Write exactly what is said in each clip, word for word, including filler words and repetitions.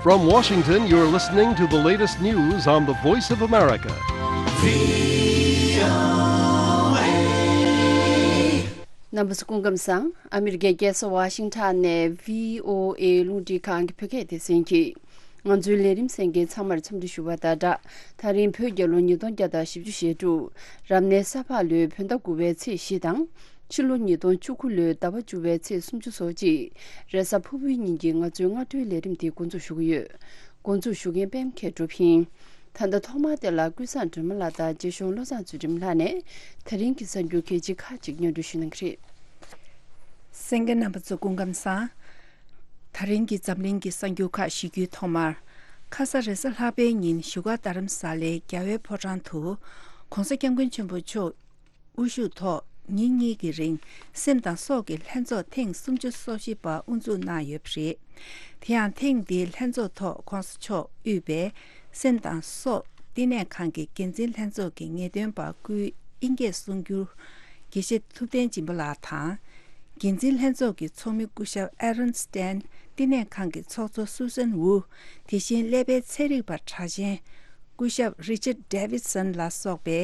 From Washington, you're listening to the latest news on the Voice of America. རྣམ་པ་ཚོ་སྐུ་ཁམས་བཟང་། ཨ་མི་རི་ཀའི་རྒྱལ་ས་ཝ་ཤིང་ཊོན་ནས་བྷི་ཨོ་ཨེ་རླུང་འཕྲིན་ཁང་གི་བོད་སྐད་སྡེ་ཚན་གྱིས་ང་ཚོའི་ལས་རིམ་གསན་མཁན་ཚང་མར་འཚམས་འདྲི་ཞུ་བ་དང་སྦྲགས། ད་རིང་བོད་རྒྱལ་ལོ་ཉིས་སྟོང་བརྒྱ་དང་བཞི་བཅུ་ཞེ་དྲུག་རབ་གནས་ས་ཕག་ལོའི་བོད་ཟླ་དགུ་པའི་ཚེས་བཞི་དང་། ཕྱི་ལོ་ཉིས་སྟོང་བཅུ་དགུ་ལོའི་ཟླ་བ་བཅུ་པའི་ཚེས་སུམ་ཅུ་སོ་གཅིག་རེས་གཟའ་ཕུར་བུའི་ཉིན་གྱི་ང་ཚོའི་སྔ་དྲོའི་ལས་རིམ་དེ་འགོ་འཛུགས་ཞུ་གི་ཡོད། འགོ་འཛུགས་ཞུ་མཁན་པད་མ་མཁས་གྲུབ་ཡིན། ད་ལྟ་ཐོག་མར་དེ་ལ་ཀུན་བཟང་སྒྲོལ་མ་ལགས་དང་རྗེ་གཞུང་བློ་བཟང་ཚུལ་ཁྲིམས་ལགས་ནས་ད་རིང་གི་གསར་འགྱུར་གལ་ཆེ་ཁག་ཅིག་སྙན་སྒྲོན་ཞུ་གནང་གི་རེད། གསན་མཁན་རྣམ་པ་ཚོ་སྐུ་ཁམས་བཟང་། ད་རིང་གི་འཛམ་གླིང་གི་གསར་འགྱུར་ཁག་ཞུ་རྒྱུའི་ཐོག་མར། ཁ་ས་རེས་གཟའ་ལྷག་པའི་ཉིན་བཞུགས་སྒར་རྡ་རམ་ས་ལའི་རྒྱལ་བའི་ཕོ་བྲང་དུ། ྋགོང་ས་ྋསྐྱབས་མགོན་ཆེན་པོ་མཆོག་དབུ་བཞུགས་ཐོག་ཉིན་གཉིས་ཀྱི་རིང་སེམས་དང་སྲོག་གི་ལྷན་ཚོགས་ཐེངས་སུམ་ཅུ་སོ་བཞི་པ་དབུ་འཛུགས་གནང་ཡོད་པ་རེད། དེ་ཡང་ཐེངས་འདིའི་ལྷན་ཚོགས་ཐོག་ྋགོང་ས་མཆོག་དབུས་པའི་སེམས་དང་སྲོག་བསྟི་གནས་ཁང་གི་འགན་འཛིན་ལྷན་ཚོགས་ཀྱི་ངེས་སྟོན་པ་སྐུའི་དབྱིན་སྐད་གསུང་སྒྱུར་དགེ་བཤེས་ཐུབ་བསྟན་སྦྱིན་པ་ལགས་དང་། འགན་འཛིན་ལྷན་ཚོགས་ཀྱི་ཚོགས་མི་སྐུ་ཞབས་Aaron Stan། བསྟི་གནས་ཁང་གི་ཚོགས་གཙོ་Susan Wu། དེ་བཞིན་ཀླད་པའི་ཚན་རིག་པ་གྲགས་ཅན་སྐུ་ཞབས་Richard Davidson ལ་སོགས་པའི་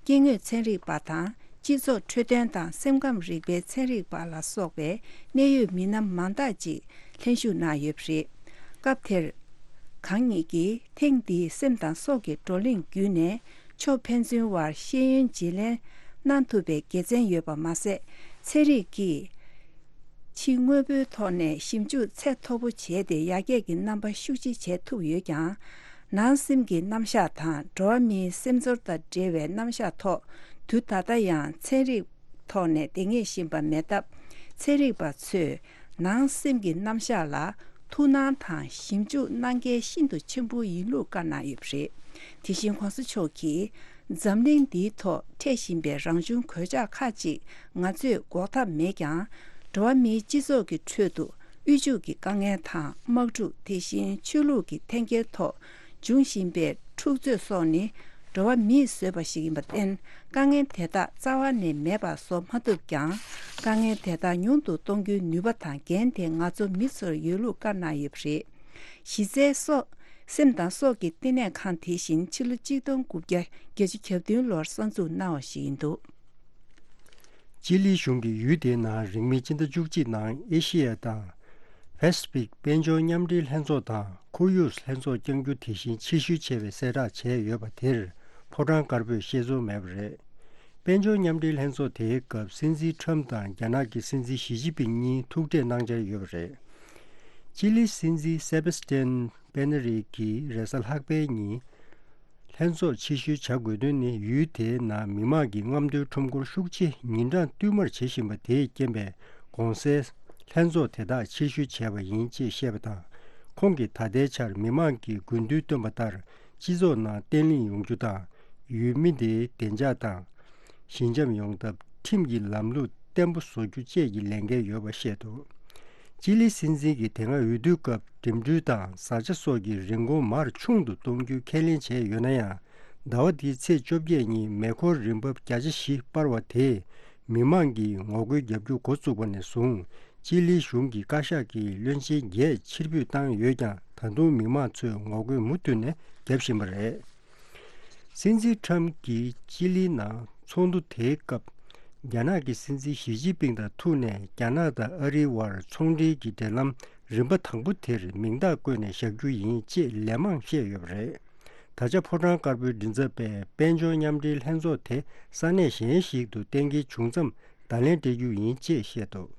སྐྱེ་དངོས་ཚན་རིག་པ་དང་། སྤྱི་ཚོགས་འཕྲོད་བསྟེན་དང་སེམས་ཁམས་རིག་པའི་ཚན་རིག་པ་ལ་སོགས་པའི་གནད་ཡོད་མི་སྣ་མང་དག་ཅིག་ལྷན་ཞུགས་གནང་ཡོད་པ་རེད། སྐབས་དེར། གང་ཉིད་ཀྱིས་ཐེངས་འདིའི་སེམས་དང་སྲོག་གི་བགྲོ་གླེང་བརྒྱུད་ནས་ཕྱོགས་ཕན་ཚུན་དབར་ཤེས་ཡོན་བརྗེ་ལེན་གནང་ཐུབ་པའི་དགེ་མཚན་ཡོད་པ་མ་ཟད། ཚན་རིག་གིས་ཕྱི་དངོས་པོའི་ཐོག་ནས་ཞིབ་འཇུག་ཚད་མཐོ་པོ་བྱས་ཏེ་ཡར་རྒྱས་ཀྱི་རྣམ་པ་ཤུགས་ཆེ་བྱེད་ཐུབ་ཡོད་ཀྱང་། ནང་སེམས་ཀྱི་རྣམ་གཞག་དང་འགྲོ་བ་མིའི་སེམས་ཚོར་དང་འབྲེལ་བའི་རྣམ་གཞག་ཐོག་དུས་ད་ལྟ་ཡང་ཚན་རིག་ཐོག་ནས་བདེ་ངེས་བཞིན་པ་མེད་སྟབས། ཚན་རིག་པ་ཚོས་ནང་སེམས་ཀྱི་རྣམ་གཞག་ལ་ཐུགས་སྣང་དང་ཞིབ་འཇུག་གནང་གལ་ཤིན་ཏུ་ཆེན་པོ་ཡིན་ལུགས་བཀའ་གནང་ཡོད་པ་རེད། དེ་བཞིན་ྋགོང་ས་མཆོག་གིས། འཛམ་གླིང་འདིའི་ཐོག་འཕྲད་བཞིན་པའི་རང་བྱུང་གོད་ཆག་ཁག་ཅིག་ང་ཚོས་འགོག་ཐབས་མེད་ཀྱང་། འགྲོ་བ་མིའི་སྤྱི་ཚོགས་ཀྱི་ཁྲོད་དུ་དབུལ་ཕྱུག་གི་དཀའ་ངལ་དང་དམག་འཁྲུག་དེ་བཞིན་ཆོས་ལུགས་ཀྱི་འཐེན་འཁྱེར་ཐོག་འབྱུང་བཞིན་པའི་འཁྲུག་རྩོད་སོགས་ནི་འགྲོ་བ་མིས་བཟོས་པ་ཞིག་ཡིན་པར་བརྟེན། དཀའ་ངལ་དེ་དག་རྩ་བ་ནས་མེད་པ་བཟོ་མ་ཐུབ་ཀྱང་། དཀའ་ངལ་དེ་དག་ཉུང་དུ་གཏོང་རྒྱུའི་ནུས་པ་དང་འགན་དེ་ང་ཚོ་མི་ཚོར་ཡོད་ལུགས་བཀའ་གནང་ཡོད་པ་རེད། གཞི་རྩའི་སྲོག་སེམས་དང་སྲོག་གི་བསྟི་གནས་ཁང་དེ་བཞིན་ཕྱི་ལོ་གཅིག་སྟོང་དགུ་བརྒྱ་བརྒྱད་ཅུ་གྱ་བདུན་ལོར་གསར་འཛུགས་གནང་བ་ཞིག་ཡིན་འདུག་ཅི་ལི་གཞུང་གིས་ཡུལ་དེའི་ནང་རིང་མིན་སྤྱི་ཟླ་བཅུ་གཅིག་ནང་ཨེ་ཤི་ཡ་དང་། པེ་སི་ཕིག་དཔལ་འབྱོར་མཉམ་འབྲེལ་ལྷན་ཚོགས་དང་ཁོར་ཡུག་ལྷན་ཚོགས་བསྐྱང་རྒྱུ་དེ་བཞིན་ཕྱིར་བཤོལ་བྱས་པའི་གསལ་བསྒྲགས་བྱས་ཡོད་པ་དེར་ཕོ་བྲང་དཀར་པོས་བཤད་ཚོར་མེད་པ་རེད། དཔལ་འབྱོར་མཉམ་འབྲེལ་ལྷན་ཚོགས་དེའི་སྐབས་སྲིད་འཛིན་ཁྲམ་དང་རྒྱ་ནག་གི་སྲིད་འཛིན་ཞི་ཅིན་ཕིང་གཉིས་ཐུག་འཕྲད་གནང་འཆར་ཡོད་པ་རེད། ཅི་ལི་སྲིད་འཛིན་སེ་བེ་སི་ཏན་པེ་ན་རི་གིས་རེས་གཟའ་ལྷག་པའི་ཉིན། ལྷན་ཚོགས་ཕྱིར་བཤོལ་བྱ་དགོས་དོན་ནི་ཡུལ་དེའི་ནང་མི་མང་གི་རྔམ་སྟོན་ཁྲོམ་སྐོར་ཤུགས་ཆེ་ཉིན་གྲངས་བསྟུད་མར་བྱེད་བཞིན་པ་དེས་རྐྱེན་པས་གོང་གསལ་ལྷན་ཚོགས་དེ་དག་ཕྱིར་བཤོལ་བྱས་པ་ཡིན་ཅེས་བཤད་པ་དང་། ཁོང་གིས་ད་ལྟའི་ཆར་མི་མང་གིས་དགོས་འདུན་བཏོན་པ་ལྟར་སྤྱི་ཚོགས་ནང་བརྟན་ལྷིང་ཡོང་རྒྱུ་དང་། ཡུལ་མི་དེའི་བདེ་འཇགས་དང་། ཞི་འཇམ་ཡོང་ཐབས་ཁྲིམས་ཀྱི་ལམ་ལུགས་བརྟན་པོ་བཟོ་རྒྱུ་བཅས་ཀྱི་ལས་འགན་ཡོད་པ་བཤད་འདུག་ཅི་ལི་སྲིད་འཛིན་གྱིས་དེ་སྔ་འོས་བསྡུའི་སྐབས་འགྲིམ་འགྲུལ་དང་བཟའ་བཅའ་སོགས་ཀྱི་རིན་གོང་མར་ཆུང་དུ་གཏོང་རྒྱུའི་ཁས་ལེན་བྱས་ཡོད་ན་ཡང་། ཟླ་བ་འདིའི་ཚེས་བཅོ་བརྒྱད་ཉིན་མེ་འཁོར་རིན་འབབ་བརྒྱ་ཆ་བཞི་སྤར་བ་དེས་མི་མང་གིས་ངོ་རྒོལ་བརྒྱབ་རྒྱུ་འགོ་བཙུགས་པ་ནས་བཟུང་ཅི་ལི་གཞུང་གིས་བཀའ་ཤག་གི་བློན་ཆེན་བརྒྱད་ཕྱིར་འབུད་བཏང་ཡོད་ཀྱང་། ད་དུང་མི་མང་ཚོས་ངོ་རྒོལ་མུ་མཐུད་ནས་བརྒྱབ་བཞིན་པ་རེད། སྲིད་འཛིན་ཁྲམ་གྱིས་ཅི་ལི་ནང་ཚོགས་འདུ་དེའི་སྐབས། རྒྱ་ནག་གི་སྲིད་འཛིན་ཞི་ཅིན་ཕིང་དང་ཐུག་ནས་རྒྱ་ནག་དང་ཨ་རིའི་དབར་ཚོང་འབྲེལ་གྱི་འབྲེལ་ལམ་རིམ་པ་དང་པོ་དེར་མིང་རྟགས་བཀོད་ནས་བཞག་རྒྱུ་ཡིན་ཅེས་ལན་མང་བཤད་ཡོད་པ་རེད། ད་ཆ་ཕོ་བྲང་དཀར་པོའི་མགྲིན་ཚབ་པས་དཔལ་འབྱོར་མཉམ་འབྲེལ་ལྷན་ཚོགས་དེ་ས་གནས་གཞན་ཞིག་ཏུ་གཏན་འཁེལ་བྱུང་མཚམས་བརྡ་ལན་སྤྲད་རྒྱུ་ཡིན་ཅེས་བཤད་འདུག་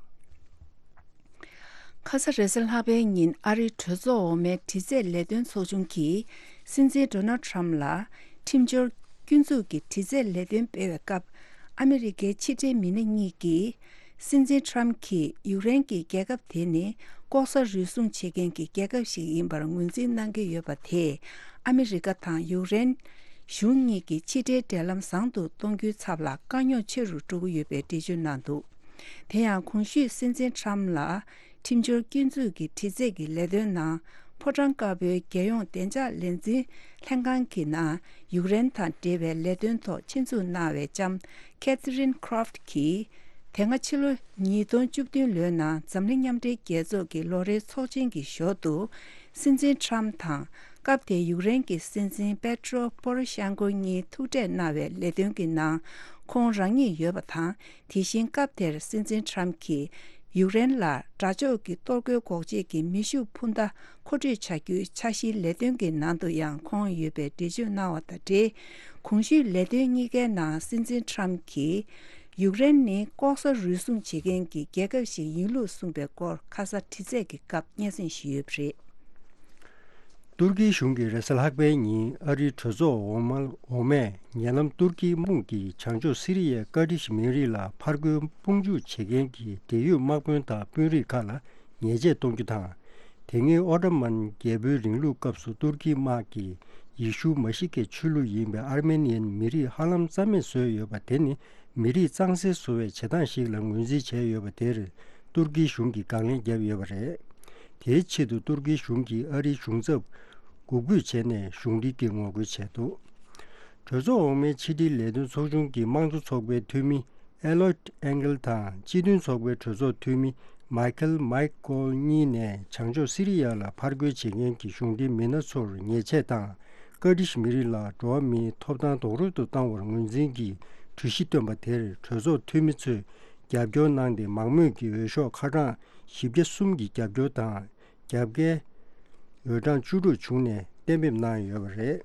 ཁ་ས་རེས་གཟའ་ལྷག་པའི་ཉིན་ཨ་རིའི་གྲོས་ཚོགས་འོག་མའི་དྲི་རྩད་ལས་དོན་ཚོགས་ཆུང་གིས་སྲིད་འཛིན་ཌོ་ནལ་ཁྲམ་ལ་ཁྲིམས་སྦྱོར་སྐྱོན་འཛུགས་ཀྱི་དྲི་རྩད་ལས་དོན་སྤེལ་བའི་སྐབས། ཨ་མི་རི་ཀའི་ཕྱི་འབྲེལ་མི་སྣ་གཉིས་ཀྱིས་སྲིད་འཛིན་ཁྲམ་གྱིས་ཡུཀ་རེན་གྱི་རྒྱལ་ཁབ་དེ་ནི་ལྐོག་ཟ་རུལ་སུངས་བྱེད་མཁན་གྱི་རྒྱལ་ཁབ་ཞིག་ཡིན་པར་ངོས་འཛིན་གནང་གི་ཡོད་པ་དེས་ཨ་མི་རི་ཀ་དང་ཡུཀ་རེན་གཞུང་གཉིས་ཀྱི་ཕྱི་འབྲེལ་འབྲེལ་ལམ་བཟང་དུ་གཏོང་རྒྱུའི་ཚབ་ལ་དཀའ་རྙོག་ཆེ་རུ་འགྲོ་གི་ཡོད་པའི་འགྲེལ་བརྗོད་གནང་འདུག་དེ་ཡང་གོང་ཞུས་སྲིད་འཛིན་ཁྲམ་ལ་ཁྲིམས་སྦྱོར་སྐྱོན་འཛུགས་ཀྱི་དྲི་རྩད་ཀྱི་ལས་དོན་ནང་ཕོ་བྲང་དཀར་པོའི་རྒྱལ་ཡོངས་བདེ་འཇགས་ལས་འཛིན་ལྷན་ཁང་གི་ནང་ཡུཀ་རེན་དང་འབྲེལ་བའི་ལས་དོན་ཐོག་ཆེད་འཛུགས་གནང་བའི་ལྕམ་Catherine Croft་གྱིས། དེ་སྔ་ཕྱི་ལོ་ཉིས་སྟོང་བཅུ་བདུན་ལོའི་ནང་འཛམ་གླིང་མཉམ་འབྲེལ་རྒྱལ་ཚོགས་ཀྱི་ལོ་རེའི་ཚོགས་ཆེན་གྱི་ཞོར་དུ། སྲིད་འཛིན་ཁྲམ་དང་སྐབས་དེའི་ཡུཀ་རེན་གྱི་སྲིད་འཛིན་པེ་ཏྲོ་པོ་རོ་ཤན་ཀོ་གཉིས་ཐུག་འཕྲད་གནང་བའི་ལས་དོན་གྱི་ནང་ཁོང་རང་ཉིད་ཡོད་པ་དང་། དེ་བཞིན་སྐབས་དེར་སྲིད་འཛིན་ཁྲམ་གྱིས་ཡུཀ་རེན་ལ་དགྲ་ཕྱོགས་ཀྱི་གཏོར་རྒོལ་འགོག་བྱེད་ཀྱི་མེ་ཤུགས་འཕུར་མདའ་མཁོ་སྤྲོད་བྱ་རྒྱུའི་འཆར་གཞིའི་ལས་དོན་གྱི་ནང་དུ་ཡང་ཁོང་ཡོད་པའི་འགྲེལ་བརྗོད་གནང་བ་དང་འབྲེལ། གོང་ཞུས་ལས་དོན་གཉིས་ཀའི་ནང་སྲིད་འཛིན་ཁྲམ་གྱིས་ཡུཀ་རེན་ནི་ལྐོག་ཟ་རུལ་སུངས་བྱེད་མཁན་གྱི་རྒྱལ་ཁབ་ཞིག་ཡིན་ལུགས་གསུངས་པའི་སྐོར་ཁ་ས་དྲི་རྩད་ཀྱི་སྐབས་སྙན་སེང་ཞུས་ཡོད་པ་རེད། ཏུར་ཀིའི་གཞུང་གིས་རེས་གཟའ་ལྷག་པའི་ཉིན་ཨ་རིའི་གྲོས་ཚོགས་འོག་མ་འོག་མས་ཉེ་ལམ་ཏུར་ཀིའི་དམག་དཔུང་གིས་བྱང་ཕྱོགས་སི་རི་ཡའི་ཀར་ཏིཤ་མི་རིགས་ལ་ཕར་རྒོལ་དཔུང་འཇུག་བྱེད་མཁན་གྱི་འབྲེལ་ཡོད་དམག་དཔོན་དང་དཔོན་རིགས་ཁག་ལ་ཉེས་ཆད་གཏོང་རྒྱུ་དང་། དེ་སྔའི་ཨོ་ཏོ་མན་རྒྱལ་པོའི་རིང་ལུགས་སྐབས་སུ་ཏུར་ཀིའི་དམག་གིས་ཡེ་ཤུ་མ་ཤི་ཀའི་ཆོས་ལུགས་ཡིན་པའི་ཨར་མེ་ནི་ཡན་མི་རིགས་ཧ་ལམ་རྩ་མེད་བཟོས་ཡོད་པ་དེ་ནི། མི་རིགས་གཙང་སེལ་བཟོ་བའི་བྱེད་སྟངས་ཤིག་ལ་ངོས་འཛིན་བྱས་ཡོད་པ་དེར་ཏུར་ཀིའི་གཞུང་གིས་དགག་ལན་བརྒྱབ་ཡོད་པ་རེད། དེའི་ཆེད་དུ་ཏུར་ཀིའི་གཞུང་གིས་ཨ་རིའི་གཞུང་ཚབ་འགུག་འབོད་བྱས་ནས་གཞུང་འབྲེལ་གྱི་ངོ་རྒོལ་བྱས་འདུག་གྲོས་ཚོགས་འོག་མའི་ཕྱི་འབྲེལ་ལས་དོན་ཚོགས་ཆུང་གི་དམངས་གཙོ་ཚོགས་པའི་འཐུས་མི་ཨེ་ལོད་ཨེང་གེལ་དང་སྤྱི་མཐུན་ཚོགས་པའི་གྲོས་ཚོགས་འཐུས་མི་མའི་ཁེལ་མའི་ཀོལ་གཉིས་ནས་བྱང་ཕྱོགས་སི་རི་ཡ་ལ་ཕར་རྒོལ་བྱེད་མཁན་གྱི་གཞུང་འབྲེལ་མི་སྣ་ཚོར་ཉེས་ཆད་དང་། ཀར་ཏིཤ་མི་རིགས་ལ་འགྲོ་བ་མིའི་ཐོབ་ཐང་རྡོག་རོལ་དུ་བཏང་བར་ངོས་འཛིན་གྱིས་གྲོས་གཞི་བཏོན་པ་དེར་གྲོས་ཚོགས་འཐུས་མི་ཚོས་རྒྱབ་སྐྱོར་གནང་སྟེ། མང་མོས་ཀྱིས་འོས་ཤོག་ཁ་གྲངས་བཞི་བརྒྱ་གསུམ་གྱི་རྒྱབ་སྐྱོར་དང་། རྒྱབ་འགལ་འོས་གྲངས་བཅུ་དྲུག་བྱུང་ནས་གཏན་འབེབས་གནང་ཡོད་པ་རེད།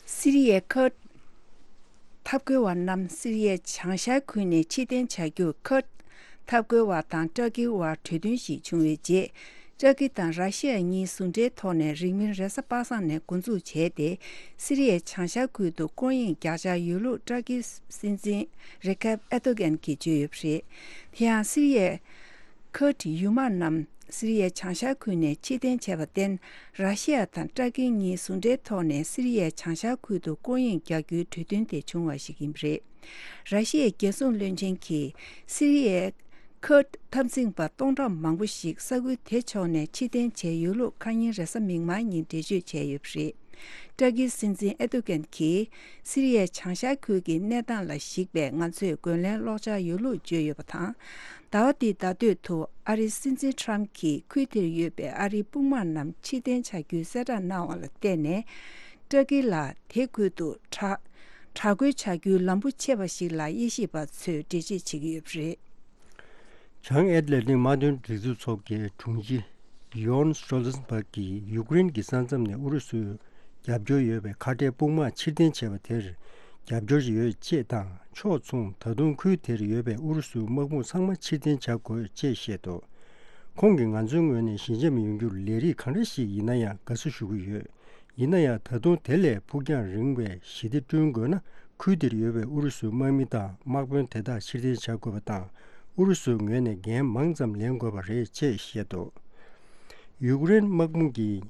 སི་རི་ཡའི་ཁུར་ཌི་འཐབ་རྒོལ་བ་རྣམས་སི་རི་ཡའི་བྱང་ཤར་ཁུལ་ནས་ཕྱིར་འཐེན་བྱ་རྒྱུར་ཁུར་ཌི་འཐབ་རྒོལ་བ་དང་ཏུར་ཀིའི་དབར་གྲོས་མཐུན་ཞིག་བྱུང་བའི་རྗེས། ཏུར་ཀི་དང་ར་ཤི་ཡ་གཉིས་ཟུང་འབྲེལ་ཐོག་ནས་རིང་མིན་རེས་གཟའ་པ་སངས་ནས་འགོ་འཛུགས་བྱས་ཏེ། སི་རི་ཡའི་བྱང་ཤར་ཁུལ་དུ་སྐོར་གཡེང་རྒྱག་འཆར་ཡོད་ལུགས་ཏུར་ཀིའི་སྲིད་འཛིན་རེ་ཁེབ་ཨེར་ཏོ་གྷན་གྱིས་བརྗོད་ཡོད་པ་རེད། དེ་ཡང་སི་རི་ཡའི་ཁུར་ཌི་ཡུལ་དམག་རྣམས་སི་རི་ཡའི་བྱང་ཤར་ཁུལ་ནས་ཕྱིར་འཐེན་བྱས་པར་བརྟེན། ར་ཤི་ཡ་དང་ཏུར་ཀི་གཉིས་ཟུང་འབྲེལ་ཐོག་ནས་སི་རི་ཡའི་བྱང་ཤར་ཁུལ་དུ་སྐོར་གཡེང་རྒྱག་རྒྱུའི་གྲོས་མཐུན་དེ་བྱུང་བ་ཞིག་ཡིན་པ་རེད། ར་ཤི་ཡའི་རྒྱལ་སྲུང་བློན་ཆེན་གྱིས་སི་རི་ཡའི་ཁུར་ཌི་འཐབ་འཛིང་པ་སྟོང་ཕྲག་མང་པོ་ཞིག་ས་ཁུལ་དེ་ཕྱོགས་ནས་ཕྱིར་འཐེན་བྱས་ཡོད་ལུགས་ཁ་ཉིན་རེས་གཟའ་མིག་དམར་ཉིན་འགྲེལ་བརྗོད་བྱས་ཡོད་པ་རེད། ཏུར་ཀིའི་སྲིད་འཛིན་ཨེར་ཏོ་གྷན་གྱིས་སི་རི་ཡའི་བྱང་ཤར་ཁུལ་གྱི་གནས་སྟངས་ལ་གཞིགས་པའི་ང་ཚོས་རྒོལ་ལན་སློག་འཆར་ཡོད་ལུགས་བརྗོད་ཡོད་པ་དང་། ཟླ་བ་འདིའི་ཟླ་སྟོད་དུ་ཨ་རིའི་སྲིད་འཛིན་ཁྲམ་གྱིས་ཁུལ་དེར་ཡོད་པའི་ཨ་རིའི་དཔུང་དམག་རྣམས་ཕྱིར་འཐེན་བྱ་རྒྱུའི་གསལ་བསྒྲགས་གནང་བ་ལ་བརྟེན་ནས། ཏུར་ཀི་ལ་དེ་ཁུལ་དུ་དྲག་དྲག་རྒོལ་བྱ་རྒྱུའི་ལམ་བུ་ཕྱེ་བ་ཞིག་ལ་དབྱེ་ཞིབ་པ་ཚོས་འགྲེལ་བརྗོད་བྱེད་ཀྱི་ཡོད་པ་རེད། བྱང་ཨེཊ་ལན་ཊིག་དམག་དོན་སྒྲིག་འཛུགས་ཚོགས་ཀྱི་དྲུང་ཆེ་ཡོན་སྟོལ་ཊེན་སྦག་གིས་ཡུཀ་རེན་གྱི་ས་མཚམས་ནས་ཨུ་རུ་སུའི་རྒྱབ་སྐྱོར་ཡོད་པའི་ཁ་བྲལ་དཔུང་དམག་ཕྱིར་འཐེན་བྱས་པ་དེར་རྒྱབ་སྐྱོར་ཡོད་ཅེས་དང་། ཕྱོགས་མཚུངས་ད་དུང་ཁུལ་དེར་ཡོད་པའི་ཨུ་རུ་སུའི་དམག་དཔུང་ཚང་མ་ཕྱིར་འཐེན་བྱ་དགོས་ཅེས་བཤད་འདུག་ཁོང་གིས་ང་ཚོའི་ངོས་ནས་ཞི་འཇམ་ཡོང་རྒྱུར་ལས་རིགས་གང་འདྲ་ཞིག་ཡིན་ན་ཡང་དགའ་བསུ་ཞུ་གི་ཡོད། ཡིན་ན་ཡང་ད་དུང་དེ་ལས་ཕུགས་རྒྱང་རིང་བའི་ཞི་བདེ་བསྐྲུན་དགོས་ན། ཁུལ་དེར་ཡོད་པའི་ཨུ་རུ་སུའི་དམག་མི་དང་དམག་དཔོན་དེ་དག་ཕྱིར་འཐེན་བྱ་དགོས་པ་དང་། ཨུ་རུ་སུའི་ངོས་ནས་འགན་མང་ཙམ་ལེན་དགོས་པ་རེད་ཅེས་བཤད་འདུག་ཡུཀ་རེན་དམག་དཔུང་གིས་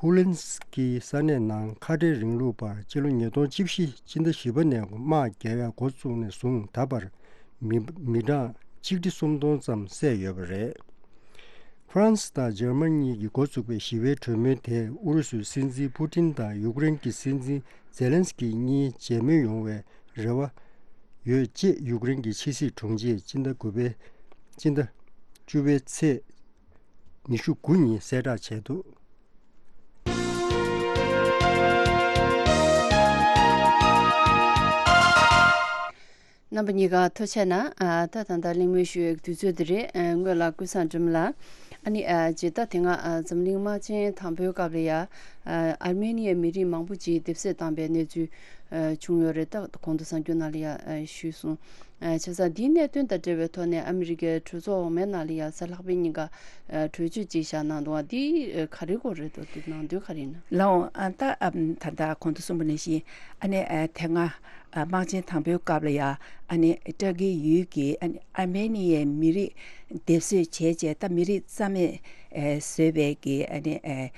ཧུ་ལན་སི་ཀི་ས་གནས་ནང་ཁ་བྲལ་རིང་ལུགས་པར་སྤྱི་ལོ་ཉིས་སྟོང་བཅུ་བཞི་སྤྱི་ཟླ་བཞི་པ་ནས་དམག་རྒྱག་ཡག་འགོ་བཙུགས་ནས་བཟུང་ད་བར་མི་མི་གྲངས་ཆིག་ཁྲི་སུམ་སྟོང་ཙམ་བསད་ཡོད་པ་རེད། ཧྥ་རན་སི་དང་འཇར་མན་གཉིས་ཀྱིས་འགོ་བཙུགས་པའི་ཞི་བའི་གྲོས་མོལ་དེ་ཨུ་རུ་སུའི་སྲིད་འཛིན་པུ་ཏིན་དང་ཡུཀ་རེན་གྱི་སྲིད་འཛིན་ཛེ་ལན་སི་ཀི་གཉིས་མཇལ་མོལ་ཡོང་བའི་རེ་བ་ཡོད་ཅེས་ཡུཀ་རེན་གྱི་ཕྱི་སྲིད་དྲུང་ཆེས་སྤྱི་ཟླ་དགུ་པའི་སྤྱི་ཟླ་བཅུ་པའི་ཚེས་ཉི་ཤུ་དགུ་ཉིན་གསལ་བསྒྲགས་བྱས་འདུག་རྣམ་པ་གཉིས་ཀ་ཐུགས་རྗེ་གནང་། ཨ། ད་ད་ལྟ་གླེང་མོལ་ཞུ་ཡའི་དུས་ཚོད་འདི་རེད། ཨ། སྔོན་ལ་ཀུན་བཟང་སྒྲོལ་མ་ལགས། ཨ་ནི། ཨ། རྗེས་ད་དེ་སྔ། ཨ། འཛམ་གླིང་དམག་ཆེན་དང་པོའི་སྐབས་ལ་ཡ། ཨ། ཨར་མེ་ནི་ཡའི་མི་རིགས་མང་པོ་ཅིག་སྡེབ་གསོད་བཏང་པའི་གནས་ཚུལ། ཨ། བྱུང་ཡོད་རེད། ད་གོང་དུ་གསར་འགྱུར་ནང་ལ་ཡ། ཨ། ཞུས་སོང་། ཨ། བྱས་ཙང་འདིའི་གནད་དོན་དང་འབྲེལ་བའི་ཐོག་ནས་ཨ་མི་རི་ཀའི་གྲོས་ཚོགས་འོག་མའི་ནང་ལ་ཡ་གཟའ་ལྷག་པའི་ཉིན་ཀ། ཨ། གྲོས་ཆོད་ཅིག་བཞག་གནང་འདུག་བ། འདི། ཨ། ག་རེ་སྐོར་རེད་འདུག་འདི་ནང་དོན་ག་རེ་ཡིན་ན། ལགས་འོང་། ཨ། ད། ཨ། ད་ལྟ་གོང་དུ་གསུངས་པ་ནང་བཞིན། ཨ་ནི། ཨ། དེ་སྔ། ཨ། དམག་ཆེན་དང་པོའི་སྐབས་ལ་ཡ། ཨ་ནི་ཏུར་ཀི་ཡུལ་གྱི། ཨ་ནི་ཨར་མེ་ནི་ཡའི་མི་རིགས་སྡེབ་གསོད་བྱས་རྗེས། ད་མི་རིགས་རྩ་མེད། ཨ། བཟོས་པའི་གི། ཨ་ནི། ཨ།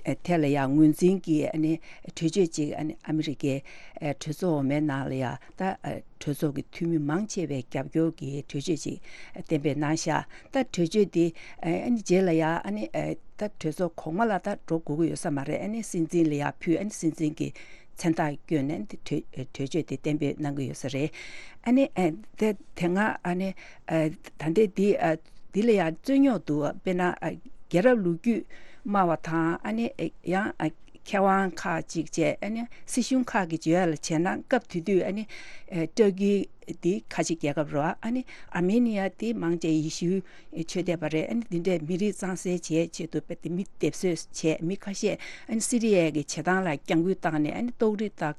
ཨ། ཐད་ལ་ཡ་ངོས་འཛིན་གྱི། ཨ་ནི་གྲོས་ཆོད་ཅིག། ཨ་ནི་ཨ་མི་རི་ཀའི། ཨ། གྲོས་ཚོགས་འོག་མའི་ནང་ལ་ཡ། ད། ཨ། གྲོས་ཚོགས་ཀྱི་འཐུས་མི་མང་ཆེ་བའི་རྒྱབ་སྐྱོར་གྱི་གྲོས་ཆོད་ཅིག་གཏན་འབེབས་གནང་ཤག་ད་གྲོས་ཆོད་འདི། ཨ་ནི་རྗེས་ལ་ཡ། ཨ་ནི། ཨ། ད་གྲོས་ཚོགས་གོང་མ་ལ་ད་འགྲོ་དགོས་ཀྱི་ཡོད་ས་མ་རེད། ཨ་ནི་སྲིད་འཛིན་ལ་ཡ་ཕུལ། ཨ་ནི་སྲིད་འཛིན་གྱི་མཚན་རྟགས་བསྐྱོན་ནས་འདི་གྲོས་གྲོས་ཆོད་དེ་གཏན་འབེབས་གནང་གི་ཡོད་ས་རེད། ཨ་ནི། ཨ། དེ་དེ་སྔ། ཨ་ནི། ཨ། ད་ལྟའི་འདི། ཨ། འདི་ལ་ཡང་རྩོད་རྙོག་འདུག་དཔེར་ན་ཨ་རྒྱལ་རབས་ལོ་རྒྱུས་སྨྲ་བ་དང་ཨ་ནི་ཨ་ཡང་ཨ་མཁས་དབང་ཁག་ཅིག་བཅས་ཨ་ནི་སྲིད་གཞུང་ཁག་གི་བརྗོད་ཡ་ལ་བྱས་ན་སྐབས་དེ་དུས་ཨ་ནི་ཨ་ཏུར་ཀི་འདི་ཁ་ཆེ་རྒྱལ་ཁབ་རེད་བ། ཨ་ནི་ཨར་མེ་ནི་ཡ་འདི་མང་ཆེ་ཡེ་ཤུའི་ཆོས་དད་པ་རེད། ཨ་ནི་འདི་འདྲས་མི་རིགས་གཙང་སེལ་བྱེད་ཆེད་དུ་དཔེ་དེ་མི་སྡེབ་གསོད་བྱས། མི་ཁ་ཤས་ཨ་ནི་སི་རི་ཡའི་གི་བྱེ་ཐང་ལ་རྒྱང་འགུལ་བཏང་ནས་ཨ་ནི་ཏོག་རི་དང་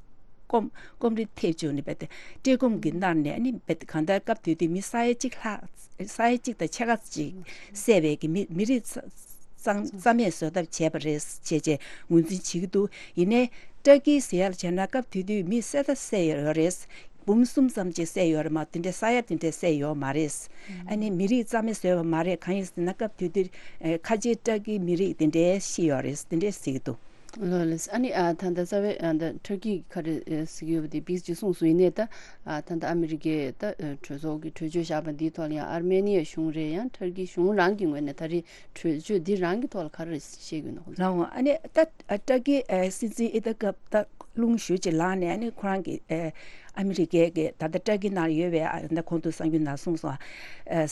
སྐོམ་སྐོམ་རི་ཐེབས་བཅུག་ནས་དཔེ་དེ་བཀྲེས་སྐོམ་གྱིས་མནར་ནས་ཨ་ནི་དཔེ་དེ་གང་ལྟར་སྐབས་དེ་དུས་མི་ས་ཡ་གཅིག་ལྷག་ས་ཡ་གཅིག་དང་ཕྱེད་ཀ་ཅིག་བསད་པའི་གི་མི་མི་རིགས་རྩ་རྩ་རྩ་མེད་བཟོ་ཐབས་བྱས་པ་རེད་ཅེས་བྱས་ངོས་འཛིན་བྱེད་ཀྱི་འདུག་ཡིན་ནའི་ཏུར་ཀི་ཟེར་ཡ་ལ་བྱས་ན་སྐབས་དེ་དུས་མི་བསད་ཐབས་བསད་ཡོད་རེད། འབུམ་གསུམ་ཙམ་ཅིག་བསད་ཡོད་རེད་མ། དེ་འདྲའི་ས་ཡ་དེ་འདྲའི་བསད་ཡོད་མ་རེད། ཨ་ནི་མི་རིགས་རྩ་མེད་བཟོས་པ་མ་རེད། གང་ཡིན་ཟེར་ན་སྐབས་དེ་དུས་ཨ་ཁ་ཆེའི་ཏུར་ཀིའི་མི་རིགས་དེ་འདྲའི་ཤི་ཡོད་རེད། དེ་འདྲའི་ཟེར་གྱི་འདུག་ལགས་ལགས། ཨ་ནི་ཨ་ད་ལྟ་རྩ་བའི་ཨ་ད་ཏུར་ཀི་ག་རེ་ཨ་ཟེར་གྱི་ཡོད་པ་དེ་བིས་ཅིག་གསུངས་སོང་། ཡིན་ནའི་ད་ཨ་ད་ལྟ་ཨ་མི་རི་ཀས་ད་ཨ་གྲོས་ཚོགས་ཀྱི་གྲོས་ཆོད་བཞག་པ་འདིའི་ཐོག་ལ་ཡང་ཨར་མེ་ནི་ཡ་གཞུང་རེད། ཡང་ཏུར་ཀི་གཞུང་རང་གི་ངོས་ནས་ད་རེས་གྲོས་ཆོད་འདི་རང་གི་ཐོག་ལ་ག་རེ་བཤད་ཀྱི་ཡོད་ན། ལགས་འོང་། ཨ་ནི་ད་ཨ་ཏུར་ཀི་ཨ་སྲིད་འཛིན་ཨི་ཏག་ཀབ་ད་རླུང་ཞེ་ཅིག་ལངས་ནས་ཨ་ནི་ཁོ་རང་གི་ཨ་ཨ་མི་རི་ཀའི་གི་ད་ལྟ་ཏུར་ཀི་ནང་ཡོད་པའི་ཨ་ད་གོང་དུ་གསར་འགྱུར་ནང་གསུངས་སོང་། ཨ་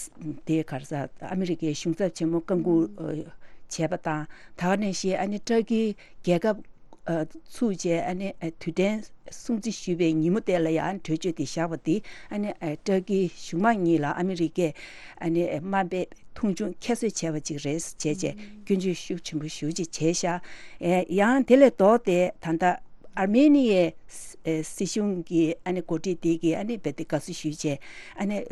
དེ་ག་རེ་ཟ་ཨ་མི་རི་ཀའི་གཞུང་ཚབ་ཆེན་མོ་བཀའ་འགུག་ཨ་བྱས་པ་དང་། ད་ག་ནང་བཞིན་ཨ་ནི་ཏུར་ཀི་རྒྱལ་ཁབ་ཨ་ཚུགས་བྱས་ཨ་ནི་ཨ་དུས་དྲན་སྲུང་བརྩི་ཞུས་པའི་ཉིན་མོ་དེ་ལ་ཡང་གྲོས་ཆོད་དེ་བཞག་པ་དེ་ཨ་ནི་ཨ་ཏུར་ཀིའི་གཞུང་མང་གཉིས་ལ་ཨ་མི་རི་ཀས་ཨ་ནི་དམའ་འབེབས་མཐོང་ཆུང་ཁྱད་གསོད་བྱས་པ་ཅིག་རེད་ཅེས་བྱས་སྐྱོན་བརྗོད་ཤུགས་ཆེན་པོ་ཞེ་ཅིག་བྱས་ཤག་ཨེ་ཡང་དེ་ལས་ལྡོག་སྟེ་ད་ལྟ་ཨར་མེ་ནི་ཡའི་སྲིད་གཞུང་གི་ཨ་ནི་འགོ་ཁྲིད་དེ་གིས་ཨ་ནི་རྦད་དེ་དགའ་བསུ་ཞུས་བྱས་ཨ་ནི།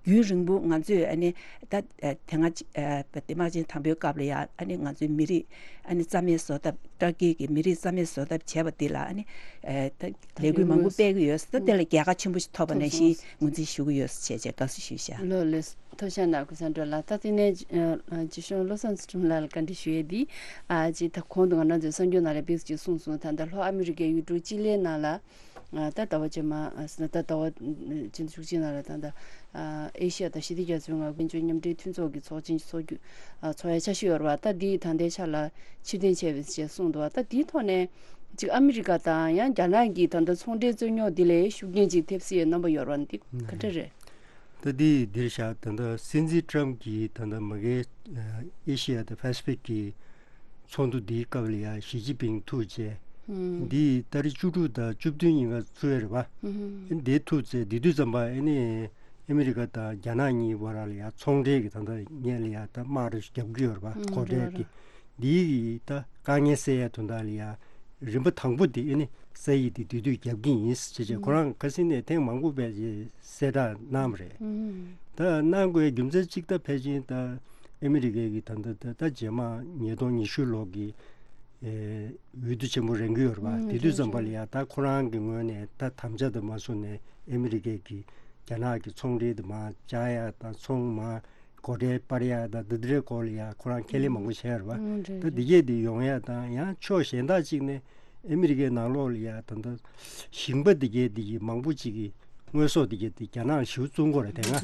རྒྱུན་རིང་པོ་ང་ཚོས་ཨ་ནི་ད་ཨ་དེ་སྔ་ཨ་དམག་ཆེན་དང་པོའི་སྐབས་ལ་ཡང་ཨ་ནི་ང་ཚོའི་མི་རིགས་ཨ་ནི་རྩ་མེད་བཟོ་ཐབས། ཏུར་ཀི་གི་མི་རིགས་རྩ་མེད་བཟོ་ཐབས་བྱས་པ་འདི་ལ་ཨ་ནི་ཨ་ད་ལས་འགུལ་མང་པོ་སྤེལ་གྱི་ཡོད། ད་དེ་ལ་རྒྱལ་ཁ་ཆེན་པོ་ཞིག་ཐོབ་པ་ནང་བཞིན་ངོས་འཛིན་ཞུ་གི་ཡོད་ཅེས་བྱས་དགའ་བསུ་ཞུས་ཤག་ལགས་ལགས། ཐུགས་རྗེ་གནང་། ཀུན་བཟང་སྒྲོལ་ལགས། ད་དེ་ནས་ཨ་ཨ་སྤྱི་གཞུང་བློ་བཟང་ཚུལ་ཁྲིམས་ལགས་ལ་བཀའ་འདྲི་ཞུ་ཡས་འདི་ཨ་ཅིག་ད་གོང་དུ་ང་རང་ཚོའི་གསར་འགྱུར་ནང་ལ་ཕེབས་ཅིག་གསུངས་སོང་། ད་ལྟ་ལྷོ་ཨ་མི་རི་ཀའི་ཡུལ་གྲུ་ཅི་ལིའི་ནང་ལ། ད་ཟླ་བ་རྗེས་མ་ཟེར་ན་ད་ཟླ་བ་ཕྱི་ཟླ་བཅུ་གཅིག་ནང་ལ་ད་ལྟ་ཨེ་ཤི་ཡ་དང་ཞི་བདེ་རྒྱ་མཚོའི་མངའ་ཁོངས་མཉམ་འབྲེལ་མཐུན་ཚོགས་ཀྱི་ཚོགས་ཆེན་ཚོགས་རྒྱུ་ཚོགས་ཡ་འཆར་གཞི་ཡོད་རེད་བ། ད་འདི་ད་ལྟའི་ཆ་ལ་ཕྱིར་འཐེན་བྱས་པའི་ཞེས་གསུངས་འདུག་བ། ད་འདིའི་ཐོག་ནས་ཅིག་ཨ་མི་རི་ཀ་དང་ཡང་རྒྱ་ནག་གི་ད་ལྟ་ཚོང་འབྲེལ་རྩོད་རྙོག་འདི་ལ་ཤུགས་རྐྱེན་ཅིག་ཐེབས་སྲིད་པའི་རྣམ་པ་ཡོད་རེད་བ། འདི་ག་འདྲ་རེད། ད་འདི་འདིར་བཞག་ད་ལྟ་སྲིད་འཛིན་ཊམ་གྱིས་ད་ལྟ་མ་གིའི་ཨེ་ཤི་ཡ་དང་པ་སི་ཕིག་གི་ཚོགས་འདུ་འདིའི་སྐབས་ལ་ཡང་ཞི་ཅིན་ཕིང་ཐུག་བྱས། འདི་ཏ་རིག་བཅུ་དྲུག་དང་བཅུ་བདུན་ཉིན་ཀ་ཚུགས་ཡ་རེད་པ། འདི་ཐུག་བྱས་འདི་དུས་ཙམ་པ་ཨ་ནི་ཨ་མི་རི་ཀ་དང་རྒྱ་ནག་གཉིས་བར་ལ་ཡང་ཚོང་འབྲེལ་གྱི་ད་ལྟ་སྔོན་ལ་ཡང་ད་དམག་རེ་རྒྱབ་ཀྱི་ཡོད་རེད་པ། གོ་འབྲེལ་གྱི་འདིའི་གི་ད་དཀའ་ངལ་སེལ་ཡ་དོན་དག་ལ་ཡང་རིམ་པ་དང་པོ་དེ་ཨ་ནི་སེལ་ཡི་དེ་དུས་དུས་རྒྱབ་ཀྱི་ཡིན་ཅེས་བྱས་ཁོ་རང་ཁ་སང་ནས་ཐེངས་མང་པོ་བས་གསལ་བསྒྲགས་གནང་བ་རེད། ད་གནང་དགོས་རྒྱུ་མཚན་གཅིག་ད་ཕལ་ཆེར་ད་ཨ་མི་རི་ཀའི་གི་ད་ད་ད་ད་རྗེས་མ་ཉིས་སྟོང་ཉི་ཤུ་ལོ་གི་ཨེ་འོས་བསྡུ་ཆེན་པོ་རན་གྱི་ཡོད་རེད་པ། དེ་དུས་ཙམ་པ་ལ་ཡང་ད་ཁོ་རང་གི་ངོས་ནས་ད་དམ་བཅའ་དང་མ་སོང་ནས་ཨ་མི་རི་ཀའི་གི་རྒྱ་ནག་གི་ཚོང་འབྲེལ་དུ་མ་བཅག་ཡ་དང་ཚོང་མ་སྒོ་ཁྲལ་སྤར་ཡ་དང་འདི་འདྲའི་སྐོར་ལ་ཡང་ཁོ་རང་ཁས་ལེན་མང་པོ་བྱས་ཡོད་རེད་པ། ད་འདི་གས་འདི་ཡོང་ཡ་དང་ཡང་ཕྱོགས་གཞན་དག་ཅིག་ནས་ཨ་མི་རི་ཀའི་ནང་ལོགས་ལ་ཡ་ད་ལྟ་ཞིང་པ་འདི་གས་འདི་གི་མང་པོ་ཅིག་གི་དངོས་ཟོག་འདི་གས་འདི་རྒྱ་ནག་ཞེ་པོ་བཙོང་གི་ཡོད་རེད། དེ་སྔ་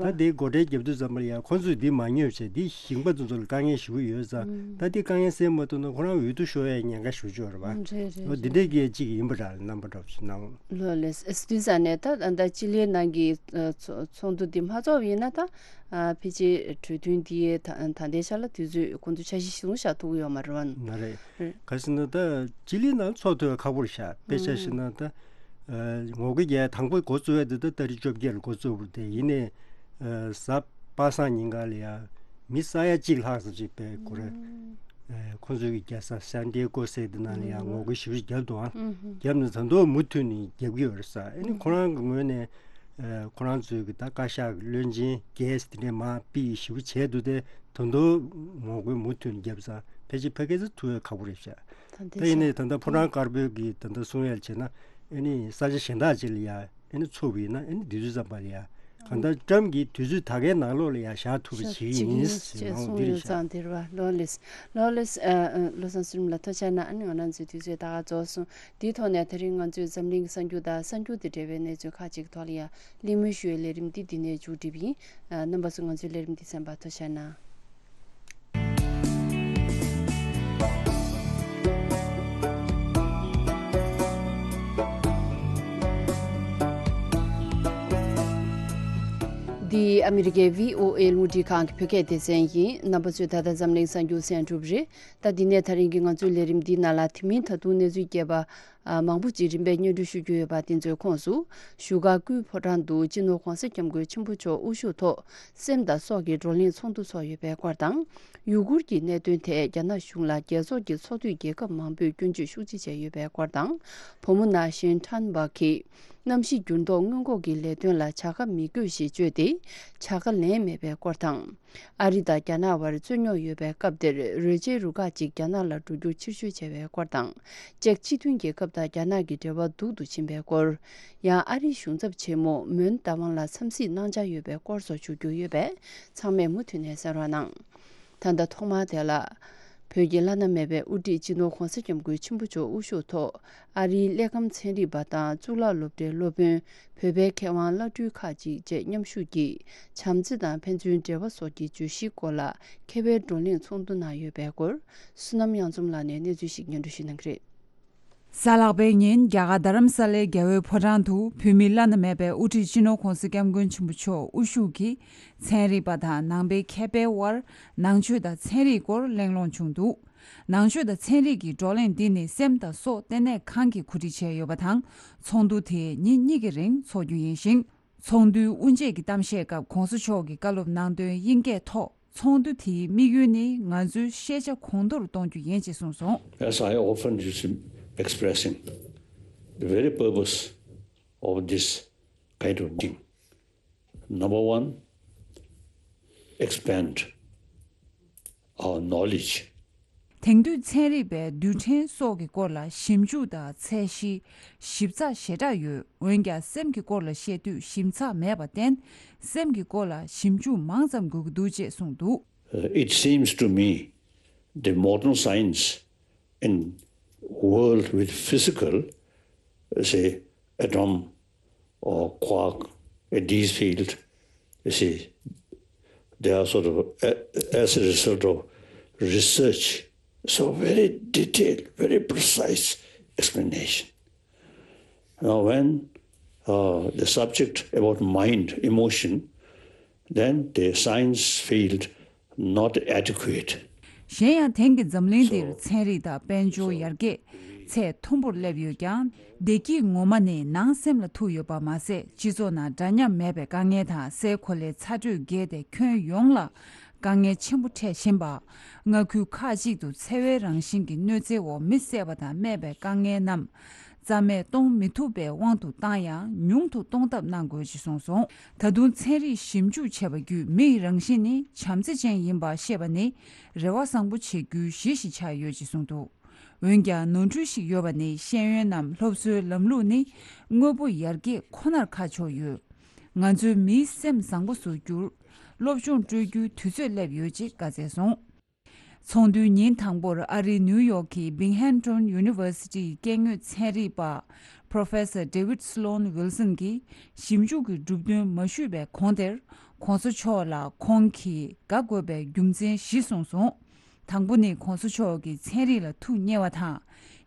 ད་འདི་སྒོ་ཁྲལ་རྒྱབ་དུས་ཙམ་པ་ལ་ཡ་ཁོ་ཚོས་འདི་མ་ཉོས་བྱས་འདི་ཞིང་པ་དེ་ཚོ་ལ་དཀའ་ངལ་ཞེ་པོ་ཡོད་ཙང་ད་འདི་དཀའ་ངལ་སེལ་མ་ཐུབ་ན་ཁོ་རང་འོས་བསྡུ་ཤོར་ཡའི་ཉེན་ཁ་ཞེ་པོ་ཅིག་ཡོད་རེད་པ། འོ་འདི་འདྲའི་གས་ཅིག་ཡིན་པ་འདྲ་ལབ་ན་འདྲ་པོ་ཞིག་གནང་། ལགས་ལགས། དུས་ཙམ་ནས་ད་ད་ཅི་ལིའི་ནང་གི་ཚོགས་འདུ་འདི་མ་ཚོགས་པ་ཡིན་ན་ད་ཕལ་ཆེར་གྲོས་མཐུན་འདི་ད་ད་ལྟའི་ཆ་ལ་དུས་ཚོད་ཁོང་ཚོས་འཆར་གཞི་བཟུང་བཞག་ཐུབ་ཀྱི་ཡོད་མ་རེད་པ། མ་རེད། ག་ཟེར་ན་ད་ཅི་ལི་ནང་ཚོགས་ཐུབ་ཡ་ཁག་པོ་རེད་ཤག་དཔེ་ཆ་བཞག་ན་ད་ངོ་རྒོལ་རྒྱག་ཡ་དང་པོ་འགོ་བཙུགས་ཡ་དེ་ད་ཏ་རིག་བཅོ་བརྒྱད་ལ་འགོ་བཙུགས་པ་རེད། དེ་ཡིན་ནའི་གཟའ་པ་སངས་ཉིན་ག་ལ་ཡ་མི་ས་ཡ་གཅིག་ལྷག་ཙམ་ཅིག་དཔེ་ཁོ་རེ་ཁོ་ཚོའི་གི་རྒྱལ་ས་སན་ཏི་ཡེ་ཀོ་ཟེར་དེ་ནང་ལ་ཡ་ངོ་རྒོལ་ཞེ་པོ་ཅིག་བརྒྱབ་འདུག་ཨང་། བརྒྱབ་ནས་ད་དུང་མུ་མཐུད་ནས་རྒྱབ་ཀྱི་ཡོད་རེད་ས། ཨ་ནི་ཁོ་རང་གི་ངོས་ནས་ཁོ་རང་ཚོའི་གི་ད་བཀའ་ཤག་གི་བློན་ཆེན་རྒྱས་དེ་འདྲས་མར་ཕུད་ཞེ་པོ་བྱས་འདུག་སྟེ། ད་དུང་ངོ་རྒོལ་མུ་མཐུད་ནས་བརྒྱབ་ཙང་ཕལ་ཆེར་ཕ་གི་ཚོ་ཐུབ་ཡ་ཁག་པོ་རེད་ཤག་ད་ཡིན་ནའི་ད་ལྟ་ཕོ་བྲང་དཀར་པོའི་གི་ད་ལྟ་གསུང་ཡ་བྱས་ན་ཨ་ནི་ས་ཆ་གཞན་དག་ཅིག་ལ་ཡ་ཨ་ནི་ཚུགས་པ་ཡིན་ན་ཨ་ནི་དུས་ཚོད་ཙམ་པ་ལ་ཡ་གང་ལྟར་ཊམ་གྱིས་དུས་ཚོད་ད་གའི་ནང་ལོགས་ལ་ཡ་བཞག་ཐུབ་པ་ཞིག་ཡིན་ཞེས་གསུངས་ཡོད་ཙང་དེ་རེད་པ། ལོ་ལེགས། ལོ་ལེགས། བློ་བཟང་ཚུལ་ཁྲིམས་ལགས་ཐུགས་རྗེ་གནང་། ཨ་ནི་ང་རང་ཚོའི་དུས་ཚོད་ད་ག་རྫོགས་སོང་། དེའི་ཐོག་ནས་དེ་རིང་ང་ཚོས་འཛམ་གླིང་གི་གསར་འགྱུར་དང་གསར་འགྱུར་དང་འབྲེལ་བའི་གནས་ཚུལ་ཁག་ཅིག་གི་ཐོག་ལ་ཡ་གླེང་མོལ་ཞུ་བའི་ལས་རིམ་འདི་འདི་ནས་མཇུག་སྒྲིལ་བ་ཡིན། རྣམ་པ་ཚོས་ང་ཚོའི་ལས་རིམ་འདི་གསན་པར་ཐུགས་རྗེ་གནང་། འདི་ཨ་མི་རི་ཀའི་བྷི་ཨོ་ཨེ་རླུང་འཕྲིན་ཁང་གི་བོད་སྐད་སྡེ་ཚན་ཡིན། རྣམ་པ་ཚོས་ད་ལྟ་འཛམ་གླིང་གསར་འགྱུར་གསན་གྲུབ་རེད། ད་འདི་ནས་ད་རིང་གི་ང་ཚོའི་ལས་རིམ་འདིའི་ནང་ལ་དེ་མིན་ད་དུང་གནས་ཚུལ་རྒྱས་པ་ཨ་མང་པོ་ཅིག་རིམ་པས་སྙན་སྒྲོན་ཞུ་རྒྱུ་ཡོད་པ། དེ་ཚོའི་ཁོངས་སུ་བཞུགས་སྒར་སྐུའི་ཕོ་བྲང་དུ་སྤྱི་ནོར་༧གོང་ས་༧སྐྱབས་མགོན་ཆེན་པོ་མཆོག་དབུ་བཞུགས་ཐོག་སེམས་དང་སྲོག་གི་བགྲོ་གླེང་ཚོགས་འདུ་ཚོགས་ཡོད་པའི་སྐོར་དང་། ཡུ་གུར་གྱི་གནད་དོན་ཐད་རྒྱ་ནག་གཞུང་ལ་རྒྱལ་ཚོགས་ཀྱི་ཚོགས་འཐུས་རྒྱལ་ཁབ་མང་པོས་སྐྱོན་བརྗོད་ཤུགས་ཆེ་བྱས་ཡོད་པའི་སྐོར་དང་། བུ་མོ་ནང་བཞིན་ཁྲན་བྷག་གིས་གནམ་གཤིས་འགྱུར་ལྡོག་སྔོན་འགོག་གི་ལས་དོན་ལ་བྱ་དགའ་མི་དགོས་ཞེས་བརྗོད་དེ་བྱ་དགའ་ལེན་མེད་པའི་སྐོར་དང་། ཨ་རི་དང་རྒྱ་ནག་དབར་རྩོད་རྙོག་ཡོད་པའི་སྐབས་དེར་རོལ་ཆའི་རུ་ཁག་ཅིག་རྒྱ་ནག་ལ་འགྲོ་རྒྱུ་ཕྱིར་བཤོལ་བྱས་པའི་སྐོར་དང་། ཅེཀ་སྤྱི་མཐུན་རྒྱལ་ཁབ་དང་རྒྱ་ནག་གི་འབྲེལ་བ་སྡུག་ཏུ་ཕྱིན་པའི་སྐོར། ཡང་ཨ་རིའི་གཞུང་ཚབ་ཆེན་མོ་མོན་རྟ་དབང་ལ་འཚམས་གཟིགས་གནང་འཆར་ཡོད་པའི་སྐོར་སོགས་ཞུ་རྒྱུ་ཡོད་པས། ཚང་མས་མུ་མཐུད་ནས་གསན་རོགས་གནང་། ད་ལྟ་ཐོག་མར་དེ་ལ། བོད་ཀྱི་བླ་ན་མེད་པའི་དབུ་ཁྲིད་སྤྱི་ནོར་༧གོང་ས་༧སྐྱབས་མགོན་ཆེན་པོ་མཆོག་དབུ་བཞུགས་ཐོག་ཨ་རིའི་གླེགས་བམ་ཚན་རིག་པ་དང་གཙུག་ལག་སློབ་གྲྭའི་སློབ་དཔོན། བོད་པའི་མཁས་དབང་བླ་སྤྲུལ་ཁག་ཅིག་བཅས་མཉམ་ཞུགས་ཀྱིས་བྱམས་བརྩེ་དང་ཕན་ཚུན་འབྲེལ་བ་སོགས་ཀྱི་བརྗོད་གཞིའི་སྐོར་ལ་མཁས་པའི་བགྲོ་གླེང་ཚོགས་འདུ་གནང་ཡོད་པའི་སྐོར། བསོད་ནམས་དབྱངས་འཛོམས་ལགས་ནས་གནས་ཚུལ་ཞིག་སྙན་སྒྲོན་ཞུ་གནང་གི་རེད། གཟའ་ལྷག་པའི་ཉིན་རྒྱ་གར་རྡ་རམ་ས་ལའི་རྒྱལ་བའི་ཕོ་བྲང་དུ་བོད་མིའི་བླ་ན་མེད་པའི་དབུ་ཁྲིད་སྤྱི་ནོར་༧གོང་ས་༧སྐྱབས་མགོན་ཆེན་པོ་མཆོག་དབུ་བཞུགས་ཀྱིས་ཚན་རིག་པ་དང་ནང་པའི་མཁས་པའི་དབར་ནང་ཆོས་དང་ཚན་རིག་སྐོར་གླེང་སློང་བྱུང་འདུག། ནང་ཆོས་དང་ཚན་རིག་གི་བགྲོ་གླེང་འདི་ནི་སེམས་དང་སྲོག་ལྟེ་གནས་ཁང་གིས་གོ་སྒྲིག་བྱས་ཡོད་པ་དང་། ཚོགས་འདུ་དེ་ཉིན་གཉིས་ཀྱི་རིང་འཚོགས་རྒྱུ་ཡིན་ཞིང་། ཚོགས་འདུའི་དབུ་འབྱེད་ཀྱི་གཏམ་བཤད་སྐབས་༧གོང་ས་མཆོག་གིས་བཀའ་སློབ་གནང་དོན་དབྱིན་སྐད་ཐོག་ཚོགས་འདུ་དེའི་དམིགས་ཡུལ་ནི་ང་ཚོའི་ཤེས་བྱ་གོང་མཐོར་གཏོང་རྒྱུ་ཡིན་ཞེས་གསུངས་སོང་། As I often used to expressing, the very purpose of this kind of thing, number one, expand our knowledge. དེང་དུས་ཚན་རིག་པས་རྡུལ་ཕྲན་སོགས་ཀྱི་སྐོར་ལ་ཞིབ་འཇུག་དང་ཚད་གཞི་ཞིབ་ཚགས་ཞེ་དྲག་ཡོད། འོན་ཀྱང་སེམས་ཀྱི་སྐོར་ལ་བཤད་དུས་ཞིབ་ཚགས་མེད་པར་བརྟེན། སེམས་ཀྱི་སྐོར་ལ་ཞིབ་འཇུག་མང་ཙམ་དགོས་ཀྱི་འདུག་ཅེས་གསུངས་འདུག། Uh, it seems to me the modern science in world with physical, say, atom or quark, uh, these field, you see, they are sort of, uh, as a result of research, so very detailed, very precise explanation. Now, when uh, the subject about mind, emotion, then the science field not adequate. གཞན་ཡང་དེང་གི་འཛམ་གླིང་འདིར་ཚན་རིག་དང་དཔལ་འབྱོར་ཡར་རྒྱས་ཚད་མཐོན་པོར་སླེབས་ཡོད་ཀྱང་། བདེ་སྐྱིད་ངོ་མ་ནི་ནང་སེམས་ལ་ཐུག་ཡོད་པ་མ་ཟད། སྤྱི་ཚོགས་ནང་འདྲ་མཉམ་མེད་པའི་དཀའ་ངལ་དང་སའི་གོ་ལའི་ཚ་དྲོད་རྒྱས་ཏེ་ཁྱོན་ཡོངས་ལ་དཀའ་ངལ་ཆེན་པོ་འཕྲད་བཞིན་པ། མངའ་ཁུལ་ཁག་ཅིག་ཏུ་འཚེ་བའི་རང་བཞིན་གྱི་གནོད་འཚེ་འོག་མི་བསད་པ་དང་རྨས་པའི་དཀའ་ངལ་རྣམས་རྩ་མེད་གཏོང་མི་ཐུབ་པའི་དབང་དུ་བཏང་ཡང་ཉུང་དུ་གཏོང་ཐབས་གནང་དགོས་ཞེས་གསུངས་སོང་། ད་དུང་ཚན་རིག་ཞིབ་འཇུག་བྱས་པ་བརྒྱུད་མིའི་རང་བཞིན་ནི་བྱམས་བརྩེ་ཅན་ཡིན་པ་ཤེས་པ་ནི་རེ་བ་བཟང་པོ་བྱེད་རྒྱུའི་གཞི་ཞིག་ཆགས་ཡོད་ཅེས་གསུངས་འདུག། འོན་ཀྱང་ནོར་འཁྲུལ་ཞིག་ཡོད་པ་ནི་ཤེས་ཡོན་ནམ་སློབ་གསོའི་ལམ་ལུགས་ནི་དངོས་པོ་ཡར་རྒྱས་ཁོ་ནར་ཁ་ཕྱོགས་ཡོད། ང་ཚོའི་མིའི་སེམས་བཟང་པོ་བཟོ་རྒྱུར་སློབ་སྦྱོང་སྤྲོད་རྒྱུའི་དུས་ཚོད་སླེབས་ཡོད་ཅེས་བཀའ་སྩལ་སོང་། ཚོགས་འདུའི་ཉིན་དང་པོར་ཨ་རིའི་ནིའུ་ཡོག་གི་Binghamton University ཡི་སྐྱེ་དངོས་ཚན་རིག་པ་Professor David Sloan Wilson གྱིས་ཞིབ་འཇུག་གི་གྲུབ་དོན་མ་ཞུས་པའི་གོང་དེར་༧གོང་ས་མཆོག་ལ་ཁོང་གིས་དགའ་དགོས་པའི་རྒྱུ་མཚན་བཞི་གསུངས་སོང་། དང་པོ་ནི་༧གོང་ས་མཆོག་གིས་ཚན་རིག་ལ་ཐུགས་མཉེས་པ་དང་།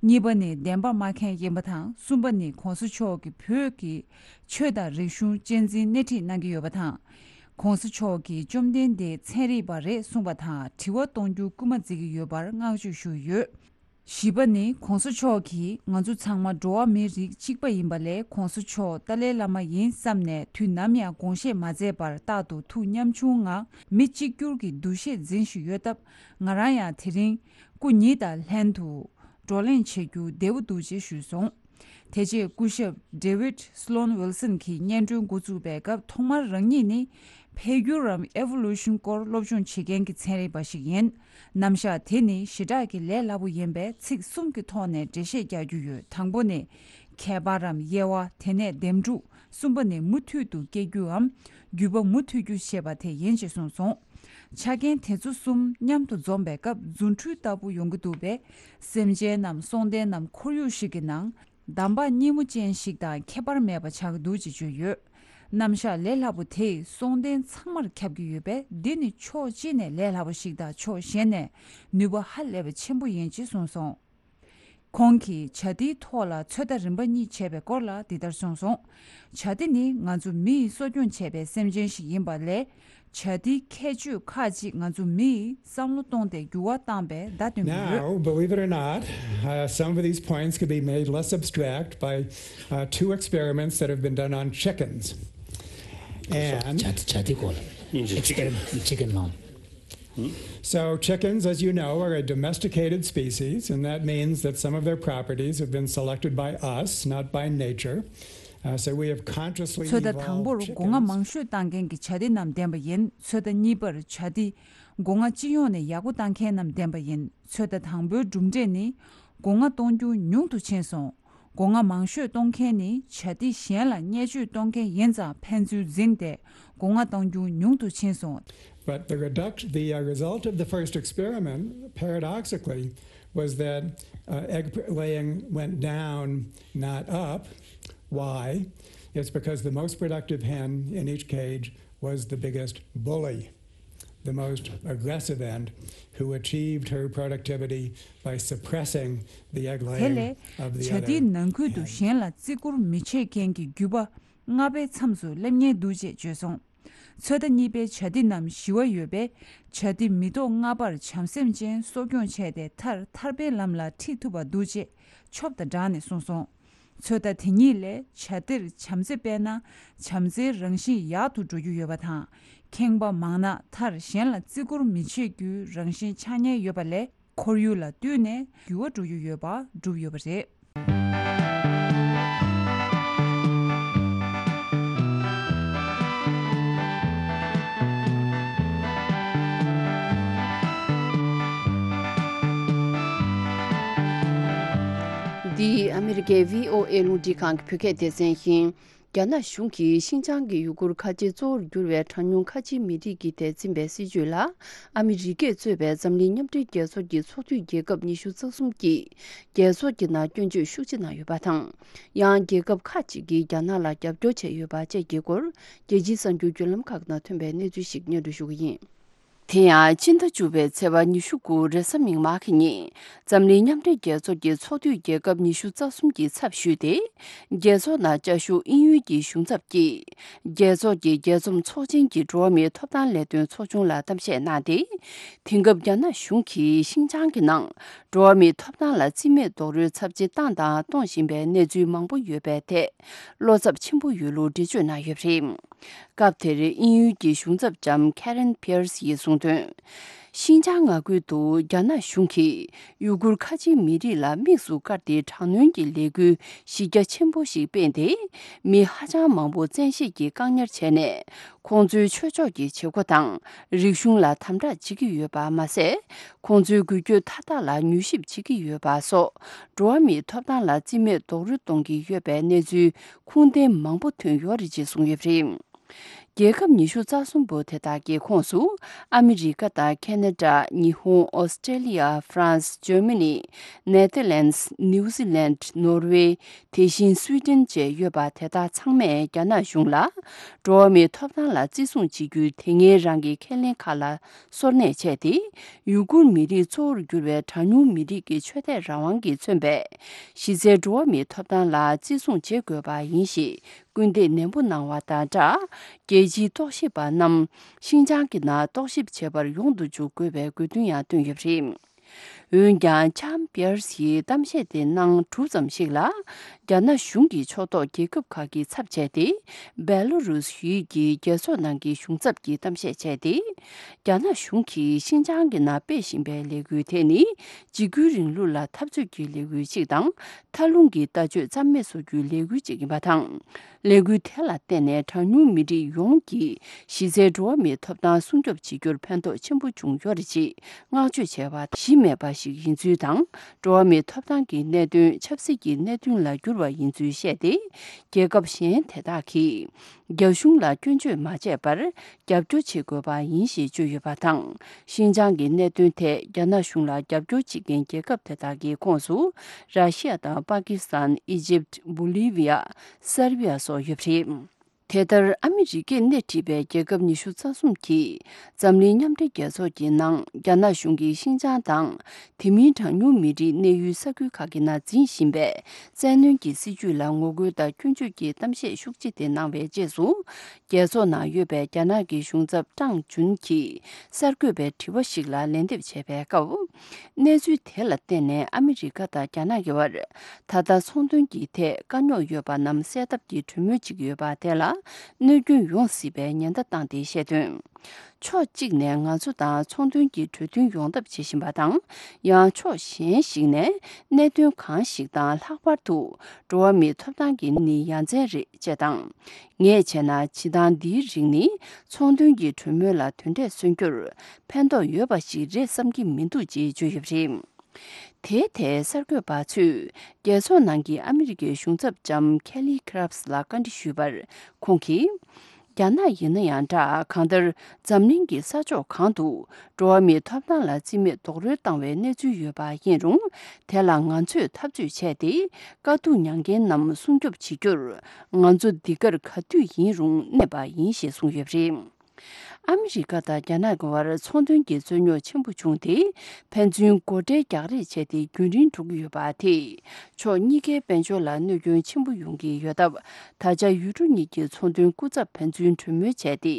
གཉིས་པ་ནི་བདེན་པ་སྨྲ་མཁན་ཡིན་པ་དང་། གསུམ་པ་ནི་༧གོང་ས་མཆོག་གིས་བོད་ཀྱི་ཆོས་དང་རིག་གཞུང་གཅེས་འཛིན་སྣེ་ཁྲིད་གནང་གི་ཡོད་པ་དང་། ༧གོང་ས་མཆོག་གིས་བཅོམ་ལྡན་འདས་ཚན་རིག་པ་རེད་གསུངས་པ་དང་དྲི་བ་གཏོང་རྒྱུ་སྐུལ་མ་མཛད་ཀྱི་ཡོད་པར་བསྔགས་བརྗོད་ཞུས་ཡོད། བཞི་པ་ནི་༧གོང་ས་མཆོག་གིས་ང་ཚོ་ཚང་མ་འགྲོ་བ་མིའི་རིགས་གཅིག་པ་ཡིན་པ་ལས་༧གོང་ས་མཆོག་ཏཱ་ལའི་བླ་མ་ཡིན་བསམ་ནས་དུས་ནམ་ཡང་དགོངས་བཞེས་མ་མཛད་པར་རྟག་ཏུ་ཐུགས་ཉམ་ཆུང་ངང་མི་གཅིག་གྱུར་གྱི་འདུ་ཤེས་འཛིན་བཞིན་ཡོད་སྟབས། ང་རང་ཡང་དེ་རིང་སྐུ་ཉིད་དང་ལྷན་དུ་བགྲོ་གླེང་བྱེད་རྒྱུ་བདེ་པོ་འདུག་ཅེས་ཞུས་སོང་། དེ་རྗེས་སྐུ་ཞབས་David Sloan Wilson གྱིས་སྙན་སྒྲོན་འགོ་བཙུགས་པའི་སྐབས་ཐོག་མར་རང་ཉིད་ནི་འཕེལ་འགྱུར་རམ་Evolution སྐོར་སློབ་སྦྱོང་བྱེད་མཁན་གྱི་ཚན་རིག་པ་ཞིག་ཡིན། རྣམ་གཞག་དེ་ནི་ཞེ་དྲག་གི་ལས་སླ་པོ་ཡིན་པས་ཚིག་གསུམ་གྱི་ཐོག་ནས་འགྲེལ་བཤད་རྒྱག་རྒྱུ་ཡོད། དང་པོ་ནི་ཁྱད་པར་རམ་དབྱེ་བ། དེ་ནས་འདེམས་སྒྲུག། གསུམ་པ་ནི་མུ་མཐུད་དུ་སྐྱེ་རྒྱུའམ་རྒྱུད་པ་མུ་མཐུད་རྒྱུ་ཞེས་པ་དེ་ཡིན་ཞེས་གསུངས་སོང་། ཆ་རྐྱེན་དེ་ཚོ་གསུམ་མཉམ་དུ་འཛོམས་པའི་སྐབས་རྫུ་འཕྲུལ་ལྟ་བུ་ཡོང་གི་འདུག་པས། སེམས་ཅན་ནམ་སྲོག་ལྡན་ནམ་ཁོར་ཡུག་ཞིག་གི་ནང་འདམ་བག་སྙི་མོ་ཅན་ཞིག་དང་ཁྱད་པར་མེད་པ་ཆགས་ཀྱི་འདུག་ཅེས་བརྗོད་ཡོད། རྣམ་གཞག་ལས་སླ་པོ་དེས་སྲོག་ལྡན་ཚང་མར་ཁྱབ་ཀྱི་ཡོད་པས། འདི་ནི་ཕྱོགས་གཅིག་ནས་ལས་སླ་པོ་ཞིག་དང་ཕྱོགས་གཞན་ནས་ནུས་པ་ཧ་ལས་པ་ཆེན་པོ་ཡིན་ཅེས་གསུངས་སོང་། ཁོང་གིས་བྱ་དེའི་ཐོག་ལ་ཚོད་ལྟ་རིམ་པ་གཉིས་བྱས་པའི་སྐོར་ལ་འདི་ལྟར་གསུངས་སོང་། བྱ་དེ་ནི་ང་ཚོ་མི་ཡིས་གསོ་སྐྱོང་བྱས་པའི་སེམས་ཅན་ཞིག་ཡིན་པ་ལས། བྱ་དེའི་ཁྱད་ཆོས་ཁག་ཅིག་ང་ཚོ་མི་ཡིས་བསམ་བློ་གཏོང་སྟེ་འགྱུར་བ་བཏང་པའི་བརྡ་སྟོན་གྱི་ཡོད། Now, believe it or not, uh, some of these points could be made less abstract by uh, two experiments that have been done on chickens. And བྱ་བྱ་དེ་སྐོར་ལ་སྙིང་རྗེ། Experiment chicken ལ། So, chickens, as you know, are a domesticated species, and that means that some of their properties have been selected by us, not by nature. Uh, so, we have consciously ཚོད་ལྟ་དང་པོར་evolved སྒོ་ང་chickens. མང་ཤོས་བཏང་མཁན་གྱི་བྱ་དེ་རྣམས་བསྟན་པ་ཡིན། ཚོད་ལྟ་གཉིས་པར་བྱ་དེ་སྒོ་ང་སྤྱི་ཡོངས་ནས་ཡག་པོ་བཏང་མཁན་རྣམས་བསྟན་པ་ཡིན། ཚོད་ལྟ་དང་པོའི་གྲུབ་འབྲས་ནི། སྒོ་ང་གཏོང་རྒྱུ་ཉུང་དུ་ཕྱིན་སོང་། སྒོ་ང་མང་ཤོས་གཏོང་མཁན་ནི་བྱ་དེ་གཞན་ལ་བརྙས་བཅོས་གཏོང་མཁན་ཡིན་ཙང་ཕན་ཚུན་འཛིངས་ཏེ་སྒོ་ང་གཏོང་རྒྱུ་ཉུང་དུ་ཕྱིན་སོང་། But the reduct, the uh, result of the first experiment, paradoxically, was that uh, egg p- laying went down, not up. Why? It's because the most productive hen in each cage was the biggest bully, the most aggressive end, who achieved her productivity by suppressing the egg laying of the other hen. དེ་ལས་བྱ་དེའི་ནང་ཁུལ་དུ་གཞན་ལ་བརྩི་བཀུར་མི་བྱེད་མཁན་གྱི་རྒྱུད་པ་ལྔ་པའི་མཚམས་སུ་སླེབས་ཉེན་འདུག་ཅེས་བརྗོད་སོང་། ཚོད་ལྟ་གཉིས་པའི་བྱ་དེ་རྣམས་ཞི་བ་ཡོད་པས། བྱ་དེ་མི་ཐོག་ལྔ་པར་བྱམས་སེམས་ཅན་གསོ་སྐྱོང་བྱས་ཏེ། མཐར་ཐར་པའི་ལམ་ལ་ཁྲིད་ཐུབ་པ་འདུག་ཅེས་ཆོབ་དང་སྦྲགས་ནས་གསུངས་སོང་། ཚོད་ལྟ་དེ་གཉིས་ལས་བྱ་དེར་བྱམས་བརྩེ་སྤེལ་ན། བྱམས་བརྩེའི་རང་བཞིན་ཡག་ཏུ་འགྲོ་རྒྱུ་ཡོད་པ་དང་། ཁེངས་པ་མང་ན་མཐར་གཞན་ལ་བརྩི་བཀུར་མི་བྱེད་རྒྱུའི་རང་བཞིན་ཆགས་ཉེན་ཡོད་པ་ལས། ཁོར་ཡུག་ལ་བསྟུན་ནས་འགྱུར་བ་འགྲོ་རྒྱུ་ཡོད་པ་བསྒྲུབས་ཡོད་པ་རེད། འདི་ཨ་མི་རི་ཀའི་བྷི་ཨོ་ཨེ་རླུང་འཕྲིན་ཁང་གི་བོད་སྐད་སྡེ་ཚན་ཡིན། རྒྱ་ནག་གཞུང་གིས་ཤིན་ཅང་གི་ཡུ་གུར་ཁ་ཆེ་གཙོ་བོར་གྱུར་བའི་གྲངས་ཉུང་ཁ་ཆེའི་མི་རིགས་ཀྱི་ཐད་འཛིན་པའི་སྲིད་བྱུས་ལ། ཨ་མི་རི་ཀས་གཙོས་པའི་འཛམ་གླིང་མཉམ་འབྲེལ་རྒྱལ་ཚོགས་ཀྱི་ཚོགས་འཐུས་རྒྱལ་ཁབ་ཉི་ཤུ་རྩ་གསུམ་གྱིས་རྒྱལ་ཚོགས་ཀྱི་ནང་སྐྱོན་བརྗོད་ཤུགས་ཆེ་གནང་ཡོད་པ་དང་། ཡང་རྒྱལ་ཁབ་ཁག་ཅིག་གིས་རྒྱ་ནག་ལ་རྒྱབ་སྐྱོར་བྱས་ཡོད་པ་བཅས་ཀྱི་སྐོར། རྒྱལ་སྤྱིའི་གསར་འགྱུར་བརྒྱུད་ལམ་ཁག་ནང་ཐོན་པའི་གནས་ཚུལ་ཞིག་སྙན་སྒྲོན་ཞུ་གི་ཡིན། དེ་ཡང་སྤྱི་ཟླ་བཅུ་པའི་ཚེས་པ་ཉི་ཤུ་དགུ་རེས་གཟའ་མིག་དམར་གྱི་ཉིན། འཛམ་གླིང་མཉམ་འབྲེལ་རྒྱལ་ཚོགས་ཀྱི་ཚོགས་འཐུས་རྒྱལ་ཁབ་ཉི་ཤུ་རྩ་གསུམ་གྱི་ཚབ་ཞུས་ཏེ། རྒྱལ་ཚོགས་ནང་བཅའ་བཞུགས་དབྱིན་ཡུལ་གྱི་གཞུང་ཚབ་ཀྱིས། རྒྱལ་ཚོགས་ཀྱི་རྒྱས་འཛོམས་ཚོགས་ཆེན་གྱི་འགྲོ་བ་མིའི་ཐོབ་ཐང་ལས་དོན་ཚོགས་ཆུང་ལ་གཏམ་བཤད་གནང་སྟེ། དེང་སྐབས་རྒྱ་ནག་གཞུང་གིས་ཤིན་ཅང་གི་ནང་འགྲོ་བ་མིའི་ཐོབ་ཐང་ལ་བརྩི་མེད་རྡོག་རོལ་ཚབས་ཆེ་བཏང་དང་གཏོང་བཞིན་པའི་གནས་ཚུལ་མང་པོ་ཡོད་པའི་ཐད། བློ་འཚབ་ཆེན་པོ་ཡོད་ལུགས་འགྲེལ་བརྗོད་གནང་ཡོད་པ་རེད། སྐབས་དེར་དབྱིན་ཡུལ་གྱི་གཞུང་ཚབ་ལྕམ་Karen Pierce ཡིས་གསུངས་དོན། ཤིན་ཅང་མངའ་ཁུལ་དུ་རྒྱ་ནག་གཞུང་གིས་ཡུ་གུར་ཁ་ཆེའི་མི་རིགས་ལ་དམིགས་སུ་བཀར་ཏེ་དྲག་གནོན་གྱི་ལས་འགུལ་གཞི་རྒྱ་ཆེན་པོ་ཞིག་སྤེལ་ཏེ། མི་ཧ་ཅང་མང་པོ་བཙན་ཤེད་ཀྱིས་བཀག་ཉར་བྱས་ནས། ཁོང་ཚོའི་ཆོས་ཕྱོགས་ཀྱི་བྱེད་སྒོ་དང་། རིག་གཞུང་ལ་དམ་དྲག་བྱེད་ཀྱི་ཡོད་པ་མ་ཟད། ཁོང་ཚོའི་འགུལ་སྐྱོད་མཐའ་དག་ལ་མྱུལ་ཞིབ་བྱེད་ཀྱི་ཡོད་པ་སོགས། འགྲོ་བ་མིའི་ཐོབ་ཐང་ལ་བརྩི་མེད་རྡོག་རོལ་གཏོང་གི་ཡོད་པའི་གནས་ཚུལ་ཁུངས་ལྡན་མང་པོ་ཐོན་ཡོད་རེད་ཅེས་གསུངས་ཡོད་པ་རེད། རྒྱལ་ཁབ་ཉི་ཤུ་རྩ་གསུམ་པོ་དེ་དག་གི་ཁོངས་སུ། ཨ་མི་རི་ཀ་དང་ཁེ་ན་ཌ། ཉི་ཧོང་། ཨོ་སི་ཀྲེ་ལི་ཡ། ཧྥ་རན་སི། ཇར་མ་ནི། ནེ་ཐར་ལན་སི། ནིའུ་ཛི་ལན། ནོར་ཝེ། དེ་བཞིན་སུའི་ཏན་བཅས་ཡོད་པ་དེ་དག་ཚང་མས་རྒྱ་ནག་གཞུང་ལ། འགྲོ་བ་མིའི་ཐོབ་ཐང་ལ་བརྩི་སྲུང་བྱེད་རྒྱུའི་དེ་སྔའི་རང་གི་ཁས་ལེན་ཁག་ལ་སོར་གནས་བྱས་ཏེ། ཡུ་གུར་མི་རིགས་གཙོ་བོར་གྱུར་བའི་གྲངས་ཉུང་མི་རིགས་ཀྱི་ཆོས་དད་རང་དབང་གིས་མཚོན་པའི་གཞི་རྩའི་འགྲོ་བ་མིའི་ཐོབ་ཐང་ལ་བརྩི་སྲུང་བྱེད་དགོས་པ་ཡིན་ཞེས་སྐུལ་འདེད་ནན་པོ་གནང་བ་དང་སྦྲགས། རྒྱལ་སྤྱིའི་རྟོག་ཞིབ་པ་རྣམས་ཤིན་ཅང་གི་ནང་རྟོག་ཞིབ་བྱེད་པར་ཡོང་དུ་འཇུག་དགོས་པའི་དགོས་འདུན་ཡང་བཏོན་ཡོད་པ་རེད། འོན་ཀྱང་། ལྕམ་པི་ཡར་སི་ཡིས་གཏམ་བཤད་དེ་གནང་གྲུབ་ཙམ་ཞིག་ལ། རྒྱ་ནག་གཞུང་གི་ཕྱོགས་གཏོགས་རྒྱལ་ཁབ་ཁག་གི་ཚབ་བྱས་ཏེ། སྦེ་ལོ་རུས་ཡུལ་གྱི་རྒྱལ་ཚོགས་ནང་གི་གཞུང་ཚབ་ཀྱིས་གཏམ་བཤད་བྱས་ཏེ། རྒྱ་ནག་གཞུང་གིས་ཤིན་ཅང་གི་ནང་སྤེལ་བཞིན་པའི་ལས་འགུལ་དེ་ནི། འཇིགས་སྐུལ་རིང་ལུགས་ལ་འཐབ་རྩོད་ཀྱི་ལས་འགུལ་ཞིག་དང་། མཐའ་ལྷུང་གི་ལྟ་སྤྱོད་རྩ་མེད་བཟོ་རྒྱུའི་ལས་འགུལ་ཞིག་ཡིན་པ་དང་། ལས་འགུལ་དེ་ལ་བརྟེན་ནས་གྲངས་ཉུང་མི་རིགས་ཡོངས་ཀྱིས་གཞི་རྩའི་འགྲོ་བ་མིའི་ཐོབ་ཐང་སྲུང་སྐྱོབ་བྱེད་རྒྱུར་ཕན་ཐོགས་ཆེན་པོ་བྱུང་ཡོད་རེད་ཅེས་བསྔགས་བརྗོད་བྱས་པ་གཞི་མེད་པ་ཞིག་ཡིན་ཚུལ་དང་། འགྲོ་བ་མིའི་ཐོབ་ཐང་གི་གནད་དོན་ཆབ་སྲིད་ཀྱི་གནད་དོན་ལ་བསྒྱུར་བ་ཡིན་ཚུལ་བཤད་དེ། རྒྱལ་ཁབ་གཞན་དེ་དག་གིས་རྒྱ་གཞུང་ལ་སྐྱོན་བརྗོད་མ་བྱས་པར། རྒྱབ་སྐྱོར་བྱེད་དགོས་པ་ཡིན་ཞེས་བརྗོད་ཡོད་པ་དང་། ཤིན་ཅང་གི་གནད་དོན་ཐད་རྒྱ་ནག་གཞུང་ལ་རྒྱབ་སྐྱོར་བྱེད་མཁན་རྒྱལ་ཁབ་དེ་དག་གི་ཁོངས་སུ། ར་ཤི་ཡ་དང་པ་ཀི་སི་ཐན། ཨི་ཇིབ། བོ་ལི་བི་ཡ། སར་བི་ཡ་སོགས་ཡོད་པ་རེད། དེ་ལྟར། ཨ་མི་རི་ཀས་སྣེ་ཁྲིད་པའི་རྒྱལ་ཁབ་ཉི་ཤུ་རྩ་གསུམ་གྱིས་འཛམ་གླིང་མཉམ་འབྲེལ་རྒྱལ་ཚོགས་ཀྱི་ནང་རྒྱ་ནག་གཞུང་གིས་ཤིན་ཅང་དང་། དེ་མིན་གྲངས་ཉུང་མི་རིགས་གནས་ཡུལ་ས་ཁུལ་ཁག་གི་ནང་འཛིན་བཞིན་པའི་བཙན་གནོན་གྱི་སྲིད་བྱུས་ལ་ངོ་རྒོལ་དང་སྐྱོན་བརྗོད་ཀྱི་གཏམ་བཤད་ཤུགས་ཆེ་དེ་གནང་བའི་རྗེས་སུ། རྒྱལ་ཚོགས་ནང་ཡོད་པའི་རྒྱ་ནག་གི་གཞུང་ཚབ་ཀྲང་ཅུན་གྱིས་གསར་འགོད་པའི་དྲི་བ་ཞིག་ལ་ལན་འདེབས་བྱས་པའི་སྐབས། གནས་ཚུལ་དེ་ལ་བརྟེན་ནས་ཨ་མི་རི་ཀ་དང་རྒྱ་ནག་གི་བར་ད་ལྟ་ཚོང་དོན་གྱི་ཐད་དཀའ་རྙོག་ཡོད་པ་རྣམས་སེལ་ཐབས་ཀྱི་གྲོས་མོལ་ཅིག་ཡོད་པ་དེ་ལ་གནོད་སྐྱོན་ཡོང་སྲིད་པའི་ཉེན་བརྡ་བཏང་སྟེ་བཤད་དོན། ཕྱོགས་གཅིག་ནས་ང་ཚོ་དང་ཚོང་དོན་གྱི་གྲོས་མཐུན་ཡོང་ཐབས་བྱེད་བཞིན་པ་དང་། ཡང་ཕྱོགས་གཞན་ཞིག་ནས་གནད་དོན་གང་ཞིག་དང་ལྷག་པར་དུ་འགྲོ་བ་མིའི་ཐོབ་ཐང་གི་ནི་ཡ་མཚན་རེད་ཅེས་དང་། ངས་བྱས་ན་བྱེད་སྟངས་འདིའི་རིགས་ནི་ཚོང་དོན་གྱི་གྲོས་མོལ་ལ་དོན་འབྲས་སོན་རྒྱུར་ཕན་ཐོགས་ཡོད་པ་ཞིག་རེད་བསམ་གྱི་མི་འདུག་ཅེས་བརྗོད་ཡོད་པ་རེད། དེའི་ཐད་གསར་འགོད་པ་ཚོས་རྒྱལ་ཚོགས་ནང་གི་ཨ་མི་རི་ཀའི་གཞུང་ཚབ་ལྕམ་ཁེ་ལི་ཁི་རབ་སི་ལ་བཀའ་འདྲི་ཞུས་པར། ཁོང་གིས། རྒྱ་ནག་ཡིན་ན་ཡང་འདྲ། གང་ལྟར་འཛམ་གླིང་གི་ས་ཕྱོགས་གང་དུ་འགྲོ་བ་མིའི་ཐོབ་ཐང་ལ་བརྩི་མེད་རྡོག་རོལ་བཏང་བའི་གནས་ཚུལ་ཡོད་པ་ཡིན་རུང་། དེ་ལ་ང་ཚོས་འཐབ་རྩོད་བྱས་ཏེ། དཀའ་སྡུག་མྱངས་མཁན་རྣམས་སྲུང་སྐྱོབ་བྱེད་རྒྱུར། ང་ཚོ་འདི་གར་ག་དུས་ཡིན་རུང་གནས་པ་ཡིན་ཞེས་གསུངས་ཡོད་པ་རེད། ཨ་མི་རི་ཀ་དང་རྒྱ་ནག་གི་བར་ཚོང་དོན་གྱི་རྩོད་རྙོག་ཆེན་པོ་བྱུང་སྟེ། ཕན་ཚུན་སྒོ་ཁྲལ་རྒྱག་རེས་བྱས་ཏེ་རྒྱུན་རིང་འགྲོ་གི་ཡོད་པ་དེས། ཕྱོགས་གཉིས་ཀའི་དཔལ་འབྱོར་ལ་གནོད་སྐྱོན་ཆེན་པོ་ཡོང་གི་ཡོད་སྟབས། ད་ཆ་ཡུལ་གྲུ་གཉིས་ཀྱི་ཚོང་དོན་སྐུ་ཚབ་ཕན་ཚུན་གྲོས་མོལ་བྱས་ཏེ།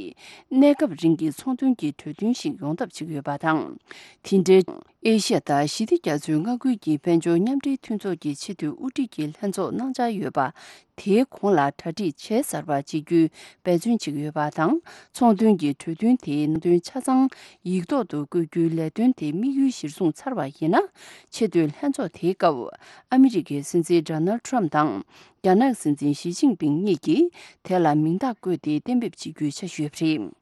གནས་སྐབས་རིང་གི་ཚོང་དོན་གྱི་གྲོས་མཐུན་ཞིག་ཡོང་ཐབས་བྱེད་ཀྱི་ཡོད་པ་དང་། དེ་འབྲེལ། ཨེ་ཤ་ཡ་དང་ཞི་བདེ་རྒྱ་མཚོའི་མངའ་ཁུལ་གྱི་དཔལ་འབྱོར་མཉམ་འབྲེལ་མཐུན་ཚོགས་ཀྱི་ཆེས་མཐོའི་དབུ་ཁྲིད་ཀྱི་ལྷན་ཚོགས་གནང་འཆར་ཡོད་པ། དེའི་གོང་ལ་གྲ་སྒྲིག་བྱས་ཚར་བ་བྱེད་རྒྱུའི་འབད་བརྩོན་བྱེད་ཀྱི་ཡོད་པ་དང་། ཚོང་དོན་གྱི་གྲོས་མཐུན་དེའི་ནང་དོན་ཆ་ཚང་ཡིག་ཐོག་ཏུ་བཀོད་རྒྱུའི་ལས་དོན་དེ་དམིགས་ཡུལ་གཞིར་བཟུང་ཚར་བ་ཡིན་ན། ཆེས་མཐོའི་ལྷན་ཚོགས་དེའི་སྐབས། ཨ་མི་རི་ཀའི་སྲིད་འཛིན་ཌོ་ནལ་ཊམ་དང་། རྒྱ་ནག་སྲིད་འཛིན་ཞི་ཅིན་ཕིང་གཉིས་ཀྱིས་དེ་ལ་མིང་རྟགས་བཀོད་དེ་གཏན་འབེབས་བྱེད་རྒྱུའི་འཆར་གཞི་ཡོད་པ་རེད།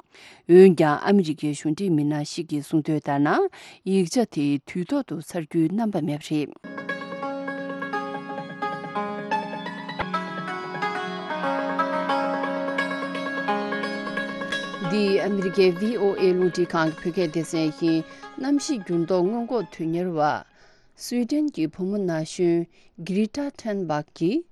འོན་ཀྱང་ཨ་མི་རི་ཀའི་གཞུང་འབྲེལ་མི་སྣ་ཞིག་གིས་གསུངས་དོན་ལྟར་ན། ཡིག་ཆ་དེ་དུས་ཐོག་ཏུ་ཚར་རྒྱུའི་རྣམ་པ་མེད་པ་རེད། འདི་ཨ་མི་རི་ཀའི་བྷི་ཨོ་ཨེ་རླུང་འཕྲིན་ཁང་གི་བོད་སྐད་སྡེ་ཚན་ཡིན། གནམ་གཤིས་འགྱུར་ལྡོག་སྔོན་འགོག་དོན་གཉེར་བ། སུའེ་ཏེན་གྱི་བུ་མོ་ན་གཞོན་གྷི་རེ་ཊ་ཐུན་བྷག་གིས་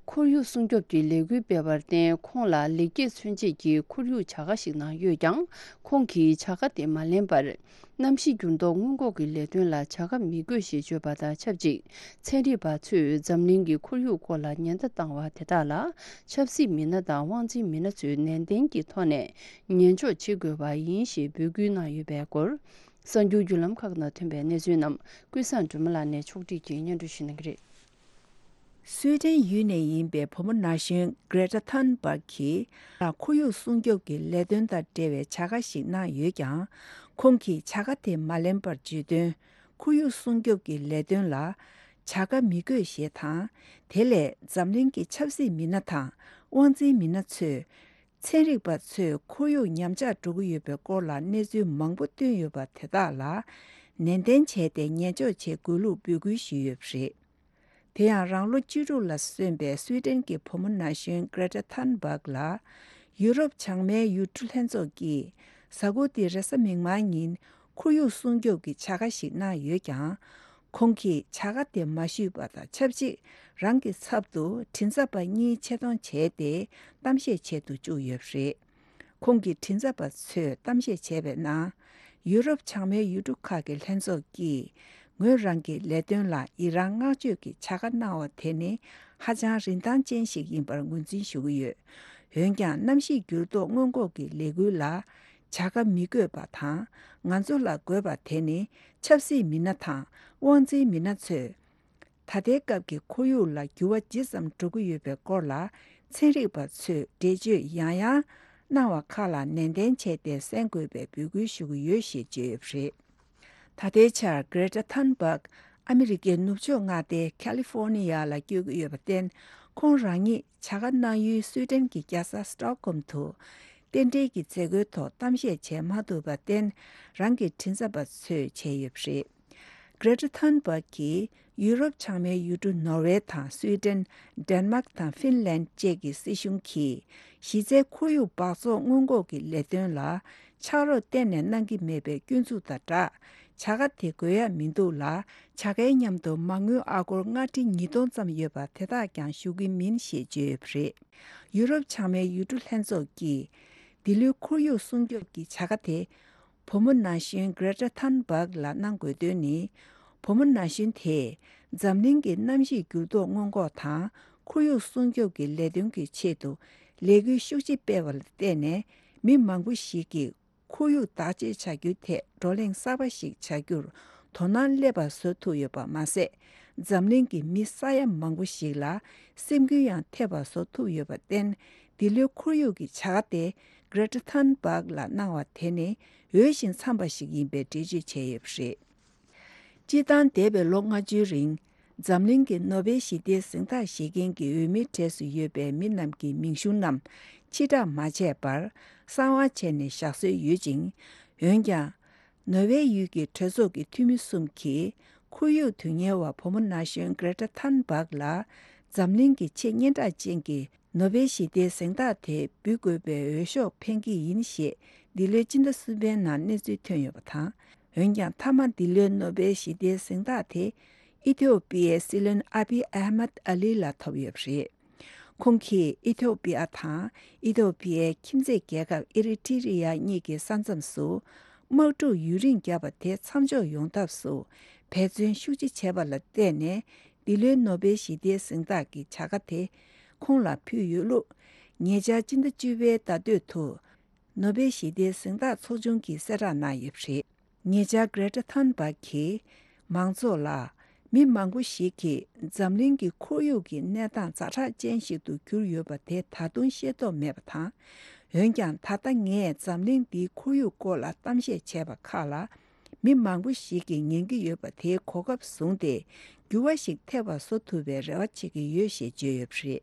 ཁོར་ཡུག་སྲུང་སྐྱོབ་ཀྱི་ལས་འགུལ་སྤེལ་བར་བརྟེན། ཁོང་ལ་ལེགས་སྐྱེས་མཚོན་ཆེད་ཀྱི་ཁོར་ཡུག་བྱ་དགའ་ཞིག་གནང་ཡོད་ཀྱང་། ཁོང་གིས་བྱ་དགའ་དེ་མ་ལེན་པར། གནམ་གཤིས་འགྱུར་ལྡོག་སྔོན་འགོག་གི་ལས་དོན་ལ་བྱ་དགའ་མི་དགོས་ཞེས་བརྗོད་པ་དང་ཆབས་ཅིག་ཚན་རིག་པ་ཚོས་འཛམ་གླིང་གི་ཁོར་ཡུག་སྐོར་ལ་ཉེན་བརྡ་བཏང་བ་དེ་དག་ལ། ཆབ་སྲིད་མི་སྣ་དང་དབང་འཛིན་མི་སྣ་ཚོས་ནན་ཏན་གྱི་ཐོག་ནས་ཉན་འཇོག་བྱེད་དགོས་པ་ཡིན་ཞེས་འབོད་སྐུལ་གནང་ཡོད་པའི་སྐོར། གསར་འགྱུར་བརྒྱུད་ལམ་ཁག་ནང་ཐོན་པའི་གནས་ཚུལ་རྣམས་ཀུན་བཟང་སྒྲོལ་མ་ལགས་ནས་ཕྱོགས་སྒྲིག་གིས་སྙན་སྒྲོན་ཞུ་གནང་གི་རེད། སུའེ་ཏེན་ཡུལ་ནས་ཡིན་པའི་བུ་མོ་ན་གཞོན་གྷི་རེ་ཊ་ཐུན་བྷག་གིས་ཁོར་ཡུག་སྲུང་སྐྱོབ་ཀྱི་ལས་དོན་དང་འབྲེལ་བའི་བྱ་དགའ་ཞིག་གནང་ཡོད་ཀྱང་། ཁོང་གིས་བྱ་དགའ་དེ་མ་ལེན་པར་བརྗོད་དོན། ཁོར་ཡུག་སྲུང་སྐྱོབ་ཀྱི་ལས་དོན་ལ་བྱ་དགའ་མི་དགོས་ཞེས་དང་། དེ་ལས་འཛམ་གླིང་གི་ཆབ་སྲིད་མི་སྣ་དང་དབང་འཛིན་མི་སྣ་ཚོས། ཚན་རིག་པ་ཚོས་ཁོར་ཡུག་ཉམས་ཆག་འགྲོ་གི་ཡོད་པའི་སྐོར་ལ་གནས་ཚུལ་མང་པོ་བཏོན་ཡོད་པ་དེ་དག་ལ་ནན་ཏན་བྱས་ཏེ་ཉན་འཇོག་བྱེད་དགོས་ལུགས་འབོད་སྐུལ་ཞུས་ཡོད་པ་རེད། དེ་ཡང་རང་ལོ་བཅུ་དྲུག་ལ་སོན་པའི་སུའེ་ཏེན་གྱི་བུ་མོ་ན་གཞོན་གྷི་རེ་ཊ་ཐུན་བྷག་ལ་ཡུ་རོབ་བྱང་མའི་ཡུལ་གྲུ་ལྷན་ཚོགས་ཀྱིས་གཟའ་འཁོར་འདིའི་རེས་གཟའ་མིག་དམར་ཉིན་ཁོར་ཡུག་སྲུང་སྐྱོབ་ཀྱི་བྱ་དགའ་ཞིག་གནང་ཡོད་ཀྱང་། ཁོང་གིས་བྱ་དགའ་དེ་མ་ཞུས་པ་དང་ཆབས་ཅིག་རང་གི་ཚབ་ཏུ་མགྲིན་ཚབ་པ་གཉིས་ཆེད་གཏོང་བྱས་ཏེ་གཏམ་བཤད་བྱེད་དུ་བཅུག་ཡོད་པ་རེད། ཁོང་གི་མགྲིན་ཚབ་པ་ཚོས་གཏམ་བཤད་བྱས་པའི་ནང་། ཡུ་རོབ་བྱང་མའི་ཡུལ་གྲུ་ཁག་གི་ལྷན་ཚོགས་ཀྱིས་ངོས་རང་གི་ལས་དོན་ལ་ཡི་རང་བསྔགས་བརྗོད་ཀྱི་བྱ་དགའ་གནང་བ་དེ་ནི་ཧ་ཅང་རིན་ཐང་ཅན་ཞིག་ཡིན་པར་ངོས་འཛིན་ཞུ་གི་ཡོད། འོན་ཀྱང་གནམ་གཤིས་འགྱུར་ལྡོག་སྔོན་འགོག་གི་ལས་འགུལ་ལ་བྱ་དགའ་མི་དགོས་པ་དང་། ང་ཚོ་ལ་དགོས་པ་དེ་ནི་ཆབ་སྲིད་མི་སྣ་དང་དབང་འཛིན་མི་སྣ་ཚོས། ད་ལྟའི་སྐབས་ཀྱི་ཁོར་ཡུག་ལ་འགྱུར་བ་ཇི་ཙམ་འགྲོ་གི་ཡོད་པའི་སྐོར་ལ་ཚན་རིག་པ་ཚོས་འགྲེལ་བརྗོད་ཡང་ཡང་གནང་བ་ཁག་ལ་ནན་ཏན་བྱས་ཏེ་གསན་དགོས་པའི་འབོད་སྐུལ་ཞུ་གི་ཡོད་ཞེས་བརྗོད་ཡོད་པ་རེད། ད་ལྟའི་ཆར་གྷི་རེ་ཊ་ཐུན་བྷག་ཨ་མི་རི་ཀའི་ནུབ་ཕྱོགས་མངའ་སྡེ་ཁ་ལི་ཧྥོ་ནི་ཡ་ལ་བསྐྱོད་ཀྱི་ཡོད་པར་བརྟེན། ཁོང་རང་ཉིད་བྱ་དགའ་གནང་ཡུལ་སུའེ་ཏེན་གྱི་རྒྱལ་ས་སི་ཊོག་ཧོམ་དུ་རྟེན་འབྲེལ་གྱི་མཛད་སྒོའི་ཐོག་གཏམ་བཤད་བྱས་མ་ཐུབ་པར་བརྟེན། རང་གི་མགྲིན་ཚབ་པ་ཚོས་བྱས་ཡོད་པ་རེད། གྷི་རེ་ཊ་ཐུན་བྷག་གིས་ཡུ་རོབ་བྱང་མའི་ཡུལ་གྲུ་ནོར་ཝེ་དང་སུའེ་ཏེན། ཌེན་མཱག་དང་ཧྥིན་ལན་བཅས་ཀྱི་སྲིད་གཞུང་གིས་གཞི་རྩའི་ཁོར་ཡུག་འབག་བཙོག་སྔོན་འགོག་གི་ལས་དོན་ལ་ཕྱག་རོགས་གཏན་ནས་གནང་གི་མེད་པའི་སྐྱོན་འཛུགས་དང་སྦྲགས། བྱ་དགའ་དེ་དགོས་ཡ་མི་འདུག་ལ། བྱ་དགའི་མཉམ་དུ་མ་དངུལ་ཨ་སྒོར་ལྔ་ཁྲི་ཉིས་སྟོང་ཙམ་ཡོད་པ་དེ་དག་ཀྱང་ཞུ་གི་མིན་ཞེས་བརྗོད་ཡོད་པ་རེད། ཡུ་རོབ་བྱང་མའི་ཡུལ་གྲུ་ལྷན་ཚོགས་ཀྱིས་འདི་ལོའི་ཁོར་ཡུག་སྲུང་སྐྱོབ་ཀྱི་བྱ་དགའ་དེ་བུ་མོ་ན་གཞོན་Greta Thunberg་ལ་གནང་དགོས་དོན་ནི། བུ་མོ་ན་གཞོན་དེས་འཛམ་གླིང་གི་གནམ་གཤིས་འགྱུར་ལྡོག་སྔོན་འགོག་དང་ཁོར་ཡུག་སྲུང་སྐྱོབ་ཀྱི་ལས་དོན་གྱི་ཆེད་དུ་ལས་འགུལ་ཤུགས་ཆེ་སྤེལ་བ་ལ་བརྟེན་ནས། མི་མང་པོ་ཞིག་གིས་ཁོར་ཡུག་བདག་གཅེས་བྱ་རྒྱུའི་ཐད་བགྲོ་གླེང་གསར་པ་ཞིག་བྱ་རྒྱུར་དོ་སྣང་སླེབས་པ་བཟོ་ཐུབ་ཡོད་པ་མ་ཟད། འཛམ་གླིང་གི་མི་ས་ཡ་མང་པོ་ཞིག་ལ་སེམས་འགུལ་ཡང་ཐེབས་པ་བཟོ་ཐུབ་ཡོད་པར་བརྟེན། འདི་ལོའི་ཁོར་ཡུག་གི་བྱ་དགའ་དེ་Greta Thunberg་ལ་གནང་བ་དེ་ནི་འོས་ཤིང་འཚམས་པ་ཞིག་ཡིན་པའི་འགྲེལ་བརྗོད་བྱས་ཡོད་པ་རེད། སྤྱིར་བཏང་འདས་པའི་ལོ་ལྔ་བཅུའི་རིང་། འཛམ་གླིང་གི་ནོ་བེལ་ཞི་བདེའི་གཟེངས་རྟགས་བཞེས་མཁན་གྱི་འོས་མིའི་གྲས་སུ་ཡོད་པའི་མི་རྣམས་ཀྱི་མིང་གཞུང་རྣམས་ཕྱིར་བསྒྲགས་མ་བྱས་པར་གསང་བ་བྱས་ནས་བཞག་སྲོལ་ཡོད་ཅིང་། འོན་ཀྱང་། ནོ་བེལ་ཡུལ་གྱི་གྲོས་ཚོགས་ཀྱི་འཐུས་མི་གསུམ་གྱིས་ཁོར་ཡུག་དོན་གཉེར་བ་བུ་མོ་ན་གཞོན་Greta Thunberg་ལ་འཛམ་གླིང་གི་ཆེས་སྙན་གྲགས་ཅན་གྱི་ནོ་བེལ་ཞི་བདེའི་གཟེངས་རྟགས་དེ་འབུལ་དགོས་པའི་འོས་ཤོག་འཕེན་གྱི་ཡིན་ཞེས་འདི་ལོའི་སྤྱི་ཟླ་གསུམ་པའི་ནང་གནས་ཚུལ་ཐོན་ཡོད་པ་དང་། འོན་ཀྱང་མཐའ་མ་འདི་ལོའི་ནོ་བེལ་ཞི་བདེའི་གཟེངས་རྟགས་དེ་ཨི་ཐི་ཡོ་པི་ཡའི་སྲིད་བློན་ཨ་བི་ཨ་མད་ཨ་ལི་ལ་ཐོབ་ཡོད་པ་རེད། ཁོང་གིས་ཨི་ཐི་ཡོ་པི་ཡ་དང་ཨི་ཐི་ཡོ་པི་ཡའི་ཁྱིམ་མཚེས་རྒྱལ་ཁབ་ཨི་རི་ཊི་རི་ཡ་གཉིས་ཀྱི་ས་མཚམས་སུ་དམག་འཁྲུག་ཡུན་རིང་བརྒྱབ་པ་དེ་མཚམས་འཇོག་ཡོང་ཐབས་སུ་འབད་བརྩོན་ཤུགས་ཆེ་བྱས་པ་ལ་བརྟེན་ནས། འདི་ལོའི་ནོ་བེལ་ཞི་བདེའི་གཟེངས་རྟགས་ཀྱི་བྱ་དགའ་དེ་ཁོང་ལ་ཕུལ་ཡོད་ལུགས། ཉེ་ཆར་སྤྱི་ཟླ་བཅུ་པའི་ཟླ་སྟོད་དུ། ནོ་བེལ་ཞི་བདེའི་གཟེངས་རྟགས་ཚོགས་ཆུང་གིས་གསལ་བསྒྲགས་གནང་ཡོད་པ་རེད། ཉེ་ཆར་Greta Thunberg་གིས་མང་ཚོགས་ལ། མི་མང་པོ་ཞིག་གིས་འཛམ་གླིང་གི་ཁོར་ཡུག་གི་གནས་སྟངས་ཛ་དྲག་ཅན་ཞིག་ཏུ་གྱུར་ཡོད་པ་དེ་ད་དུང་ཤེས་རྟོགས་མེད་པ་དང་། འོན་ཀྱང་ད་ལྟ་ངས་འཛམ་གླིང་འདིའི་ཁོར་ཡུག་སྐོར་ལ་གཏམ་བཤད་བྱས་པ་ཁག་ལ། མི་མང་པོ་ཞིག་གིས་ཉན་གྱི་ཡོད་པ་དེའི་གོ་སྐབས་བཟུང་སྟེ། འགྱུར་བ་ཞིག་ཐེབས་པ་བཟོ་ཐུབ་པའི་རེ་བ་བྱེད་ཀྱི་ཡོད་ཞེས་བརྗོད་ཡོད་པ་རེད།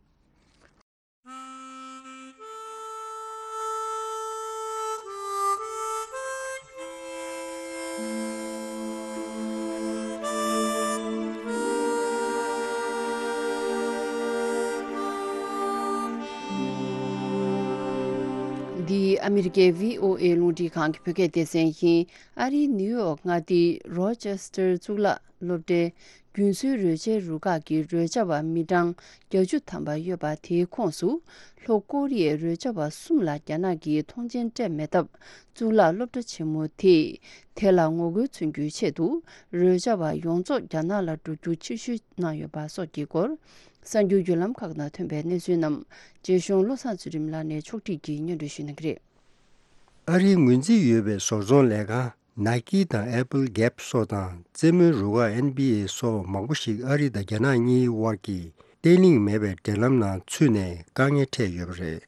འདི་ཨ་མི་རི་ཀའི་བྷི་ཨོ་ཨེ་རླུང་འཕྲིན་ཁང་གི་བོད་སྐད་སྡེ་ཚན་ཡིན། ཨ་རིའི་ནིའུ་ཡོག་མངའ་སྡེའི་རོ་ཅེ་སི་ཊར་གཙུག་ལག་སློབ་གྲྭའི་རྒྱུན་སྲོལ་རོལ་ཆའི་རུ་ཁག་གི་རོལ་ཆ་བ་མི་གྲངས་བརྒྱད་ཅུ་ཐམ་པ་ཡོད་པ་དེའི་ཁོངས་སུ། ལྷོ་ཀོ་རི་ཡའི་རོལ་ཆ་བ་གསུམ་ལ་རྒྱ་ནག་གིས་ཐོངས་མཆན་སྤྲད་མེད་སྟབས། གཙུག་ལག་སློབ་གྲྭ་ཆེན་མོ་དེས་དེ་ལ་ངོ་རྒོལ་མཚོན་རྒྱུའི་ཆེད་དུ། རོལ་ཆ་བ་ཡོངས་རྫོགས་རྒྱ་ནག་ལ་འགྲོ་རྒྱུ་ཕྱིར་བཤོལ་གནང་ཡོད་པ་སོགས་ཀྱི་སྐོར། གསར་འགྱུར་བརྒྱུད་ལམ་ཁག་ནང་ཐོན་པའི་གནས་ཚུལ་རྣམས། རྗེ་གཞུང་བློ་བཟང་ཚུལ་ཁྲིམས་ལགས་ནས་ཕྱོགས་སྒྲིག་གིས་སྙན་སྒྲོན་ཞུ་གནང་གི་རེད། ཨ་རིའི་ངོས་འཛིན་ཡོད་པའི་བཟོ་ཚོང་ལས་ཁང་Nike་དང་Apple་Gap་སོགས་དང་རྩེད་མོའི་རུ་ཁག་ཨེན་བྷི་ཨེ་སོགས་མང་པོ་ཞིག་ཨ་རི་དང་རྒྱ་ནག་གཉིས་དབར་གྱི་བརྟན་ལྷིང་མེད་པའི་འབྲེལ་ལམ་ནང་ཚུད་ནས་དཀའ་ངལ་འཕྲད་ཡོད་པ་རེད།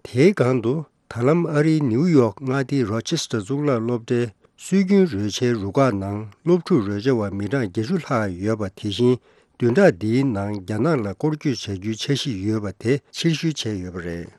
དེའི་སྒང་དུ་ད་ལམ་ཨ་རིའི་ནིའུ་ཡོག་མངའ་སྡེའི་རོ་ཆེ་སི་ཊར་གཙུག་ལག་སློབ་གྲྭའི་སྲོལ་རྒྱུན་རོལ་ཆའི་རུ་ཁག་ནང་སློབ་ཕྲུག་རོལ་ཆ་བ་མི་གྲངས་བརྒྱད་ཅུ་ལྷག་ཡོད་པ། དེ་བཞིན་བདུན་ཕྲག་འདིའི་ནང་རྒྱ་ནག་ལ་སྐོར་སྐྱོད་བྱ་རྒྱུའི་འཆར་གཞི་ཡོད་པ་དེ་ཕྱིར་བཤོལ་བྱས་ཡོད་པ་རེད།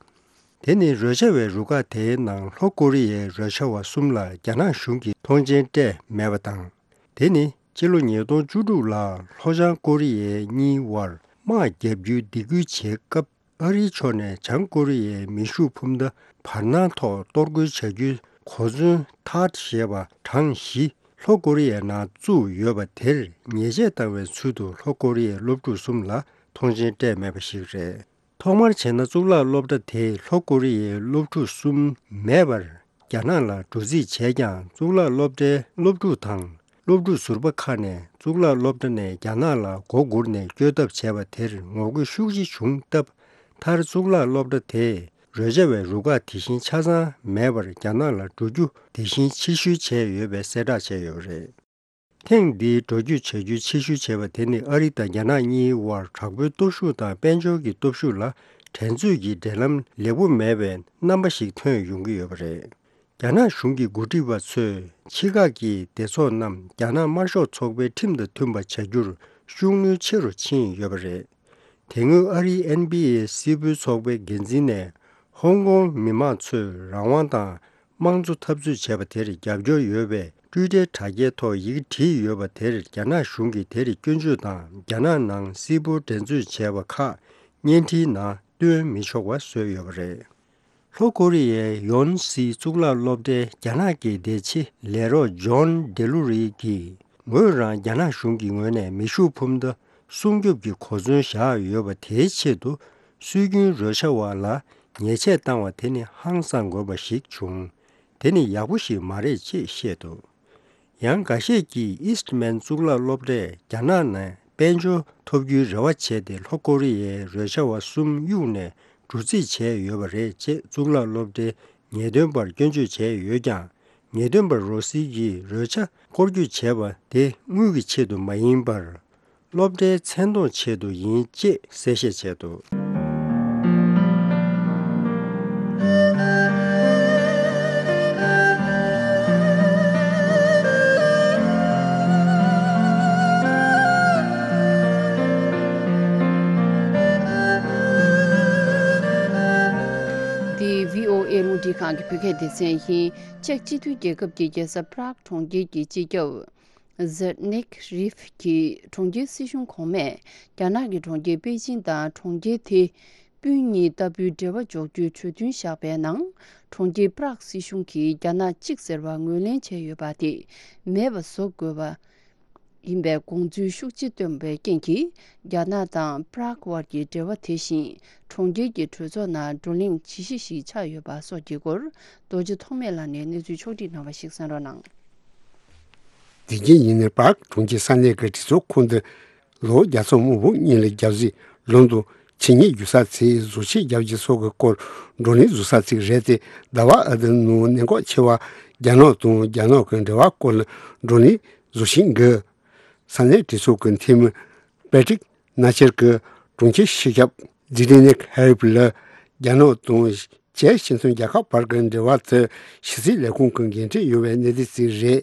དེ་ནི་རོལ་ཆ་བའི་རུ་ཁག་དེའི་ནང་ལྷོ་ཀོ་རི་ཡའི་རོལ་ཆ་བ་གསུམ་ལ་རྒྱ་ནག་གཞུང་གིས་ཐོངས་མཆན་སྤྲད་མེད་པ་དང་། དེ་ནི་ཕྱི་ལོ་ཉིས་སྟོང་བཅུ་དྲུག་ལ་ལྷོ་བྱང་ཀོ་རི་ཡའི་གཉིས་དབར་དམག་བརྒྱབ་རྒྱུའི་སྡིགས་སྐུལ་བྱེད་སྐབས། ཨ་རིའི་ཕྱོགས་ནས་བྱང་ཀོ་རི་ཡའི་མེ་ཤུགས་འཕུར་མདའ་བར་སྣང་ཐོག་གཏོར་རྒོལ་བྱ་རྒྱུའི་གོ་མཚོན་ཐཱད་ཞེས་པ་གྲངས་བཞི་ལྷོ་ཀོ་རི་ཡའི་ནང་བཙུགས་ཡོད་པ་དེར་ཉེས་ཆད་བཏང་བའི་ཚུལ་དུ་ལྷོ་ཀོ་རི་ཡའི་སློབ་ཕྲུག་གསུམ་ལ་ཐོངས་མཆན་སྤྲད་མེད་པ་ཞིག་རེད། ཐོག་མར་བྱས་ན་གཙུག་ལག་སློབ་གྲྭ་དེས་ལྷོ་ཀོ་རི་ཡའི་སློབ་ཕྲུག་གསུམ་མེད་པར་རྒྱ་ནག་ལ་འགྲོ་རྩིས་བྱས་ཀྱང་། གཙུག་ལག་སློབ་གྲྭའི་སློབ་ཕྲུག་དང་སློབ་ཕྲུག་ཟུར་པ་ཁག་ནས་གཙུག་ལག་སློབ་གྲྭ་ནས་རྒྱ་ནག་ལ་མགོ་སྒུར་ནས་བསྐྱོད་ཐབས་བྱས་པ་དེར་ངོ་རྒོལ་ཤུགས་ཆེ་བྱུང་སྟབས། མཐར་གཙུག་ལག་སློབ་གྲྭ་དེས་རོལ་ཆ་བའི་རུ་ཁག་དེ་བཞིན་ཆ་ཚང་མེད་པར་རྒྱ་ནག་ལ་འགྲོ་རྒྱུ་དེ་བཞིན་ཕྱིར་བཤོལ་བྱས་ཡོད་པའི་གསལ་བསྒྲགས་བྱས་ཡོད་པ་རེད། ཐེངས་འདིའི་འགྲོ་སྐྱོད་བྱ་རྒྱུ་ཕྱིར་བཤོལ་བྱས་པ་དེ་ནི་ཨ་རི་དང་རྒྱ་ནག་གཉིས་དབར་དྲག་པོའི་སྟོབས་ཤུགས་དང་དཔལ་འབྱོར་གྱི་སྟོབས་ཤུགས་ལ་འགྲན་རྩོད་ཀྱི་འབྲེལ་ལམ་ལེགས་པོ་མེད་པའི་རྣམ་པ་ཞིག་ཐོན་ཡོང་གི་ཡོད་པ་རེད། རྒྱ་ནག་གཞུང་གི་འགོ་ཁྲིད་པ་ཚོས་ཕྱི་ཁག་གི་སྡེ་ཚོགས་རྣམས་རྒྱ་ནག་དམར་ཤོག་ཚོགས་པའི་ཁྲིམས་དང་མཐུན་པ་བྱ་རྒྱུར་ཤུགས་སྣོན་ཆེ་རུ་ཕྱིན་ཡོད་པ་རེད། དེ་སྔོན་ཨ་རིའི་ཨེན་བྷི་ཨེ་སིལ་བུའི་ཚོགས་པའི་འགན་འཛིན་ནས་ཧོང་ཀོང་མི་མང་ཚོས་རང་དབང་དང་དམངས་གཙོ་འཐབ་རྩོད་བྱས་པ་དེར་རྒྱབ་སྐྱོར་ཡོད་པའི་ཊུའི་ཊར་དྲ་རྒྱའི་ཐོག་ཡི་གེ་བྲིས་ཡོད་པ་དེར་རྒྱ་ནག་གཞུང་གིས་དེར་སྐྱོན་བརྗོད་དང་། རྒྱ་ནག་ནང་སིལ་བུར་འགྲན་རྩོད་བྱས་པ་ཁག་བརྙན་འཕྲིན་ནང་སྟོན་མི་ཆོག་པ་བཟོས་ཡོད་པ་རེད། ལྷོ་ཀོ་རི་ཡའི་ཡོན་སི་གཙུག་ལག་སློབ་གྲྭའི་རྒྱ་ནག་གི་བདེ་ཕྱི་ལས་རོགས་ཇོན་ཌེ་ལུ་རི་གིས། ངོས་རང་རྒྱ་ནག་གཞུང་གི་ངོས་ནས་མེ་ཤུགས་འཕུར་མདའ་སྲུང་སྐྱོབ་ཀྱི་གོ་མཚོན་བཞག་ཡོད་པ་དེའི་ཆེད་དུ། སྲོལ་རྒྱུན་རོལ་ཆ་བ་ལ་ཉེས་ཆད་བཏང་བ་དེ་ནི་ཧང་སང་དགོས་པ་ཞིག་བྱུང་། དེ་ནི་ཡག་པོ་ཞིག་མ་རེད་ཅེས་བཤད་འདུག། ཡང་འགའ་ཤས་ཀྱིས་ཨིསྟ་མན་གཙུག་ལག་སློབ་གྲྭས་རྒྱ་ནག་ནས་དཔལ་འབྱོར་ཐོབ་རྒྱུའི་རེ་བ་བྱས་ཏེ། ལྷོ་ཀོ་རི་ཡའི་རོལ་ཆ་བ་གསུམ་གཡུགས་ནས་འགྲོ་རྩིས་བྱས་ཡོད་པ་རེད་ཅེས་གཙུག་ལག་སློབ་གྲྭའི་ངེས་སྟོན་པར་སྐྱོན་བརྗོད་བྱས་ཡོད་ཀྱང་། ངེས་སྟོན་པ་རོ་སི་ཡིས་རོལ་ཆ་སྐོར་སྐྱོད་བྱས་པ་དེ་དངུལ་གྱི་ཆེད་དུ་མ་ཡིན་པར། སློབ་གྲྭའི་མཚན་མཐོང་ཆེད་དུ་ཡིན་ཅེས་གསལ་བཤད་བྱས་འདུག། འདི་བྷི་ཨོ་ཨེ་རླུང་འཕྲིན་ཁང་གི་བོད་སྐད་སྡེ་ཚན་ཡིན། ཅེཀ་སྤྱི་མཐུན་རྒྱལ་ཁབ་ཀྱི་རྒྱལ་ས་པྲག་གྲོང་ཁྱེར་གྱི་སྤྱི་ཁྱབ། ཟེར་ནིག་རིབ་ཀྱིས་གྲོང་ཁྱེར་སྲིད་གཞུང་གོང་མས་རྒྱ་ནག་གི་གྲོང་ཁྱེར་པེ་ཅིང་དང་གྲོང་ཁྱེར་དེ་སྤུན་གཉིས་ལྟ་བུའི་འབྲེལ་བ་འཇོག་རྒྱུའི་གྲོས་མཐུན་བཞག་པའི་ནང་། གྲོང་ཁྱེར་པྲག་སྲིད་གཞུང་གིས་རྒྱ་ནག་གཅིག་ཟེར་བ་ངོས་ལེན་བྱས་ཡོད་པ་དེ་མེད་པ་བཟོ་དགོས་པ་ཡིན་པའི་དགོངས་ཚུལ་ཤུགས་ཆེ་བཏོན་པའི་རྐྱེན་གྱིས། རྒྱ་ནག་དང་པྲག་དབར་གྱི་འབྲེལ་བ་དེ་བཞིན་གྲོང་ཁྱེར་གྱི་གྲོས་ཚོགས་ནང་བགྲོ་གླེང་ཇི་ཞིག་ཞིག་ཆགས་ཡོད་པ་སོགས་ཀྱི་སྐོར། རྡོ་རྗེ་ཐོགས་མེད་ལགས་ནས་གནས་ཚུལ་ཕྱོགས་སྒྲིག་གནང་བ་ཞིག་གསན་རོགས་གནང་། དེ་རྗེས་ཉིན་ནས་པྲག་གྲོང་ཁྱེར་ས་གནས་ཀྱི་གྲོས་ཚོགས་ཁོངས་དུ་ལོ་བརྒྱ་ཚང་མང་པོ་སྔོན་ལ་རྒྱབ་གཟིགས་ལམ་དུ་ཆེད་གཉེར་རྒྱུ་ས་ཚིགས་བཟོ་ཆེད་རྒྱབ་ཀྱི་སོགས་ཀྱི་སྐོར་བགྲོ་གླེང་བཟོ་ས་ཚིགས་རེད་དེ། ཟླ་བ་ཨ་དི་ནང་གནད་འགག་ཆེ་བ་རྒྱ་ནག་དང་རྒྱ་ནག་གི་འབྲེལ་བ་སྐོར་ལ་བགྲོ་གླེང་བཟོ་བཞིན་འདུག། ས་གནས་གྲོས་ཚོགས་ཀྱི་འཐུས་མི་པེ་ཏྲིག་ནཱ་ཆེར་གྱིས་གྲོང་ཁྱེར་སྤྱི་ཁྱབ་ཛི་ཏི་ནེག་ཧ་རིབ་ལ་རྒྱ་ནག་དང་ཅེཀ་སྤྱི་མཐུན་རྒྱལ་ཁབ་བར་གྱི་འབྲེལ་བ་དེ་ཕྱི་སྲིད་ལས་ཁུངས་ཀྱི་འགན་འཁྲི་ཡོད་པའི་གནད་དོན་ཞིག་རེད།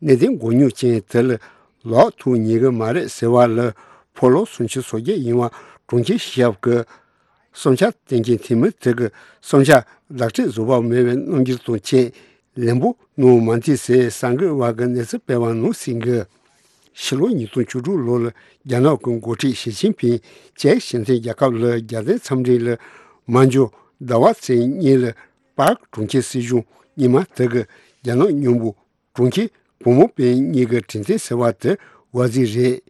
གནད་དོན་མགོ་རྙོག་ཅན་དེ་ལ་ལོག་ཐུག་ཉེན་གྱི་མ་རེད་ཟེར་བ་ལ་ཕོ་ལོ་སུམ་ཅུ་སོ་བརྒྱད་ཡིན་པ་གྲོང་ཁྱེར་སྤྱི་ཁྱབ་ཀྱི་བསམ་འཆར་བསྟན་མཁན་འཐུས་མི་དེ་གི་བསམ་འཆར་ལག་བྲིས་བཟོ་བ་མེད་པའི་རྣམ་འགྱུར་དང་བཅས་ལན་པོ་གནང་མ་མཐུན་ཟེར་གསར་འགོད་པ་གི་གནས་ཚུལ་སྤེལ་བ་ནང་གསལ་གི། ཕྱི་ལོ་ཉིས་སྟོང་བཅུ་དྲུག་ལོ་ལ་རྒྱ་ནག་གི་འགོ་ཁྲིད་ཞི་ཅིན་ཕིང་ཅེཀ་སྤྱི་མཐུན་རྒྱལ་ཁབ་ལ་རྒྱལ་དོན་འཚམས་འདྲི་ལ་མ་འབྱོར་ཟླ་བ་ཚེས་གཉིས་ལ་པཱག་གྲོང་ཁྱེར་སྲིད་གཞུང་རྙིང་མ་དེ་གི་རྒྱ་ནག་མཉམ་པོ་གྲོང་ཁྱེར་བུ་མོ་པེ་གཉིས་ཀྱི་གྲོས་མཐུན་ཟེར་བ་དེ་བར་ཟིག་རེད།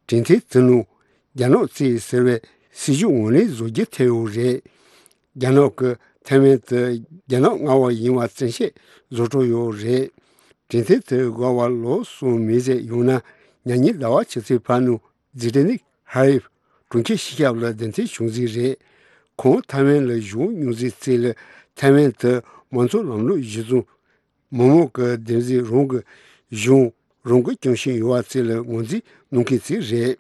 གྲོས་མཐུན་དེ་ནང་རྒྱ་ནག་གཙོས་ཟེར་བའི་སྲིད་ཇུས་ངོས་ལེན་བཟོ་རྒྱུ་ཐེ་ཡོད་རེད། རྒྱ་ནག་གི་ཐའེ་ཝན་དེ་རྒྱ་ནག་མངའ་འོག་ཡིན་པ་བཙན་ཤེད་བཟོ་འགྲོ་ཡོད་རེད། གྲོས་མཐུན་དེ་འགོར་བ་ལོ་གསུམ་མིན་ཟེར་ཡོང་ན། ཉེ་ཉིན་ཟླ་བ་ཕྱི་ཚེས་ཕར་ནང་ཛི་ཏི་ནིག་ཧ་རིབ་གྲོང་ཁྱེར་སྤྱི་ཁྱབ་ལ་གདན་འདྲེན་བྱུང་ཟིག་རེད། ཁོང་ཐའེ་ཝན་ལ་བཞུགས་མྱོང་ཟིག་ཚིག་ལ་ཐའེ་ཝན་དེ་མང་གཙོ་ལམ་ལུགས་གཞི་བཟུང་མི་མང་གི་བདེན་འཛིན་རང་གི་གཞུང་རང་གིས་སྐྱོང་བཞིན་ཡོད་པ་ཚིག་ལ་ངོས་འཛིན་གནང་མཁན་ཚིག་རེད།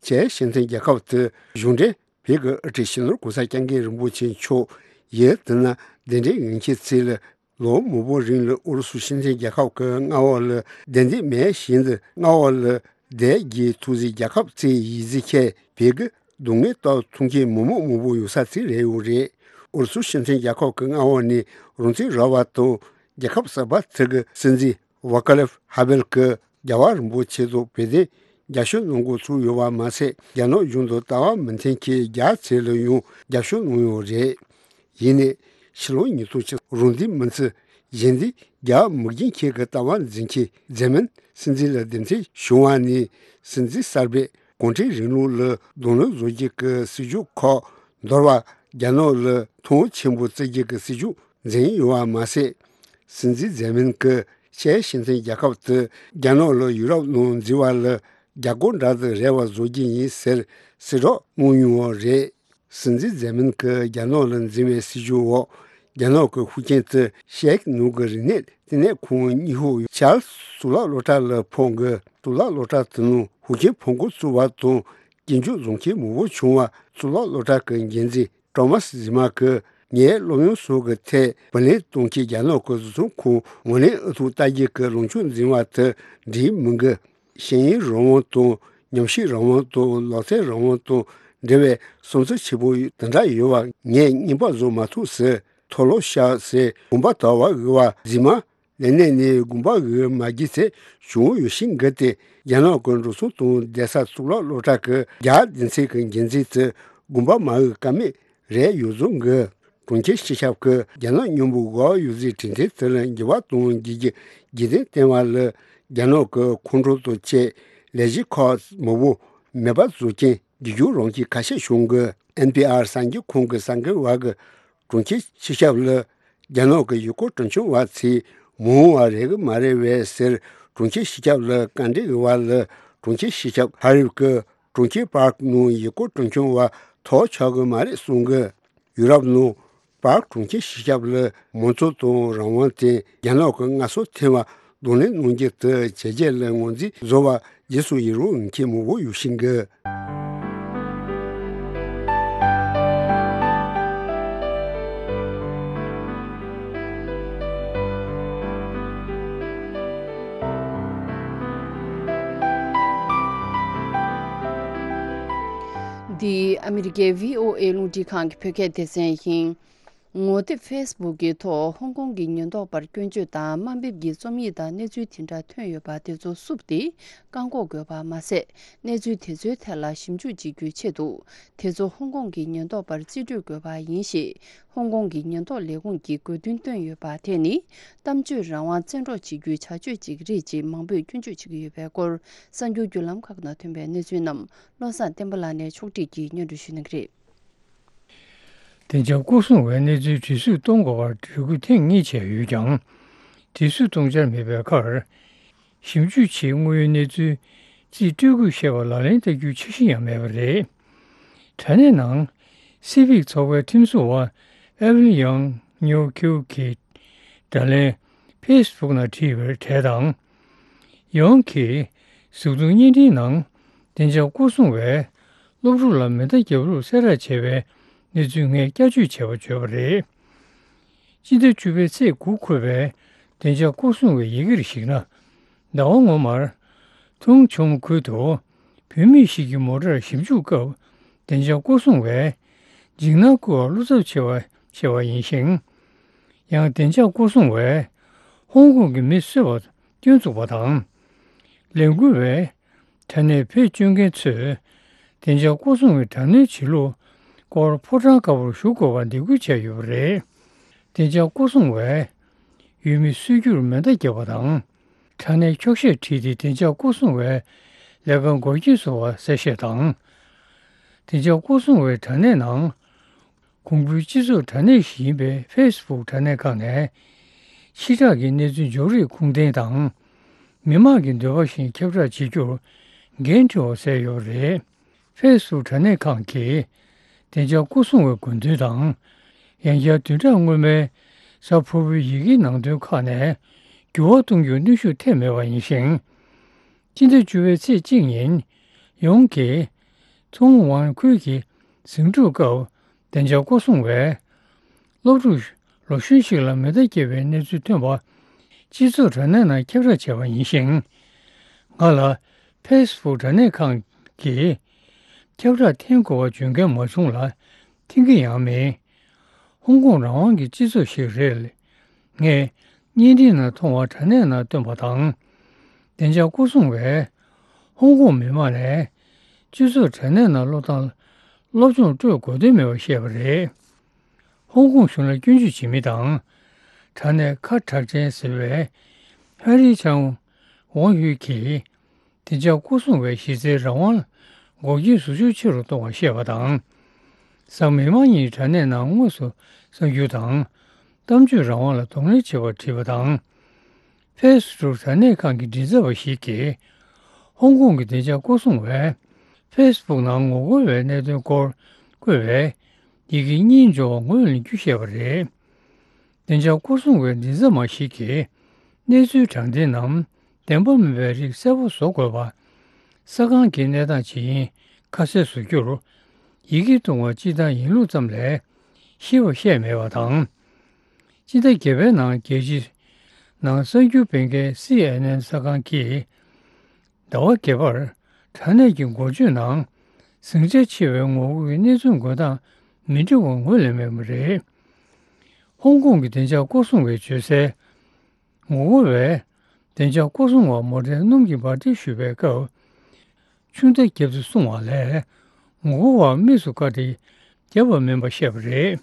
ཅེཀ་སྤྱི་མཐུན་རྒྱལ་ཁབ་དེ་གཞུང་འབྲེལ་བོད་ཀྱི་དབུ་ཁྲིད་སྤྱི་ནོར་གོང་ས་སྐྱབས་མགོན་རིན་པོ་ཆེ་མཆོག་ཡུལ་དེ་ན་གདན་འདྲེན་ཡོད་མཁན་ཚིག་ལ། ལོ་མང་པོ་རིང་ལ་ཨུ་རུ་སུ་སྤྱི་མཐུན་རྒྱལ་ཁབ་ཀྱི་མངའ་འོག་ལ་བདེ་སྡུག་མེད་བཞིན་དུ་མངའ་འོག་ལ་བསྡད་རྒྱུའི་ཐུགས་བཞེད་རྒྱལ་ཁབ་ཅིག་ཡིན་ཟེར་མཁན་བོད་ཀྱི་སྡུག་བསྔལ་ལྟ་ཐུབ་མཁན་མི་མང་མང་པོ་ཡོད་ས་ཅིག་རེད་ཡོད་རེད། ཨུ་རུ་སུ་སྤྱི་མཐུན་རྒྱལ་ཁབ་ཀྱི་མངའ་འོག་ནས་རང་བཙན་རག་པ་དང་རྒྱལ་ཁབ་གསར་པ་དེ་གི་སྲིད་འཛིན་ཝ་ཀ་ལེབ་ཧ་བེལ་གྱིས་རྒྱལ་བ་རིན་པོ་ཆེ་ཚོ་བོད་དོན་རྒྱབ་སྐྱོར་གནང་འགོ་ཚུགས་ཡོད་པ་མ་ཟད། རྒྱ་ནག་གཞུང་དང་ལྟ་བ་མི་མཐུན་མཁན་རྒྱ་ཆེ་ལ་ཡང་རྒྱབ་སྐྱོར་གནང་ཡོད་རེད། ཡིན་ནའི་ཕྱི་ལོ་ཉིས་སྟོང་གཅིག་རང་བཙན་མི་ཚེ་གཞན་དུས་རྒྱ་མི་རྒན་ཁྱེད་ཀྱི་ལྟ་བ་འཛིན་མཁན་འཛིན་མིན་སྲིད་འཛིན་ལ་གདན་འདྲེན་བྱུང་བ་ནས་སྲིད་འཛིན་གསར་པས་གུང་ཁྲན་རིང་ལུགས་ལ་གདོང་ལེན་བཟོ་རྒྱུ་གི་སྲིད་ཇུས་ཁག་འདོར་བ། རྒྱ་ནག་ལ་མཐོང་ཆེན་པོ་བརྩི་རྒྱུ་གི་སྲིད་ཇུས་འཛིན་ཡོད་པ་མ་ཟད། སྲིད་འཛིན་འཛིན་མིན་གྱིས་ཅེཀ་སྤྱི་མཐུན་རྒྱལ་ཁབ་དེ་རྒྱ་ནག་ལ་ཡུ་རོབ་ནང་འཛུལ་བ་ལ་རྒྱ་སྒོར་འདྲ་དང་རེ་བ་བཟོ་རྒྱུ་ཡིན་ཟེར་གསལ་བསྒྲགས་གནང་མྱོང་བ་རེད། སྲིད་འཛིན་འཛིན་མིན་གྱིས་རྒྱ་ནག་ལ་འཛིན་པའི་སྲིད་ཇུས་འོག་རྒྱ་ནག་གི་ཤུགས་རྐྱེན་དེ་ཤེག་ནུ་གི་རིག་གནས་བསྟི་གནས་ཁང་གཉིས་ཤོག་ཡུ་ཆར་གཙུག་ལག་སློབ་གྲྭ་ལ་ཕོག་གི། གཙུག་ལག་སློབ་གྲྭ་དེ་ནང་ཤུགས་རྐྱེན་ཕོག་འགོ་བཙུགས་པ་དང་སྐྱོན་བརྗོད་བཟོ་མཁན་མང་པོ་བྱུང་བ། གཙུག་ལག་སློབ་གྲྭ་གི་འགན་འཛིན་ཀྲོ་མཱས་ཟི་མ་གིས་ངའི་སློབ་ཡོན་སོགས་ཀྱི་ཐད་བུ་ལོན་གཏོང་མཁན་རྒྱ་ནག་གི་བཟོ་ཚོང་ཁང་ངོས་ལེན་ཨུ་ཐུག་ལྟ་རྒྱུ་གི་ལངས་ཕྱོགས་འཛིན་པ་དེ་འགྲིག་མི་འགི། ཤེས་ཡོན་རང་དབང་དང་ཉམས་ཞིབ་རང་དབང་དང་ལག་རྩལ་རང་དབང་དང་འབྲེལ་བའི་བསམ་ཚུལ་ཆེན་པོ་དེ་འདྲ་ཡོད་པ་ངས་རྙེད་པ་བཟོ་མ་ཐུབ་ཟེར། མཐོ་སློབ་བཤད་ཟེར་དགོངས་པ་དག་པ་དབུལ་བ་ཟི་མ། ལས་གནས་ནས་དགོངས་པ་དབུལ་མ་རྒྱུ་ཚེ་བྱུང་ཡོད་ཤིང་འགི་སྟེ། རྒྱ་ནག་གི་འགྲོ་སོང་དང་བསྡད་ས་གཙུག་ལག་སློབ་གྲྭ་གི་རྒྱ་སྡེ་ཚན་གྱི་འགན་འཛིན་དེ་དགོངས་པ་མ་དབུལ་ཀ་མེད་རེད་ཡོད་བཟོ་འགི། གྲོང་ཁྱེར་སྤྱི་ཁྱབ་ཀྱིས་རྒྱ་ནག་མཉམ་པོ་འགོག་ཡོད་ཚད་དྲི་འཐེན་དེ་ལ་འགྱུར་བ་གཏོང་རྒྱུ་གྱི་རྒྱུ་རྐྱེན་བསྟན་པ་ལ། རྒྱ་ནག་གི་ཁོང་ཁྲོ་དང་བཅས་ལས་གཞི་ཁག་མང་པོ་མེད་པ་བཟོ་རྐྱེན་རྒྱུ་རྒྱུ་རང་བཞིན་ཁ་ཤས་བྱུང་གི། ཨེན་པི་ཨར་གསར་འགྱུར་ཁང་གི་གསར་འགོད་པ་གིས་གྲོང་ཁྱེར་སྤྱི་ཁྱབ་ལ་རྒྱ་ནག་གི་ཡུལ་སྐོར་སྤྲོ་འཆམ་པ་ཚོས་མ་འོངས་པར་རེད་གི་མ་རེད་པས་ཟེར། གྲོང་ཁྱེར་སྤྱི་ཁྱབ་ལ་བཀའ་འདྲི་ཞུས་པ་ལ། གྲོང་ཁྱེར་སྤྱི་ཁྱབ་ཧ་རིབ་ཀྱིས་གྲོང་ཁྱེར་པཱརྐ་ནང་ཡུལ་སྐོར་སྤྲོ་འཆམ་པ་ཐོབ་ཆོག་གི་མ་རེད་གསུངས་གི། ཡུ་རོབ་ནང་པཱརྐ་གྲོང་ཁྱེར་སྤྱི་ཁྱབ་ལ་མང་གཙོ་དང་རང་དབང་དེ་རྒྱ་ནག་གི་མངའ་གསོལ་ཐེབས་པ་གདོང་ལེན་གནང་རྒྱུ་དེ་བྱས་རྗེས་ལ་ངོས་འཛིན་བཟོ་བ་རྗེས་སུ་ཡི་རང་མཁན་མང་པོ་ཡོད་བཞིན་གི། འདི་ཨ་མི་རི་ཀའི་བྷི་ཨོ་ཨེ་རླུང་འཕྲིན་ཁང་གི་བོད་སྐད་སྡེ་ཚན་ཡིན། ངོ་དེབ་ཕེ་སི་བུག་གི་ཐོག་ཧོང་ཀོང་གི་ཉེན་རྟོག་པར་སྐྱོན་བརྗོད་དང་དམའ་འབེབས་ཀྱི་རྩོམ་ཡིག་དང་གནས་ཚུལ་དེ་འདྲ་ཐོན་ཡོད་པ་དེ་ཚོ་བསུབས་ཏེ་བཀག་འགོག་དགོས་པ་མ་ཟད། གནས་ཚུལ་དེ་ཚོའི་ཐད་ལ་ཞིབ་འཇུག་བྱེད་རྒྱུའི་ཆེད་དུ། དེ་ཚོ་ཧོང་ཀོང་གི་ཉེན་རྟོག་པར་རྩིས་སྤྲོད་དགོས་པ་ཡིན་ཞེས་ཧོང་ཀོང་གི་ཉེན་རྟོག་ལས་ཁུངས་ཀྱིས་དགོས་འདུན་བཏོན་ཡོད་པ་དེ་ནི། གཏམ་བརྗོད་རང་དབང་བཙན་འཕྲོག་བྱེད་རྒྱུའི་བྱ་སྤྱོད་ཅིག་རེད་ཅེས་མང་པོས་སྐྱོན་བརྗོད་བྱེད་ཀྱི་ཡོད་པའི་སྐོར། གསར་འགྱུར་བརྒྱུད་ལམ་ཁག་ནང་ཐོན་པའི་གནས་ཚུལ་རྣམས་བློ་བཟང་བསྟན་པ་ལགས་ནས་ཕྱོགས་སྒྲིག་གིས་སྙན་སྒྲོན་ཞུ་གནང་གི་རེད། བདེ་འཇགས་སྐོར་སྲུང་བས་གནས་ཚུལ་དྲི་བསུབ་གཏོང་དགོས་པར་འབོད་སྐུལ་ཐེངས་གཉིས་བྱས་ཡོད་ཀྱང་། དྲི་བསུབ་གཏོང་འཆར་མེད་པའི་ཁར། ཞིབ་འཇུག་ཆེད་དངོས་ཡོད་གནས་ཚུལ་རྩིས་སྤྲོད་དགོས་ཞེས་པ་ལག་ལེན་བསྟར་རྒྱུའི་འཆར་གཞི་ཡང་མེད་པ་རེད། དྲ་གནས་ནང་སི་ཕིག་ཚོགས་པའི་ཁྲིམས་བཟོ་བ་ཨེ་ཝིན་ཡང་ཉོ་ཁིའུ་གིས་དྲ་ལན་ཕེ་སི་བུག་ནང་བྲིས་པའི་གྲས་དང་། ཡོང་གིས་གཟུགས་མཐོང་བརྙན་འཕྲིན་ནང་བདེ་འཇགས་སྐོར་སྲུང་བས་སློབ་ཕྲུག་ལ་མེ་མདའ་བརྒྱབ་ལུགས་གསལ་བསྒྲགས་བྱས་པའི་གནས་ཚུལ་ངས་བསྐྱར་བཅོས་བྱས་པ་བརྗོད་པ་རེད། སྤྱི་ཟླ་བཅུ་པའི་ཚེས་དགུ་འཁོད་པའི་བདེ་འཇགས་སྐོར་སྲུང་བའི་ཡི་གེར་གཞིགས་ན། ཟླ་བ་སྔོན་མར་ཐུང་ཆུང་ཁུལ་དུ་བུད་མེད་ཞིག་གི་མོ་ཊར་ཞིབ་འཇུག་སྐབས་བདེ་འཇགས་སྐོར་སྲུང་བས་འཇིགས་སྣང་བསྐུལ་བར་བློ་འཚབ་ཆེ་བ་ཆེ་བ་ཡིན་ཞིང་། ཡང་བདེ་འཇགས་སྐོར་སྲུང་བས་ཧོང་ཀོང་གི་མི་གསོད་པར་སྐྱོན་བཙུགས་པ་དང་། ལས་འགུལ་བས་དྲ་གནས་བེད་སྤྱོད་མཁན་ཚོས་བདེ་འཇགས་སྐོར་སྲུང་བའི་དྲ་གནོན་བྱེད་ལུགས་སྐོར་ཕོ་བྲང་དཀར་པོར་ཞུགས་དགོས་པར་འདེད་སྐུལ་བྱས་ཡོད་པ་རེད། བདེ་འཇགས་སྐོར་སྲུང་བས་ཡུལ་མི་གསོད་རྒྱུར་མེ་མདའ་བརྒྱབ་པ་དང་། དྲ་གནས་འཁྱོག་བཤད་བྲིས་ཏེ་བདེ་འཇགས་སྐོར་སྲུང་བའི་ལས་ཀར་འགོག་རྐྱེན་བཟོ་བ་གསལ་བཤད་དང་། བདེ་འཇགས་སྐོར་སྲུང་བའི་དྲ་གནས་ནང་། གོང་བུའི་སྤྱི་ཚོགས་དྲ་གནས་ཤིག་ཡིན་པའི་ཕེ་སི་བུག་དྲ་གནས་ཁག་ནས། ཕྱི་བསྒྲགས་ཀྱི་གནས་ཚུལ་འཇོག་རེས་ཁུངས་ལྡན་དང་། མི་མང་གི་འདོད་པ་བཞིན་ཁྱབ་བསྒྲགས་བྱེད་རྒྱུར་འགན་འཁྲི་བ་བསལ་ཡོད་པ་རེད། ཕེ་སི་བུག་དྲ་གནས་ཁང་གིས་བདེ་འཇགས་སྐོར་སྲུང་བའི་དགོས་འདུན་དང་། ཡང་བསྐྱར་བདུན་ཕྲག་སྔོན་མའི་གཟའ་ཕུར་བུའི་ཡི་གེའི་ནང་དོན་ཁག་ནས་འགྱུར་བ་གཏོང་རྒྱུར་གནོན་ཤུགས་ཐེབས་མེད་པ་ཡིན་ཞིང་། སྤྱི་ཟླ་བཅུ་པའི་ཚེས་གཅིག་ཉིན་ཡོང་གིས་ཚོང་ཝང་ཁུལ་གྱི་ཟིང་འཁྲུག་སྐབས་བདེ་འཇགས་སྐོར་སྲུང་བས་སློབ་ཕྲུག་ལོ་གཞོན་ཞིག་ལ་མེ་མདའ་བརྒྱབ་པའི་གནས་ཚུལ་ཐོན་པ་སྤྱི་ཚོགས་དྲ་གནས་ནང་ཁྱབ་བསྒྲགས་བྱས་པ་ཡིན་ཞིང་། ང་ལ་ཕེ་སི་བུག་དྲ་གནས་ཁང་གིས་ཁྱབ་བསྒྲགས་འཐེན་དགོས་པ་བརྗོད་མཁན་མ་བྱུང་ལ་འཐེན་གྱི་ཡང་མེད། ཧོང་ཀོང་རང་དབང་གི་སྤྱི་ཚོགས་ཤིག་རེད། ངས་བརྙན་འཕྲིན་ནང་མཐོང་བ་དྲ་གནས་ནང་བཏོན་པ་དང་། བདེ་འཇགས་སྐོར་སྲུང་བས་ཧོང་ཀོང་མི་མང་ནས་སྤྱི་ཚོགས་དྲ་གནས་ནང་བློ་བཏང་སློབ་སྦྱོང་སྤྲོད་དགོས་དོན་མེད་པ་བཤད་པ་རེད། ཧོང་ཀོང་གཞུང་ལ་སྐྱོན་བརྗོད་བྱེད་མི་དང་། དྲ་གནས་ཁ་གྲག་ཅན་ཟེར་བའི་ཧན་རི་ཆང་ཝང་ཧུའེ་གིས། བདེ་འཇགས་སྐོར་སྲུང་བས་གཞི་རྩའི་རང་དབང་ལ་འགོག་རྐྱེན་བཟོ་ཤུགས་ཆེ་རུ་གཏོང་བར་བཤད་པ་དང་། གཟའ་མིག་དམར་ཉིན་དྲ་གནས་ནང་དངོས་སུ་གསར་འགྱུར་དང་། གཏམ་བརྗོད་རང་དབང་ལ་གདོང་ལེན་བྱེད་པར་བྲིས་པ་དང་། ཕེ་སི་བུག་དྲ་གནས་ཁང་གི་མགྲིན་ཚབ་པ་ཞིག་གིས། ཧོང་ཀོང་གི་བདེ་འཇགས་སྐོར་སྲུང་བས་ཕེ་སི་བུག་ནང་ངོ་རྒོལ་བའི་གནད་དོན་སྐོར་བཀོད་པའི་ཡི་གེ་གཉིས་འབྱོར་བ་ངོས་ལེན་རྒྱུ་བཤད་པ་རེད། བདེ་འཇགས་སྐོར་སྲུང་བའི་མགྲིན་ཚབ་མ་ཞིག་གིས་གནས་ཚུལ་དྲང་བདེན་ནམ་བདེན་པ་མིན་པའི་རིགས་གསལ་པོ་བཟོ་དགོས་པ། ས་ཁང་གི་གནས་སྟངས་ཇི་ཡིན་ཁ་གསལ་བཟོ་རྒྱུར་ཡི་གེ་བཏུང་བ་སྤྱིར་བཏང་ཡིན་ལུགས་ཙམ་ལས་ཤེས་པ་བཤད་མེད་པ་དང་། སྤྱི་ཟླ་བརྒྱད་པའི་ནང་རྒྱལ་སྤྱིའི་ནང་གསར་འགྱུར་སྤེལ་མཁན་སི་ཨེན་ཨེན་གསར་ཁང་གིས། ཟླ་བ་བརྒྱད་པར་དྲ་གནས་ཀྱི་འགོ་བརྗོད་ནང་ཟིང་ཆ་ཆེ་བའི་ངོ་རྒོལ་གྱི་གནས་ཚུལ་འགོད་སྟངས་མི་འགྲིག་པ་ངོས་ལེན་མེད་པ་རེད། ཧོང་ཀོང་གི་བདེ་འཇགས་སྐོར་སྲུང་བས་བརྗོད་གསལ། ངོ་རྒོལ་བས་བདེ་འཇགས་སྐོར་སྲུང་བར་མོ་ཊའི་སྣུམ་གྱི་འབར་མདེལ་གཞུས་པའི་སྐབས། ཆུ་མདའ་བརྒྱབ་སྟེ་བསྲུང་བ་ལས། ངོ་རྒོལ་བར་དམིགས་སུ་བཀར་ཏེ་བརྒྱབ་པ་མིན་པ་བཤད་པ་རེད།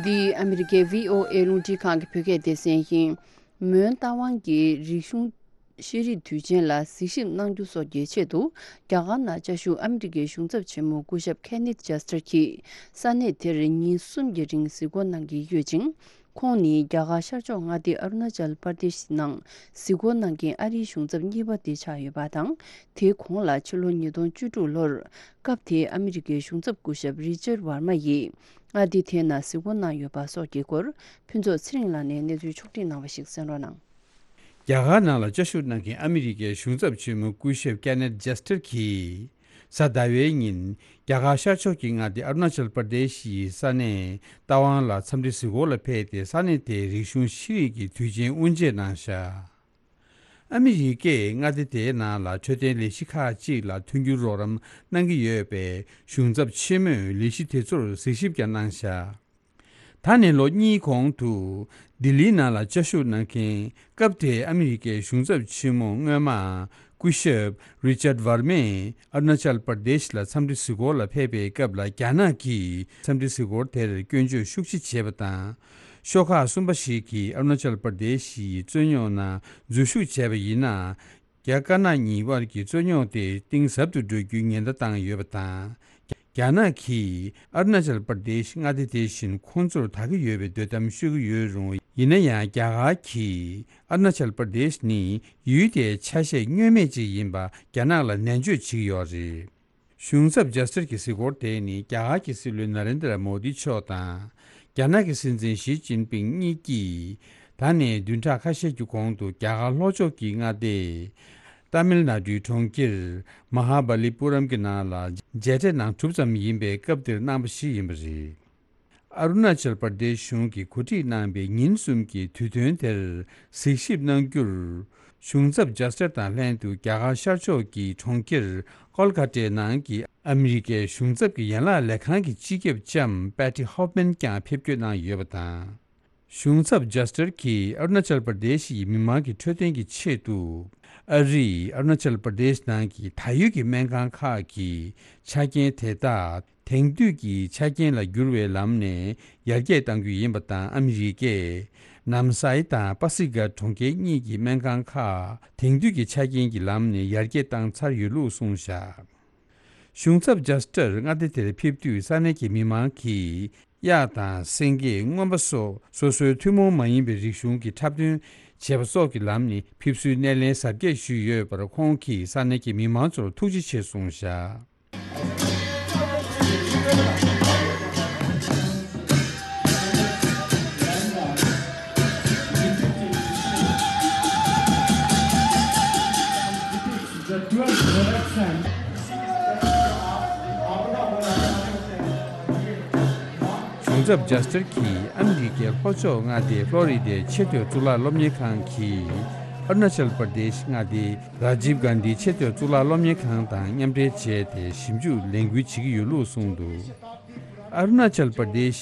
འདི་ཨ་མི་རི་ཀའི་བྷི་ཨོ་ཨེ་རླུང་འཕྲིན་ཁང་གི་བོད་སྐད་སྡེ་ཚན་ཡིན། མོན་རྟ་དབང་གི་རིག་གཞུང་ཤེས་རིག་དུས་ཆེན་ལ་གཟིགས་ཞིབ་གནང་རྒྱུ་སོགས་ཀྱི་ཆེད་དུ། རྒྱ་གར་ནང་བཅའ་བཞུགས་ཨ་མི་རི་ཀའི་གཞུང་ཚབ་ཆེན་མོ་སྐུ་ཞབས་ཁེ་ནེཐ་ཇེ་སྟར་གྱིས་ས་གནས་དེར་ཉིན་གསུམ་གྱི་རིང་གཟིགས་སྐོར་གནང་གི་ཡོད་ཅིང་། ཁོང་ནི་རྒྱ་གར་ཤར་ཕྱོགས་མངའ་སྡེ་ཨ་རུ་ན་ཅལ་པར་དེ་ཤི་ནང་གཟིགས་སྐོར་གནང་མཁན་ཨ་རིའི་གཞུང་ཚབ་གཉིས་པ་དེ་ཆགས་ཡོད་པ་དང་། དེའི་གོང་ལ་ཕྱི་ལོ་ཉིས་སྟོང་བཅུ་དྲུག་ལོར་སྐབས་དེའི་ཨ་མི་རི་ཀའི་གཞུང་ཚབ་སྐུ་ཞབས་རི་ཅར་ཝར་མ་ཡིས་མངའ་སྡེ་དེའི་ནང་གཟིགས་སྐོར་གནང་ཡོད་པ་སོགས་ཀྱི་སྐོར་ཕུན་ཚོགས་ཚེ་རིང་ལགས་ནས་གནས་ཚུལ་ཕྱོགས་སྒྲིག་གནང་བ་ཞིག་གསན་རོགས་གནང་། རྒྱ་གར་ནང་ལ་བཅའ་བཞུགས་གནང་མཁན་ཨ་མི་རི་ཀའི་གཞུང་ཚབ་ཆེན་མོ་སྐུ་ཞབས་ཀེ་ནེཐ་ཇེ་སྟར་གྱིས། གཟའ་ཟླ་བའི་ཉིན། རྒྱ་གར་ཤར་ཕྱོགས་ཀྱི་མངའ་སྡེ་ཨ་རུ་ན་ཅལ་པར་དེ་ཤི་ཡི་ས་གནས་རྟ་དབང་ལ་འཚམས་འདྲི་གཟིགས་སྐོར་ལ་ཕེབས་ཏེ། ས་གནས་དེའི་རིག་གཞུང་ཤེས་རིག་གི་དུས་ཆེན་དབུ་འབྱེད་གནང་བཞག་ཨ་མི་རི་ཀས་མངའ་སྡེ་དེའི་ནང་ལ་འཕྲོད་བསྟེན་ལས་གཞི་ཁག་ཅིག་ལ་མཐུན་འགྱུར་རོགས་རམ་གནང་གི་ཡོད་པས། གཞུང་ཚབ་ཆེན་མོས་ལས་གཞི་དེ་ཚོར་གཟིགས་ཞིབ་ཀྱང་གནང་བཞག་ད་ནས་ལོ་གཉིས་གོང་དུ། ལྡི་ལིའི་ནང་ལ་བཅའ་བཞུགས་གནང་མཁན་སྐབས་དེའི་ཨ་མི་རི་ཀའི་གཞུང་ཚབ་ཆེན་མོ་སྔོན་མ། སྐུ་ཞབས་རི་ཅར་ཝར་མས་ཨ་རུ་ན་ཅལ་པར་དེ་ཤི་ལ་འཚམས་འདྲི་གཟིགས་སྐོར་ལ་ཕེབས་པའི་སྐབས་ལ། རྒྱ་ནག་གིས་འཚམས་འདྲི་གཟིགས་སྐོར་དེར་སྐྱོན་བརྗོད་ཤུགས་ཆེ་བྱས་པ་དང་། ཤོག་ཁག་གསུམ་པ་ཞིག་གིས་ཨ་རུ་ན་ཅལ་པར་དེ་ཤི་ཡི་རྩོད་རྙོག་ནང་འཛུལ་ཞུགས་བྱས་པ་ཡིན་ན། རྒྱ་དཀར་ནག་གཉིས་དབར་གྱི་རྩོད་རྙོག་དེ་གཏིང་ཟབ་ཏུ་འགྲོ་རྒྱུའི་ཉེན་བརྡ་བཏང་ཡོད་པ་དང་། རྒྱ་ནག་གིས་ཨ་རུ་ན་ཅལ་པར་དེ་ཤི་མངའ་སྡེ་དེ་བཞིན་ཁོང་ཚོར་ད་གི་ཡོད་པའི་འདོད་གཏམ་ཤོད་ཀྱི་ཡོད་རུང་། ཡིན་ན་ཡང་རྒྱ་གར་གྱིས་ཨ་རུ་ན་ཅལ་པར་དེ་ཤི་ནི་ཡུལ་དེའི་ཆ་ཤས་བསྙོན་མེད་ཅིག་ཡིན་པ་རྒྱ་ནག་ལ་ནན་བརྗོད་བྱེད་ཀྱི་ཡོད་རེད། གཞུང་ཚབ་ཇེ་སྟར་གྱི་གཟིགས་སྐོར་དེ་ནི་རྒྱ་གར་གྱི་སྲིད་བློན་ན་རེན་དྲ་མོ་དི་མཆོག་དང་། རྒྱ་ནག་གི་སྲིད་འཛིན་ཞི་ཅིན་ཕིང་གཉིས་ཀྱིས། ད་ནས་བདུན་ཕྲག་ཁ་ཤས་ཀྱི་གོང་དུ་རྒྱ་གར་ལྷོ་ཕྱོགས་ཀྱི་མངའ་སྡེ། ཏཱ་མིལ་ནཱ་ཌུའི་གྲོང་ཁྱེར། མ་ཧཱ་བ་ལི་པུ་རམ་གྱི་ནང་ལ་མཇལ་འཕྲད་གནང་གྲུབ་ཙམ་ཡིན་པའི་སྐབས་དེར་གནང་བ་ཞིག་ཡིན་པ་རེད། ཨ་རུ་ན་ཅལ་པར་དེ་ཤི་གཞུང་གིས་གོ་སྒྲིག་གནང་པའི་ཉིན་གསུམ་གྱི་དུས་སྟོན་དེར་གཟིགས་ཞིབ་གནང་རྒྱུར། གཞུང་ཚབ་ཇེ་སྟར་དང་ལྷན་དུ་རྒྱ་གར་ཤར་ཕྱོགས་ཀྱི་གྲོང་ཁྱེར་ཀོལ་ཀ་ཏའི་ནང་གི་ཨ་མི་རི་ཀའི་གཞུང་ཚབ་ཀྱི་ཡན་ལག་ལས་ཁང་གི་སྤྱི་ཁྱབ་ལྕམ་པེ་ཏི་ཧོབ་མན་ཀྱང་ཕེབས་སྐྱོད་གནང་ཡོད་པ་དང་། གཞུང་ཚབ་ཇེ་སྟར་གྱིས་ཨ་རུ་ན་ཅལ་པར་དེ་ཤི་ཡི་མི་མང་གི་འཕྲོད་བསྟེན་གྱི་ཆེད་དུ། ཨ་རིས་ཨ་རུ་ན་ཅལ་པར་དེ་ཤི་ནང་གི་ད་ཡོད་ཀྱི་སྨན་ཁང་ཁག་གི་ཆ་རྐྱེན་དེ་དག་དེང་དུས་ཀྱི་ཆ་རྐྱེན་ལ་བསྒྱུར་བའི་ལམ་ནས་ཡར་རྒྱས་གཏང་རྒྱུ་ཡིན་པ་དང་། ཨ་མི་རི་ཀས་ནམ་སའི་དང་པ་སི་ཀ་གྲོང་ཁྱེར་གཉིས་ཀྱི་སྨན་ཁང་ཁག་དེང་དུས་ཀྱི་ཆ་རྐྱེན་གྱི་ལམ་ནས་ཡར་རྒྱས་བཏང་ཚར་ཡོད་ལུགས་གསུངས་བཞག་གཞུང་ཚབ་ཇེ་སྟར་མངའ་སྡེ་དེར་ཕེབས་དུས་ས་གནས་ཀྱི་མི་མང་གིས་གཡག་དང་སེང་གེ། རྔོན་པ་སོགས་སོ་སོའི་ཐུན་མོང་མ་ཡིན་པའི་རིག་གཞུང་གི་འཁྲབ་སྟོན་བྱེད་པ་སོགས་ཀྱི་ལམ་ནས་ཕེབས་བསུའི་སྣེ་ལེན་གཟབ་རྒྱས་ཞུས་ཡོད་པར། ཁོང་གིས་ས་གནས་ཀྱི་མི་མང་ཚོར་ཐུགས་རྗེ་ཆེ་གསུངས་བཞག་གཞུང་ཚབ་ཇེ་སྟར་གྱིས་ཨ་མི་རི་ཀའི་ལྷོ་ཕྱོགས་མངའ་སྡེ་ཕློ་རི་ཌའི་ཆེས་མཐོའི་གཙུག་ལག་སློབ་གཉེར་ཁང་གི་ཨ་རུ་ན་ཅལ་པར་དེཤ་མངའ་སྡེའི་རཱ་ཇིབ་གྷན་དྷི་ཆེས་མཐོའི་གཙུག་ལག་སློབ་གཉེར་ཁང་དང་མཉམ་འབྲེལ་བྱས་ཏེ་ཞིབ་འཇུག་ལས་འགུལ་བྱེད་ཀྱི་ཡོད་ལུགས་གསུངས་འདུག་ཨ་རུ་ན་ཅལ་པར་དེཤ་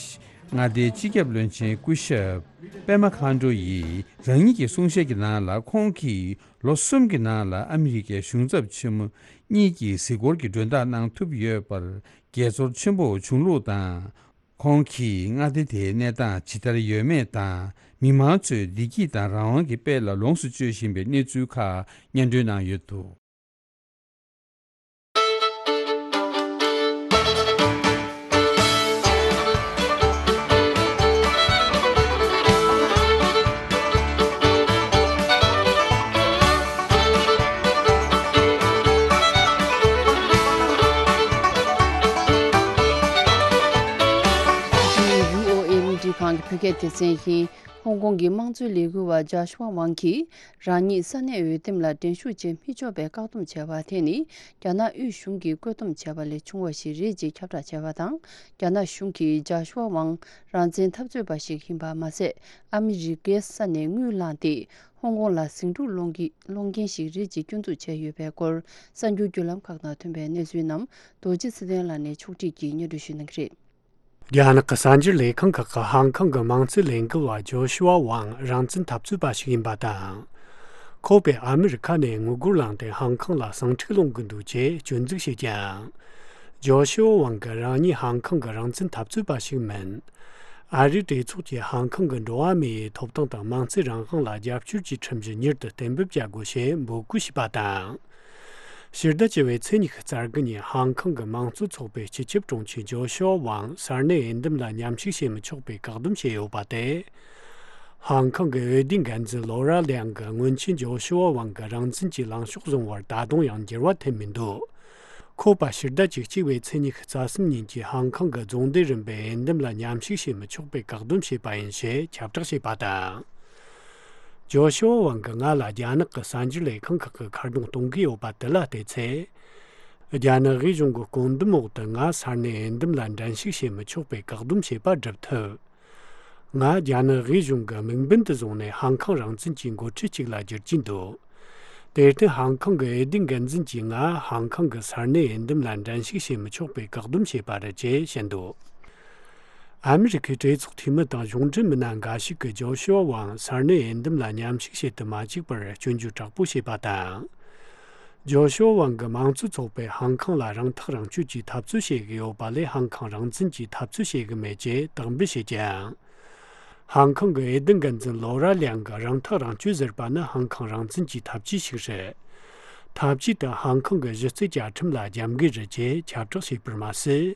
མངའ་སྡེའི་སྤྱི་ཁྱབ་བློན་ཆེན་སྐུ་ཞབས་པད་མ་མཁའ་འགྲོ་ཡིས་རང་ཉིད་ཀྱི་གསུང་བཤད་ཀྱི་ནང་ལ། ཁོང་གིས་ལོ་གསུམ་གྱི་ནང་ལ་ཨ་མི་རི་ཀའི་གཞུང་ཚབ་ཆེན་མོ་གཉིས་ཀྱི་གཟིགས་སྐོར་གྱི་མགྲོན་བདག་གནང་ཐུབ་ཡོད་པར་དགྱེས་ཚོར་ཆེན་པོ་བྱུང་ལུགས་དང་། ཁོང་གིས་མངའ་སྡེ་དེའི་གནས་སྟངས་ཇི་ལྟར་ཡོད་མེད་དང་། མི་མང་ཚོས་བདེ་སྐྱིད་དང་རང་དབང་གི་དཔལ་ལ་ལོངས་སུ་སྤྱོད་བཞིན་པའི་གནས་ཚུལ་ཁག་སྙན་སྒྲོན་གནང་ཡོད་འདུག་ཁང་གི་བོད་སྐད་སྡེ་ཚན་ཡིན། ཧོང་ཀོང་གི་དམངས་གཙོའི་ལས་འགུལ་བ་ཇཱ་ཤུ་ཝ་ཝང་གིས་རང་ཉིད་ས་གནས་འོས་འདེམས་ལ་འགྲན་ཞུགས་བྱེད་མི་ཆོག་པའི་བཀག་སྡོམ་བྱས་པ་དེ་ནི་རྒྱ་ནག་དབུས་གཞུང་གིས་བཀོད་འདོམས་བྱས་པ་ལས་བྱུང་བ་ཞིག་རེད་ཅེས་ཁྱབ་བསྒྲགས་བྱས་པ་དང་། རྒྱ་ནག་གཞུང་གིས་ཇཱ་ཤུ་ཝ་ཝང་རང་བཙན་འཐབ་རྩོད་པ་ཞིག་ཡིན་པ་མ་ཟད། ཨ་མི་རི་ཀའི་ས་ནས་དངུལ་བླངས་ཏེ་ཧོང་ཀོང་ལ་ཟིང་འཁྲུག་སློང་གི་སློང་མཁན་ཞིག་རེད་ཅེས་སྐྱོན་འཛུགས་བྱས་ཡོད་པའི་སྐོར། གསར་འགྱུར་བརྒྱུད་ལམ་ཁག་ནང་ཐོན་པའི་གནས་ཚུལ་རྣམས་རྡོ་རྗེ་ཚེ་བརྟན་ལགས་ནས་ཕྱོགས་སྒྲིག་གིས་སྙན་སྒྲོན་ཞུ་གནང་གི་རེད། རྒྱ་ནག་གི་གསར་འགྱུར་ལས་ཁང་ཁག་གིས་ཧང་ཀང་གི་དམངས་གཙོའི་ལས་འགུལ་བ་ཇོ་ཤུ་ཝ་ཝང་རང་བཙན་འཐབ་རྩོད་པ་ཞིག་ཡིན་པ་དང་། ཁོ་པས་ཨ་མི་རི་ཁ་ནས་དངུལ་སྒོར་བླངས་ཏེ་ཧང་ཀང་ལ་ཟིང་འཁྲུག་སློང་གི་འདུག་ཅེས་སྐྱོན་འཛུགས་བྱས་ཀྱང་། ཇོ་ཤུ་ཝ་ཝང་གིས་རང་ཉིད་ཧང་ཀང་གི་རང་བཙན་འཐབ་རྩོད་པ་ཞིག་མིན། ཨ་རིའི་གྲོས་ཚོགས་ཀྱིས་ཧང་ཀང་གི་འགྲོ་བ་མིའི་ཐོབ་ཐང་དང་མིང་ཚིག་རང་དབང་ལ་རྒྱབ་སྐྱོར་གྱི་ཁྲིམས་གཞི་མྱུར་དུ་གཏན་འབེབས་བྱ་དགོས་ཞེས་འབོད་སྐུལ་བྱས་པ་དང་། ཕྱི་ཟླ་བཅུ་པའི་ཚེས་ཉི་ཤུ་རྩ་དགུ་ཉིན་ཧང་ཀང་གི་དམངས་གཙོ་ཚོགས་པའི་སྤྱི་ཁྱབ་དྲུང་ཆེ་ཇོ་ཤུ་ཝ་ཝང་ས་གནས་འོས་འདེམས་ལ་མཉམ་ཞུགས་བྱེད་མི་ཆོག་པའི་བཀག་སྡོམ་བྱས་ཡོད་པ་དེ། ཧང་ཀང་གི་འོས་བསྡུའི་འགན་འཛིན་ལོ་ར་ལིའང་གི་སྔོན་ཆད་ཇོ་ཤུ་ཝ་ཝང་གི་རང་བཙན་གྱི་ལངས་ཕྱོགས་བཟུང་བར་ད་དུང་ཡང་འགྱུར་བ་ཐེབས་མི་འདུག་ཁོ་པ་ཕྱི་ཟླ་བཅུ་གཅིག་པའི་ཚེས་ཉི་ཤུ་རྩ་གསུམ་ཉིན་གྱི་ཧང་ཀང་གི་རྫོང་སྡེ་རིམ་པའི་འོས་འདེམས་ལ་མཉམ་ཞུགས་བྱེད་མི་ཆོག་པའི་བཀག་སྡོམ་བྱས་པ་ཡིན་ཞེས་ཁྱབ་བསྒྲགས་བྱས་པ་དང་། ཇོ་ཤུ་ཝ་ཝང་གིས་ང་ལ་རྒྱ་ནག་གི་གསར་འགྱུར་ལས་ཁང་ཁག་གི་ཁ་རྡུང་གཏོང་གི་ཡོད་པ་དེ་ལ་བལྟས་ཚེ། རྒྱ་ནག་དབུས་གཞུང་གི་བཀོད་འདོམས་འོག་ཏུ་ང་ས་གནས་འོས་འདེམས་ལ་འགྲན་ཞུགས་བྱེད་མི་ཆོག་པའི་བཀག་སྡོམ་བྱས་པ་སྒྲུབ་ཐུབ། ང་རྒྱ་ནག་དབུས་གཞུང་གི་དམིགས་འབེན་དུ་བཟུང་ནས་ཧང་ཀང་རང་བཙན་གྱི་འགོ་ཁྲིད་ཅིག་ལ་བསྒྱུར་གྱིན་འདུག་དེར་བརྟེན་ཧང་ཀང་གི་འོས་བསྡུའི་འགན་འཛིན་གྱིས་ང་ཧང་ཀང་གི་ས་གནས་འོས་འདེམས་ལ་འགྲན་ཞུགས་བྱེད་མི་ཆོག་པའི་བཀག་སྡོམ་བྱས་པ་རེད་ཅེས་བཤད་འདུག་ཨ་མི་རི་ཁའི་གྲོས་ཚོགས་འཐུས་མི་དང་གཞུང་འབྲེལ་མི་སྣ་འགའ་ཞིག་གིས་ཇོ་ཤུ་ཝ་ཝང་ས་གནས་འོས་འདེམས་ལ་མཉམ་ཞུགས་བྱེད་དུ་མ་བཅུག་པར་སྐྱོན་བརྗོད་དྲག་པོ་བྱས་པ་དང་། ཇོ་ཤུ་ཝ་ཝང་གི་དམངས་གཙོ་ཚོགས་པས་ཧང་ཀང་ལ་རང་ཐག་རང་གཅོད་ཀྱི་འཐབ་རྩོད་བྱེད་ཀྱི་ཡོད་པ་ལས་ཧང་ཀང་རང་བཙན་གྱི་འཐབ་རྩོད་བྱེད་ཀྱི་མེད་ཅེས་དག་འབུལ་བྱེད་ཀྱང་། ཧང་ཀང་གི་འོས་བསྡུ་འགན་འཛིན་ལོ་ར་ལིའང་གིས་རང་ཐག་རང་གཅོད་ཟེར་བ་ནི་ཧང་ཀང་རང་བཙན་གྱི་འཐབ་ཇུས་ཤིག་རེད། འཐབ་ཇུས་དེ་ཧང་ཀང་གི་གཞི་རྩའི་བཅའ་ཁྲིམས་ལ་རྒྱབ་འགལ་རེད་ཅེས་ཁྱབ་བསྒྲགས་བྱས་པར་མ་ཟད།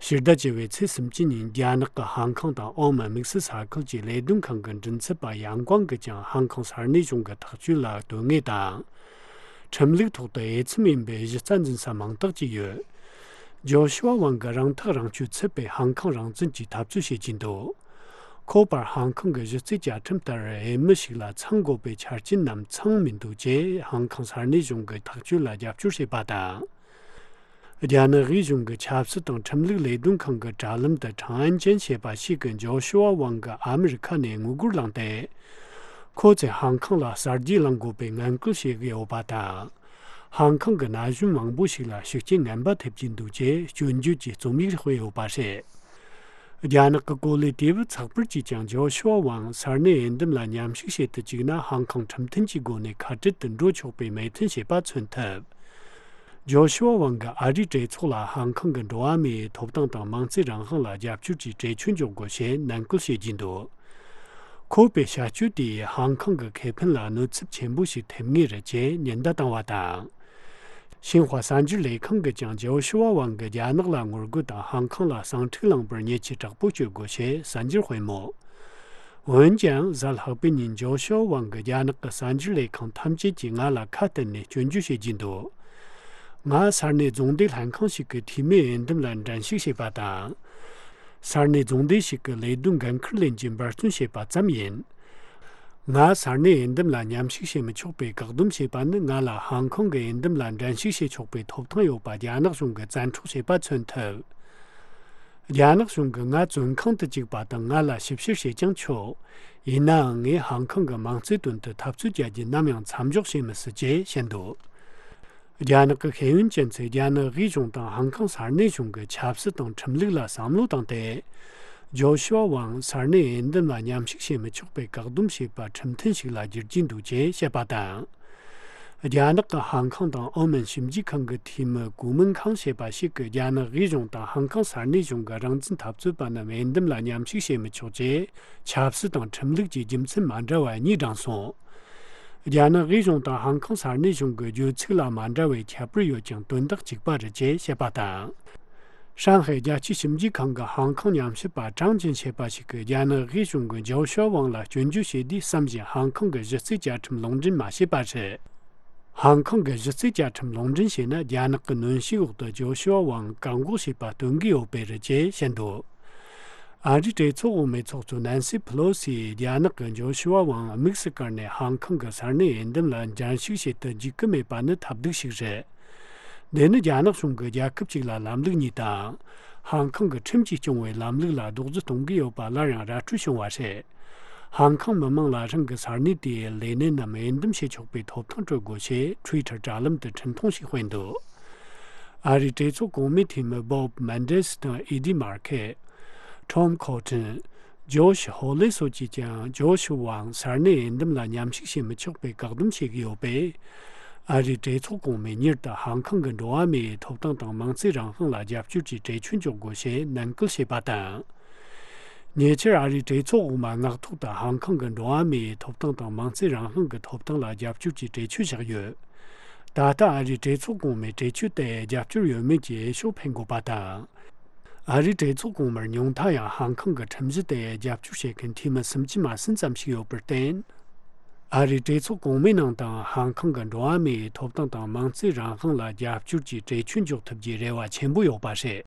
ཕྱི་ཟླ་བཅུ་པའི་ཚེས་སུམ་ཅུ་ཉིན་རྒྱ་ནག་གི་ཧང་ཀང་དང་ཨོ་མན་དམིགས་བསལ་ས་ཁུལ་གྱི་ལས་དོན་ཁང་གི་མགྲིན་ཚབ་པ་ཡང་ཀོང་གིས་ཀྱང་ཧང་ཀང་ས་གནས་གཞུང་གི་ཐག་གཅོད་ལ་དོན་དངོས་དང་། ཁྲིམས་ལུགས་ཐོག་ཏུ་འོས་འཚམ་ཡིན་པའི་གཞི་རྩ་འཛིན་ས་མང་དག་ཅིག་ཡོད། ཇོ་ཤུ་ཝ་ཝང་གིས་རང་ཐག་རང་གཅོད་ཚུད་པའི་ཧང་ཀང་རང་བཙན་གྱི་འཐབ་རྩོད་བྱེད་ཀྱིན་འདུག་ཁོ་པར་ཧང་ཀང་གི་གཞི་རྩའི་བཅའ་ཁྲིམས་ལྟར་འོས་མི་ཞིག་ལ་ཚང་དགོས་པའི་ཆ་རྐྱེན་རྣམས་ཚང་མི་འདུག་ཅེས་ཧང་ཀང་ས་གནས་གཞུང་གི་ཐག་གཅོད་ལ་རྒྱབ་སྐྱོར་བྱས་པ་དང་། རྒྱ་ནག་དབུས་གཞུང་གི་ཆབ་སྲིད་དང་ཁྲིམས་ལུགས་ལས་དོན་ཁང་གི་དྲ་ལམ་དུ་ཁྲང་ཨན་ཅན་ཞེས་པ་ཞིག་གིས་ཇོ་ཤུ་ཝ་ཝང་གིས་ཨ་མི་རི་ཁ་ནས་དངུལ་སྒོར་བླངས་ཏེ། ཁོ་ཚོས་ཧང་ཀང་ལ་གསར་བརྗེ་བླང་དགོས་པའི་ངན་སྐུལ་བྱེད་ཀྱི་ཡོད་པ་དང་། ཧང་ཀང་གི་ན་གཞོན་མང་པོ་ཞིག་ལ་ཤུགས་རྐྱེན་ངན་པ་ཐེབས་ཀྱིན་འདུག་ཅེས་སྐྱོན་བརྗོད་ཀྱི་རྩོམ་ཡིག་སྤེལ་ཡོད་པ་རེད། རྒྱ་ནག་གི་གོ་ལའི་དུས་བབ་ཚགས་པར་གྱིས་ཀྱང་ཇོ་ཤུ་ཝ་ཝང་ས་གནས་འོས་འདེམས་ལ་མཉམ་ཞུགས་བྱེད་དུ་བཅུག་ན་ཧང་ཀང་ཁྲིམས་མཐུན་གྱི་སྒོ་ནས་ཁ་བྲལ་དུ་འགྲོ་ཆོག་པའི་མོས་མཐུན་བྱས་པ་མཚོན་ཐུབ། ཇོ་ཤུ་ཝ་ཝང་གིས་ཨ་རིའི་གྲོས་ཚོགས་ལ་ཧང་ཀང་གི་འགྲོ་བ་མིའི་ཐོབ་ཐང་དང་མིང་ཚིག་རང་དབང་ལ་རྒྱབ་སྐྱོར་གྱི་གྲོས་ཆོད་འཇོག་དགོས་ཞེས་ནན་སྐུལ་བྱེད་ཀྱིན་འདུག་ཁོ་པའི་བྱ་སྤྱོད་དེས་ཧང་ཀང་གི་ཁེ་ཕན་ལ་གནོད་ཚབས་ཆེན་པོ་ཞིག་ཐེབས་ངེས་རེད་ཅེས་ཉེན་བརྡ་བཏང་བ་དང་། ཤིན་ཧྭ་གསར་འགྱུར་ལས་ཁང་གིས་ཀྱང་ཇོ་ཤུ་ཝ་ཝང་གིས་རྒྱ་ནག་ལ་ངོ་རྒོལ་དང་ཧང་ཀང་ལ་ཟིང་འཁྲུག་བསླངས་པར་ཉེས་ཆད་དྲག་པོ་གཅོད་དགོས་ཞེས་གསར་འགྱུར་སྤེལ་མོད། འོན་ཀྱང་གཟའ་ལྷག་པའི་ཉིན་ཇོ་ཤུ་ཝ་ཝང་གིས་རྒྱ་ནག་གི་གསར་འགྱུར་ལས་ཁང་ཐམས་ཅད་ཀྱིས་ང་ལ་ཁ་གཏད་ནས་སྐྱོན་བརྗོད་བྱེད་ཀྱིན་འདུག་ང་ས་གནས་རྫོང་སྡེ་ལྷན་ཁང་ཞིག་གི་འཐུས་མིའི་འོས་འདེམས་ལ་འགྲན་ཞུགས་བྱས་པ་དང་། ས་གནས་རྫོང་སྡེ་ཞིག་གི་ལས་དོན་འགན་འཁུར་ལེན་གྱི་འབད་བརྩོན་བྱས་པ་ཙམ་ཡིན། ང་ས་གནས་འོས་འདེམས་ལ་མཉམ་ཞུགས་བྱེད་མི་ཆོག་པའི་བཀག་སྡོམ་བྱས་པ་ནི་ང་ལ་ཧང་ཀོང་གི་འོས་འདེམས་ལ་འགྲན་ཞུགས་བྱེད་ཆོག་པའི་ཐོབ་ཐང་ཡོད་པ་རྒྱ་ནག་གཞུང་གིས་བཙན་འཕྲོག་བྱས་པ་མཚོན་ཐུབ། རྒྱ་ནག་གཞུང་གིས་ང་བཙོན་ཁང་དུ་བཅུག་པ་དང་ང་ལ་ཞིབ་བཤེར་བྱེད་ཀྱང་ཆོག་ཡིན་ནའང་ངས་ཧང་ཀོང་གི་མིང་ཚིག་དོན་དུ་འཐབ་རྩོད་བྱ་རྒྱུ་ནམ་ཡང་མཚམས་འཇོག་བྱེད་མི་སྲིད་ཅེས་བཤད་འདུག་རྒྱ་ནག་གི་ཤེས་ཡོན་ཅན་ཚོས་རྒྱ་ནག་དབུས་གཞུང་དང་ཧང་ཀོང་ས་གནས་གཞུང་གི་ཆབ་སྲིད་དང་ཁྲིམས་ལུགས་ལ་བསམ་བློ་བཏང་སྟེ། ཇོ་ཤུ་ཝ་ཝང་ས་གནས་འོས་འདེམས་ལ་མཉམ་ཞུགས་བྱེད་མི་ཆོག་པའི་བཀག་སྡོམ་བྱས་པ་ཁྲིམས་མཐུན་ཞིག་ལ་བསྒྱུར་གྱི་འདུག་ཅེས་བཤད་པ་དང་། རྒྱ་ནག་གི་ཧང་ཀོང་དང་ཨོ་མན་ཞིབ་འཇུག་ཁང་གི་འཐུས་མི་གུ་མིན་ཁང་ཞེས་པ་ཞིག་གིས་རྒྱ་ནག་དབུས་གཞུང་དང་ཧང་ཀོང་ས་གནས་གཞུང་གི་རང་བཙན་འཐབ་རྩོད་པ་རྣམས་འོས་འདེམས་ལ་མཉམ་ཞུགས་བྱེད་མི་ཆོག་ཅེས་ཆབ་སྲིད་དང་ཁྲིམས་ལུགས་ཀྱི་རྒྱུ་མཚན་མ་འདྲ་བ་གཉིས་བགྲངས་སོང་། རྒྱ་ནག་དབུས་གཞུང་དང་ཧང་ཀོང་ས་གནས་གཞུང་གི་བརྗོད་ཚིག་ལ་མ་འདྲ་བའི་ཁྱད་པར་ཡོད་ཀྱང་དོན་དག་གཅིག་པ་རེད་ཅེས་བཤད་པ་དང་། ཧྲང་ཧའེ་རྒྱལ་སྤྱིའི་ཞིབ་འཇུག་ཁང་གི་ཧང་ཀོང་ཉམས་ཞིབ་པ་ཀྲང་ཅིན་ཞེས་པ་ཞིག་གིས་རྒྱ་ནག་དབུས་གཞུང་གིས་ཇོ་ཤུ་ཝ་ཝང་ལ་སྐྱོན་བརྗོད་བྱས་དུས་བསམ་བཞིན་ཧང་ཀོང་གི་གཞི་རྩའི་བཅའ་ཁྲིམས་ལུང་འདྲེན་མ་བྱས་པ་རེད། ཧང་ཀོང་གི་གཞི་རྩའི་བཅའ་ཁྲིམས་ལུང་འདྲེན་བྱས་ན་རྒྱ་ནག་གི་གནོན་ཤུགས་འོག་ཏུ་ཇོ་ཤུ་ཝ་ཝང་བཀག་འགོག་བྱས་པ་སྟོན་གྱི་ཡོད་པས་རེད་ཅེས་བཤད་འདུག་ཨ་རིའི་གྲོས་ཚོགས་འོག་མའི་ཚོགས་གཙོ་ནན་སི་ཕི་ལོ་སིས་རྒྱ་ནག་གིས་ཇོ་ཤུ་ཝ་ཝང་དམིགས་སུ་བཀར་ནས་ཧང་ཀོང་གི་ས་གནས་འོས་འདེམས་ལ་འགྲན་ཞུགས་བྱེད་དུ་འཇུག་གི་མེད་པ་ནི་ཐབས་སྡུག་ཞིག་རེད། འདི་ནི་རྒྱ་ནག་གཞུང་གིས་རྒྱལ་ཁབ་ཅིག་ལ་ལམ་ལུགས་གཉིས་དང་། ཧང་ཀོང་གི་ཁྲིམས་ཀྱིས་སྐྱོང་བའི་ལམ་ལུགས་ལ་རྡོག་རྫིས་གཏོང་གི་ཡོད་པ་སླར་ཡང་ར་སྤྲོད་བྱུང་བ་རེད། ཧང་ཀོང་མི་མང་ལ་རང་གི་ས་གནས་དེའི་ལས་སྣེ་རྣམས་འོས་འདེམས་བྱེད་ཆོག་པའི་ཐོབ་ཐང་སྤྲོད་དགོས་ཞེས་ཊུའི་ཊར་དྲ་ལམ་དུ་འཕྲིན་ཐུང་ཞིག་སྤེལ་འདུག་ཨ་རིའི་གྲོས་ཚོགས་གོང་མའི་འཐུས་མི་བོབ་མན་ཌེ་སི་དང་ཨི་ཌི་མར་ཁེ། ཊོམ་ཁོ་ཊིན། ཇོ་ཤི་ཧོ་ལེ་སོགས་ཀྱིས་ཀྱང་ཇོ་ཤི་ཝང་ས་གནས་འོས་འདེམས་ལ་མཉམ་ཞུགས་བྱེད་མི་ཆོག་པའི་བཀག་སྡོམ་བྱེད་ཀྱི་ཡོད་པས། ཨ་རིའི་གྲོས་ཚོགས་གོང་མས་མྱུར་དུ་ཧང་ཀོང་གི་འགྲོ་བ་མིའི་ཐོབ་ཐང་དང་མིང་ཚིག་རང་དབང་ལ་རྒྱབ་སྐྱོར་གྱི་གྲོས་ཆོད་འཇོག་དགོས་ཞེས་ནན་སྐུལ་བྱས་པ་དང་། ཉེ་ཆར་ཨ་རིའི་གྲོས་ཚོགས་འོག་མ་མངགས་ཐོག་ཏུ་ཧང་ཀང་གི་འགྲོ་བ་མིའི་ཐོབ་ཐང་དང་མིང་ཚིག་རང་དབང་གི་ཐོབ་ཐང་ལ་རྒྱབ་སྐྱོར་གྱི་གྲོས་ཆོད་བཞག་ཡོད། ད་ལྟ་ཨ་རིའི་གྲོས་ཚོགས་གོང་མའི་གྲོས་ཆོད་དེ་རྒྱབ་སྐྱོར་ཡོད་མེད་ཀྱི་འོས་ཤོག་འཕེན་དགོས་པ་དང་། ཨ་རིའི་གྲོས་ཚོགས་གོང་མར་ཉུང་མཐའ་ཡང་ཧང་ཀང་གི་ཁྲིམས་གཞི་དེ་རྒྱབ་སྐྱོར་བྱེད་མཁན་འཐུས་མི་སུམ་ཅུ་མ་ཟིན་ཙམ་ཞིག་ཡོད་པར་བརྟེན། ཨ་རིའི་གྲོས་ཚོགས་གོང་མའི་ནང་དུ་ཧང་ཀང་གི་འགྲོ་བ་མིའི་ཐོབ་ཐང་དང་མིང་ཚིག་རང་དབང་ལ་རྒྱབ་སྐྱོར་གྱི་གྲོས་ཆོད་འཇོག་ཐུབ་རྒྱུའི་རེ་བ་ཆེན་པོ་ཡོད་པ་རེད།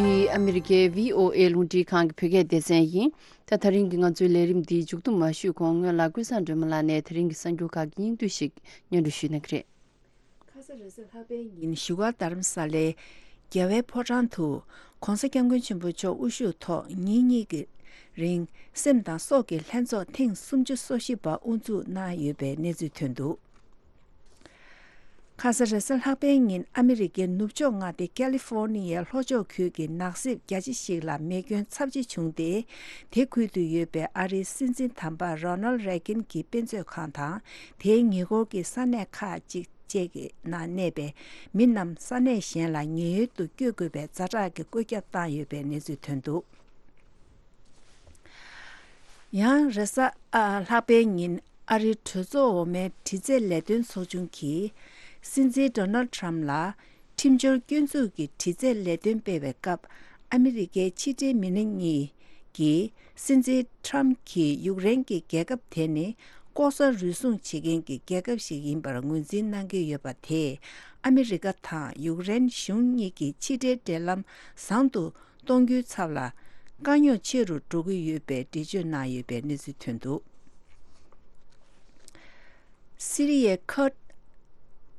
འདི་ཨ་མི་རི་ཀའི་བྷི་ཨོ་ཨེ་རླུང་འཕྲིན་ཁང་གི་བོད་སྐད་སྡེ་ཚན་ཡིན། ད་དེ་རིང་གི་ང་ཚོའི་ལས་རིམ་འདི་མཇུག་བསྡོམས་མ་ཞུས་གོང་སྔོན་ལ་ཀུན་བཟང་སྒྲོལ་མ་ལགས་ནས་དེ་རིང་གི་གསར་འགྱུར་ཁག་གི་སྙིང་བསྡུས་ཤིག་སྙན་སྒྲོན་ཞུས་གནང་གི་རེད། ཁ་ས་རེས་གཟའ་ལྷག་པའི་ཉིན་བཞུགས་སྒར་རྡ་རམ་ས་ལའི་རྒྱལ་བའི་ཕོ་བྲང་དུ་༧གོང་ས་༧སྐྱབས་མགོན་ཆེན་པོ་མཆོག་དབུ་བཞུགས་ཐོག་ཉིན་གཉིས་ཀྱི་རིང་སེམས་དང་སྲོག་གི་ལྷན་ཚོགས་ཐེངས་སུམ་ཅུ་སོ་བཞི་པ་དབུ་འཛུགས་གནང་ཡོད་པའི་གནས་ཚུལ་ཐོན་འདུག་ཁ་ས་རེས་གཟའ་ལྷག་པའི་ཉིན་ཨ་མི་རི་ཀའི་ནུབ་ཕྱོགས་མངའ་སྡེ་ཀ་ལི་ཧྥོར་ནི་ཡའི་ལྷོ་ཕྱོགས་ཁུལ་གྱི་ནགས་གསེབ་རྒྱ་ཆེ་ཞིག་ལ་མེ་སྐྱོན་ཚབས་ཆེ་བྱུང་སྟེ། དེ་ཁུལ་དུ་ཡོད་པའི་ཨ་རིའི་སྲིད་འཛིན་དམ་པ་རོ་ནལ་རེ་གིན་གྱི་དཔེ་མཛོད་ཁང་དང་དེའི་ཉེ་འཁོར་གྱི་ས་གནས་ཁག་ཅིག་བཅས་ཀྱི་ནང་གནས་པའི་མི་རྣམས་ས་གནས་གཞན་ལ་ཉེན་གཡོལ་དུ་བསྐྱོད་དགོས་པའི་ཛ་དྲག་གི་བཀོད་ཁྱབ་བཏང་ཡོད་པའི་གནས་ཚུལ་ཐོན་འདུག་ཡང་རེས་གཟའ་ཨ་ལྷག་པའི་ཉིན་ཨ་རིའི་གྲོས་ཚོགས་འོག་མའི་དྲི་རྩད་ལས་དོན་ཚོགས་ཆུང་གིས་སྲིད་འཛིན་ཌོ་ནལ་ཁྲམ་ལ་ཁྲིམས་སྦྱོར་སྐྱོན་འཛུགས་ཀྱི་དྲི་རྩད་ལས་དོན་སྤེལ་བའི་སྐབས་ཨ་མི་རི་ཀའི་ཕྱི་འབྲེལ་མི་སྣ་གཉིས་ཀྱིས་སྲིད་འཛིན་ཁྲམ་གྱིས་ཡུཀ་རེན་གྱི་རྒྱལ་ཁབ་དེ་ནི་ལྐོག་ཟ་རུལ་སུངས་བྱེད་མཁན་གྱི་རྒྱལ་ཁབ་ཞིག་ཡིན་པར་ངོས་འཛིན་གནང་གི་ཡོད་པ་དེས་ཨ་མི་རི་ཀ་དང་ཡུཀ་རེན་གཞུང་གཉིས་ཀྱི་ཕྱི་འབྲེལ་འབྲེལ་ལམ་བཟང་དུ་གཏོང་རྒྱུའི་ཚབ་ལ་དཀའ་རྙོག་ཆེ་རུ་འགྲོ་གི་ཡོད་པའི་འགྲེལ་བརྗོད་གནང་ཡོད་པའི་གནས་ཚུལ་ཐོན་འདུག་སི་རི་ཡའི་ཁུར་ཌི་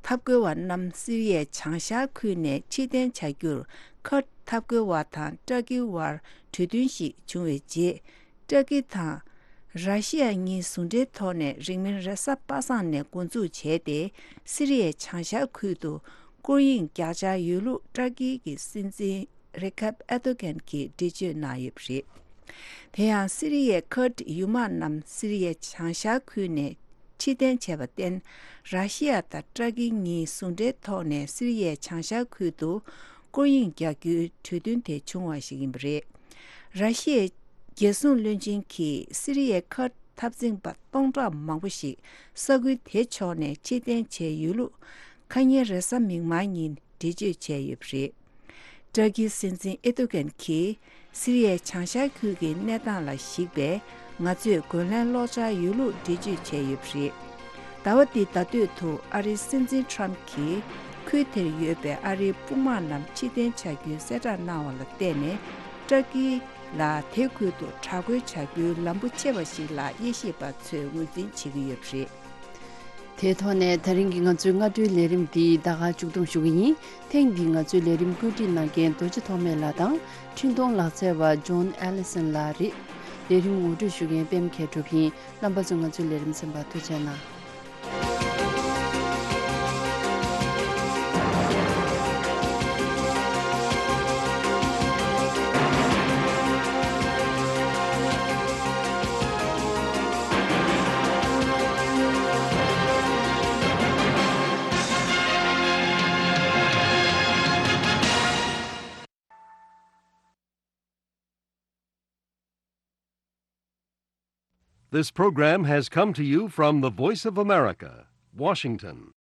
འཐབ་རྒོལ་བ་རྣམས་སི་རི་ཡའི་བྱང་ཤར་ཁུལ་ནས་ཕྱིར་འཐེན་བྱ་རྒྱུར་ཁུར་ཌི་འཐབ་རྒོལ་བ་དང་ཏུར་ཀིའི་དབར་གྲོས་མཐུན་ཞིག་བྱུང་བའི་རྗེས། ཏུར་ཀི་དང་ར་ཤི་ཡ་གཉིས་ཟུང་འབྲེལ་ཐོག་ནས་རིང་མིན་རེས་གཟའ་པ་སངས་ནས་འགོ་འཛུགས་བྱས་ཏེ་སི་རི་ཡའི་བྱང་ཤར་ཁུལ་དུ་སྐོར་གཡེང་རྒྱག་འཆར་ཡོད་ལུགས་ཏུར་ཀི་གི་སྲིད་འཛིན་རེ་ཁབ་ཨེར་ཏོ་གན་གྱིས་འགྲེལ་བརྗོད་གནང་ཡོད་པ་རེད། དེ་ཡང་སི་རི་ཡའི་ཁུར་ཌི་ཡུལ་དམག་རྣམས་སི་རི་ཡའི་བྱང་ཤར་ཁུལ་ནས་ཕྱིར་འཐེན་བྱས་པར་བརྟེན། ར་ཤི་ཡ་དང་ཏུར་ཀི་གཉིས་ཟུང་འབྲེལ་ཐོག་ནས་སི་རི་ཡའི་བྱང་ཤར་ཁུལ་དུ་སྐོར་གཡེང་རྒྱག་རྒྱུའི་གྲོས་མཐུན་དེ་བྱུང་བ་ཞིག་ཡིན་པ་རེད། ར་ཤི་ཡའི་རྒྱལ་སྲུང་བློན་ཆེན་གྱིས་སི་རི་ཡའི་ཁུར་ཌི་འཐབ་འཛིང་པ་སྟོང་ཕྲག་མང་པོ་ཞིག་ས་ཁུལ་དེ་ཕྱོགས་ནས་ཕྱིར་འཐེན་བྱས་ཡོད་ལུགས་ཁ་ཉིན་རེས་གཟའ་མིག་དམར་ཉིན་འགྲེལ་བརྗོད་བྱས་ཡོད་པ་རེད། ཏུར་ཀིའི་སྲིད་འཛིན་ཨེར་ཏོ་གན་གྱིས་སི་རི་ཡའི་བྱང་ཤར་ཁུལ་གྱི་གནས་སྟངས་ལ་གཞིགས་པས་ང་ཚོས་རྒོལ་ལན་སློག་འཆར་ཡོད་ལུགས་འགྲེལ་བརྗོད་བྱས་ཡོད་པ་རེད། ཟླ་བ་འདིའི་ཟླ་སྟོད་དུ་ཨ་རིའི་སྲིད་འཛིན་ཁྲམ་གྱིས་ཁུལ་དེར་ཡོད་པའི་ཨ་རིའི་དཔུང་དམག་རྣམས་ཕྱིར་འཐེན་བྱ་རྒྱུའི་གསལ་བསྒྲགས་གནང་བ་ལ་བརྟེན་ནས་ཏུར་ཀི་ལ་དེ་ཁུལ་དུ་དྲག་རྒོལ་བྱ་རྒྱུའི་ལམ་བུ་ཆེ་བ་ཞིག་ལ་དབྱེ་ཞིབ་པ་ཚོས་ངོས་འཛིན་བྱེད་ཀྱི་ཡོད་པ་རེད། དེའི་ཐོག་ནས་ད་རིང་གི་ང་ཚོའི་སྔ་དྲོའི་ལས་རིམ་འདི་ད་ག་མཇུག་བསྡོམས་ཞུ་གི་ཡིན། ཐེངས་འདིའི་ང་ཚོའི་ལས་རིམ་བཀོད་སྒྲིག་གནང་མཁན་རྡོ་རྗེ་ཐོགས་མེད་ལགས་དང་། འཕྲིན་གཏོང་ལག་རྩལ་བ་ཇོན་ཨེ་ལི་སན་ལགས་རེད། ལས་རིམ་ངོ་སྤྲོད་ཞུ་མཁན་པད་མ་མཁས་གྲུབ་ཡིན། རྣམ་པ་ཚོས་ང་ཚོའི་ལས་རིམ་གསན་པར་ཐུགས་རྗེ་གནང་། This program has come to you from the Voice of America, Washington.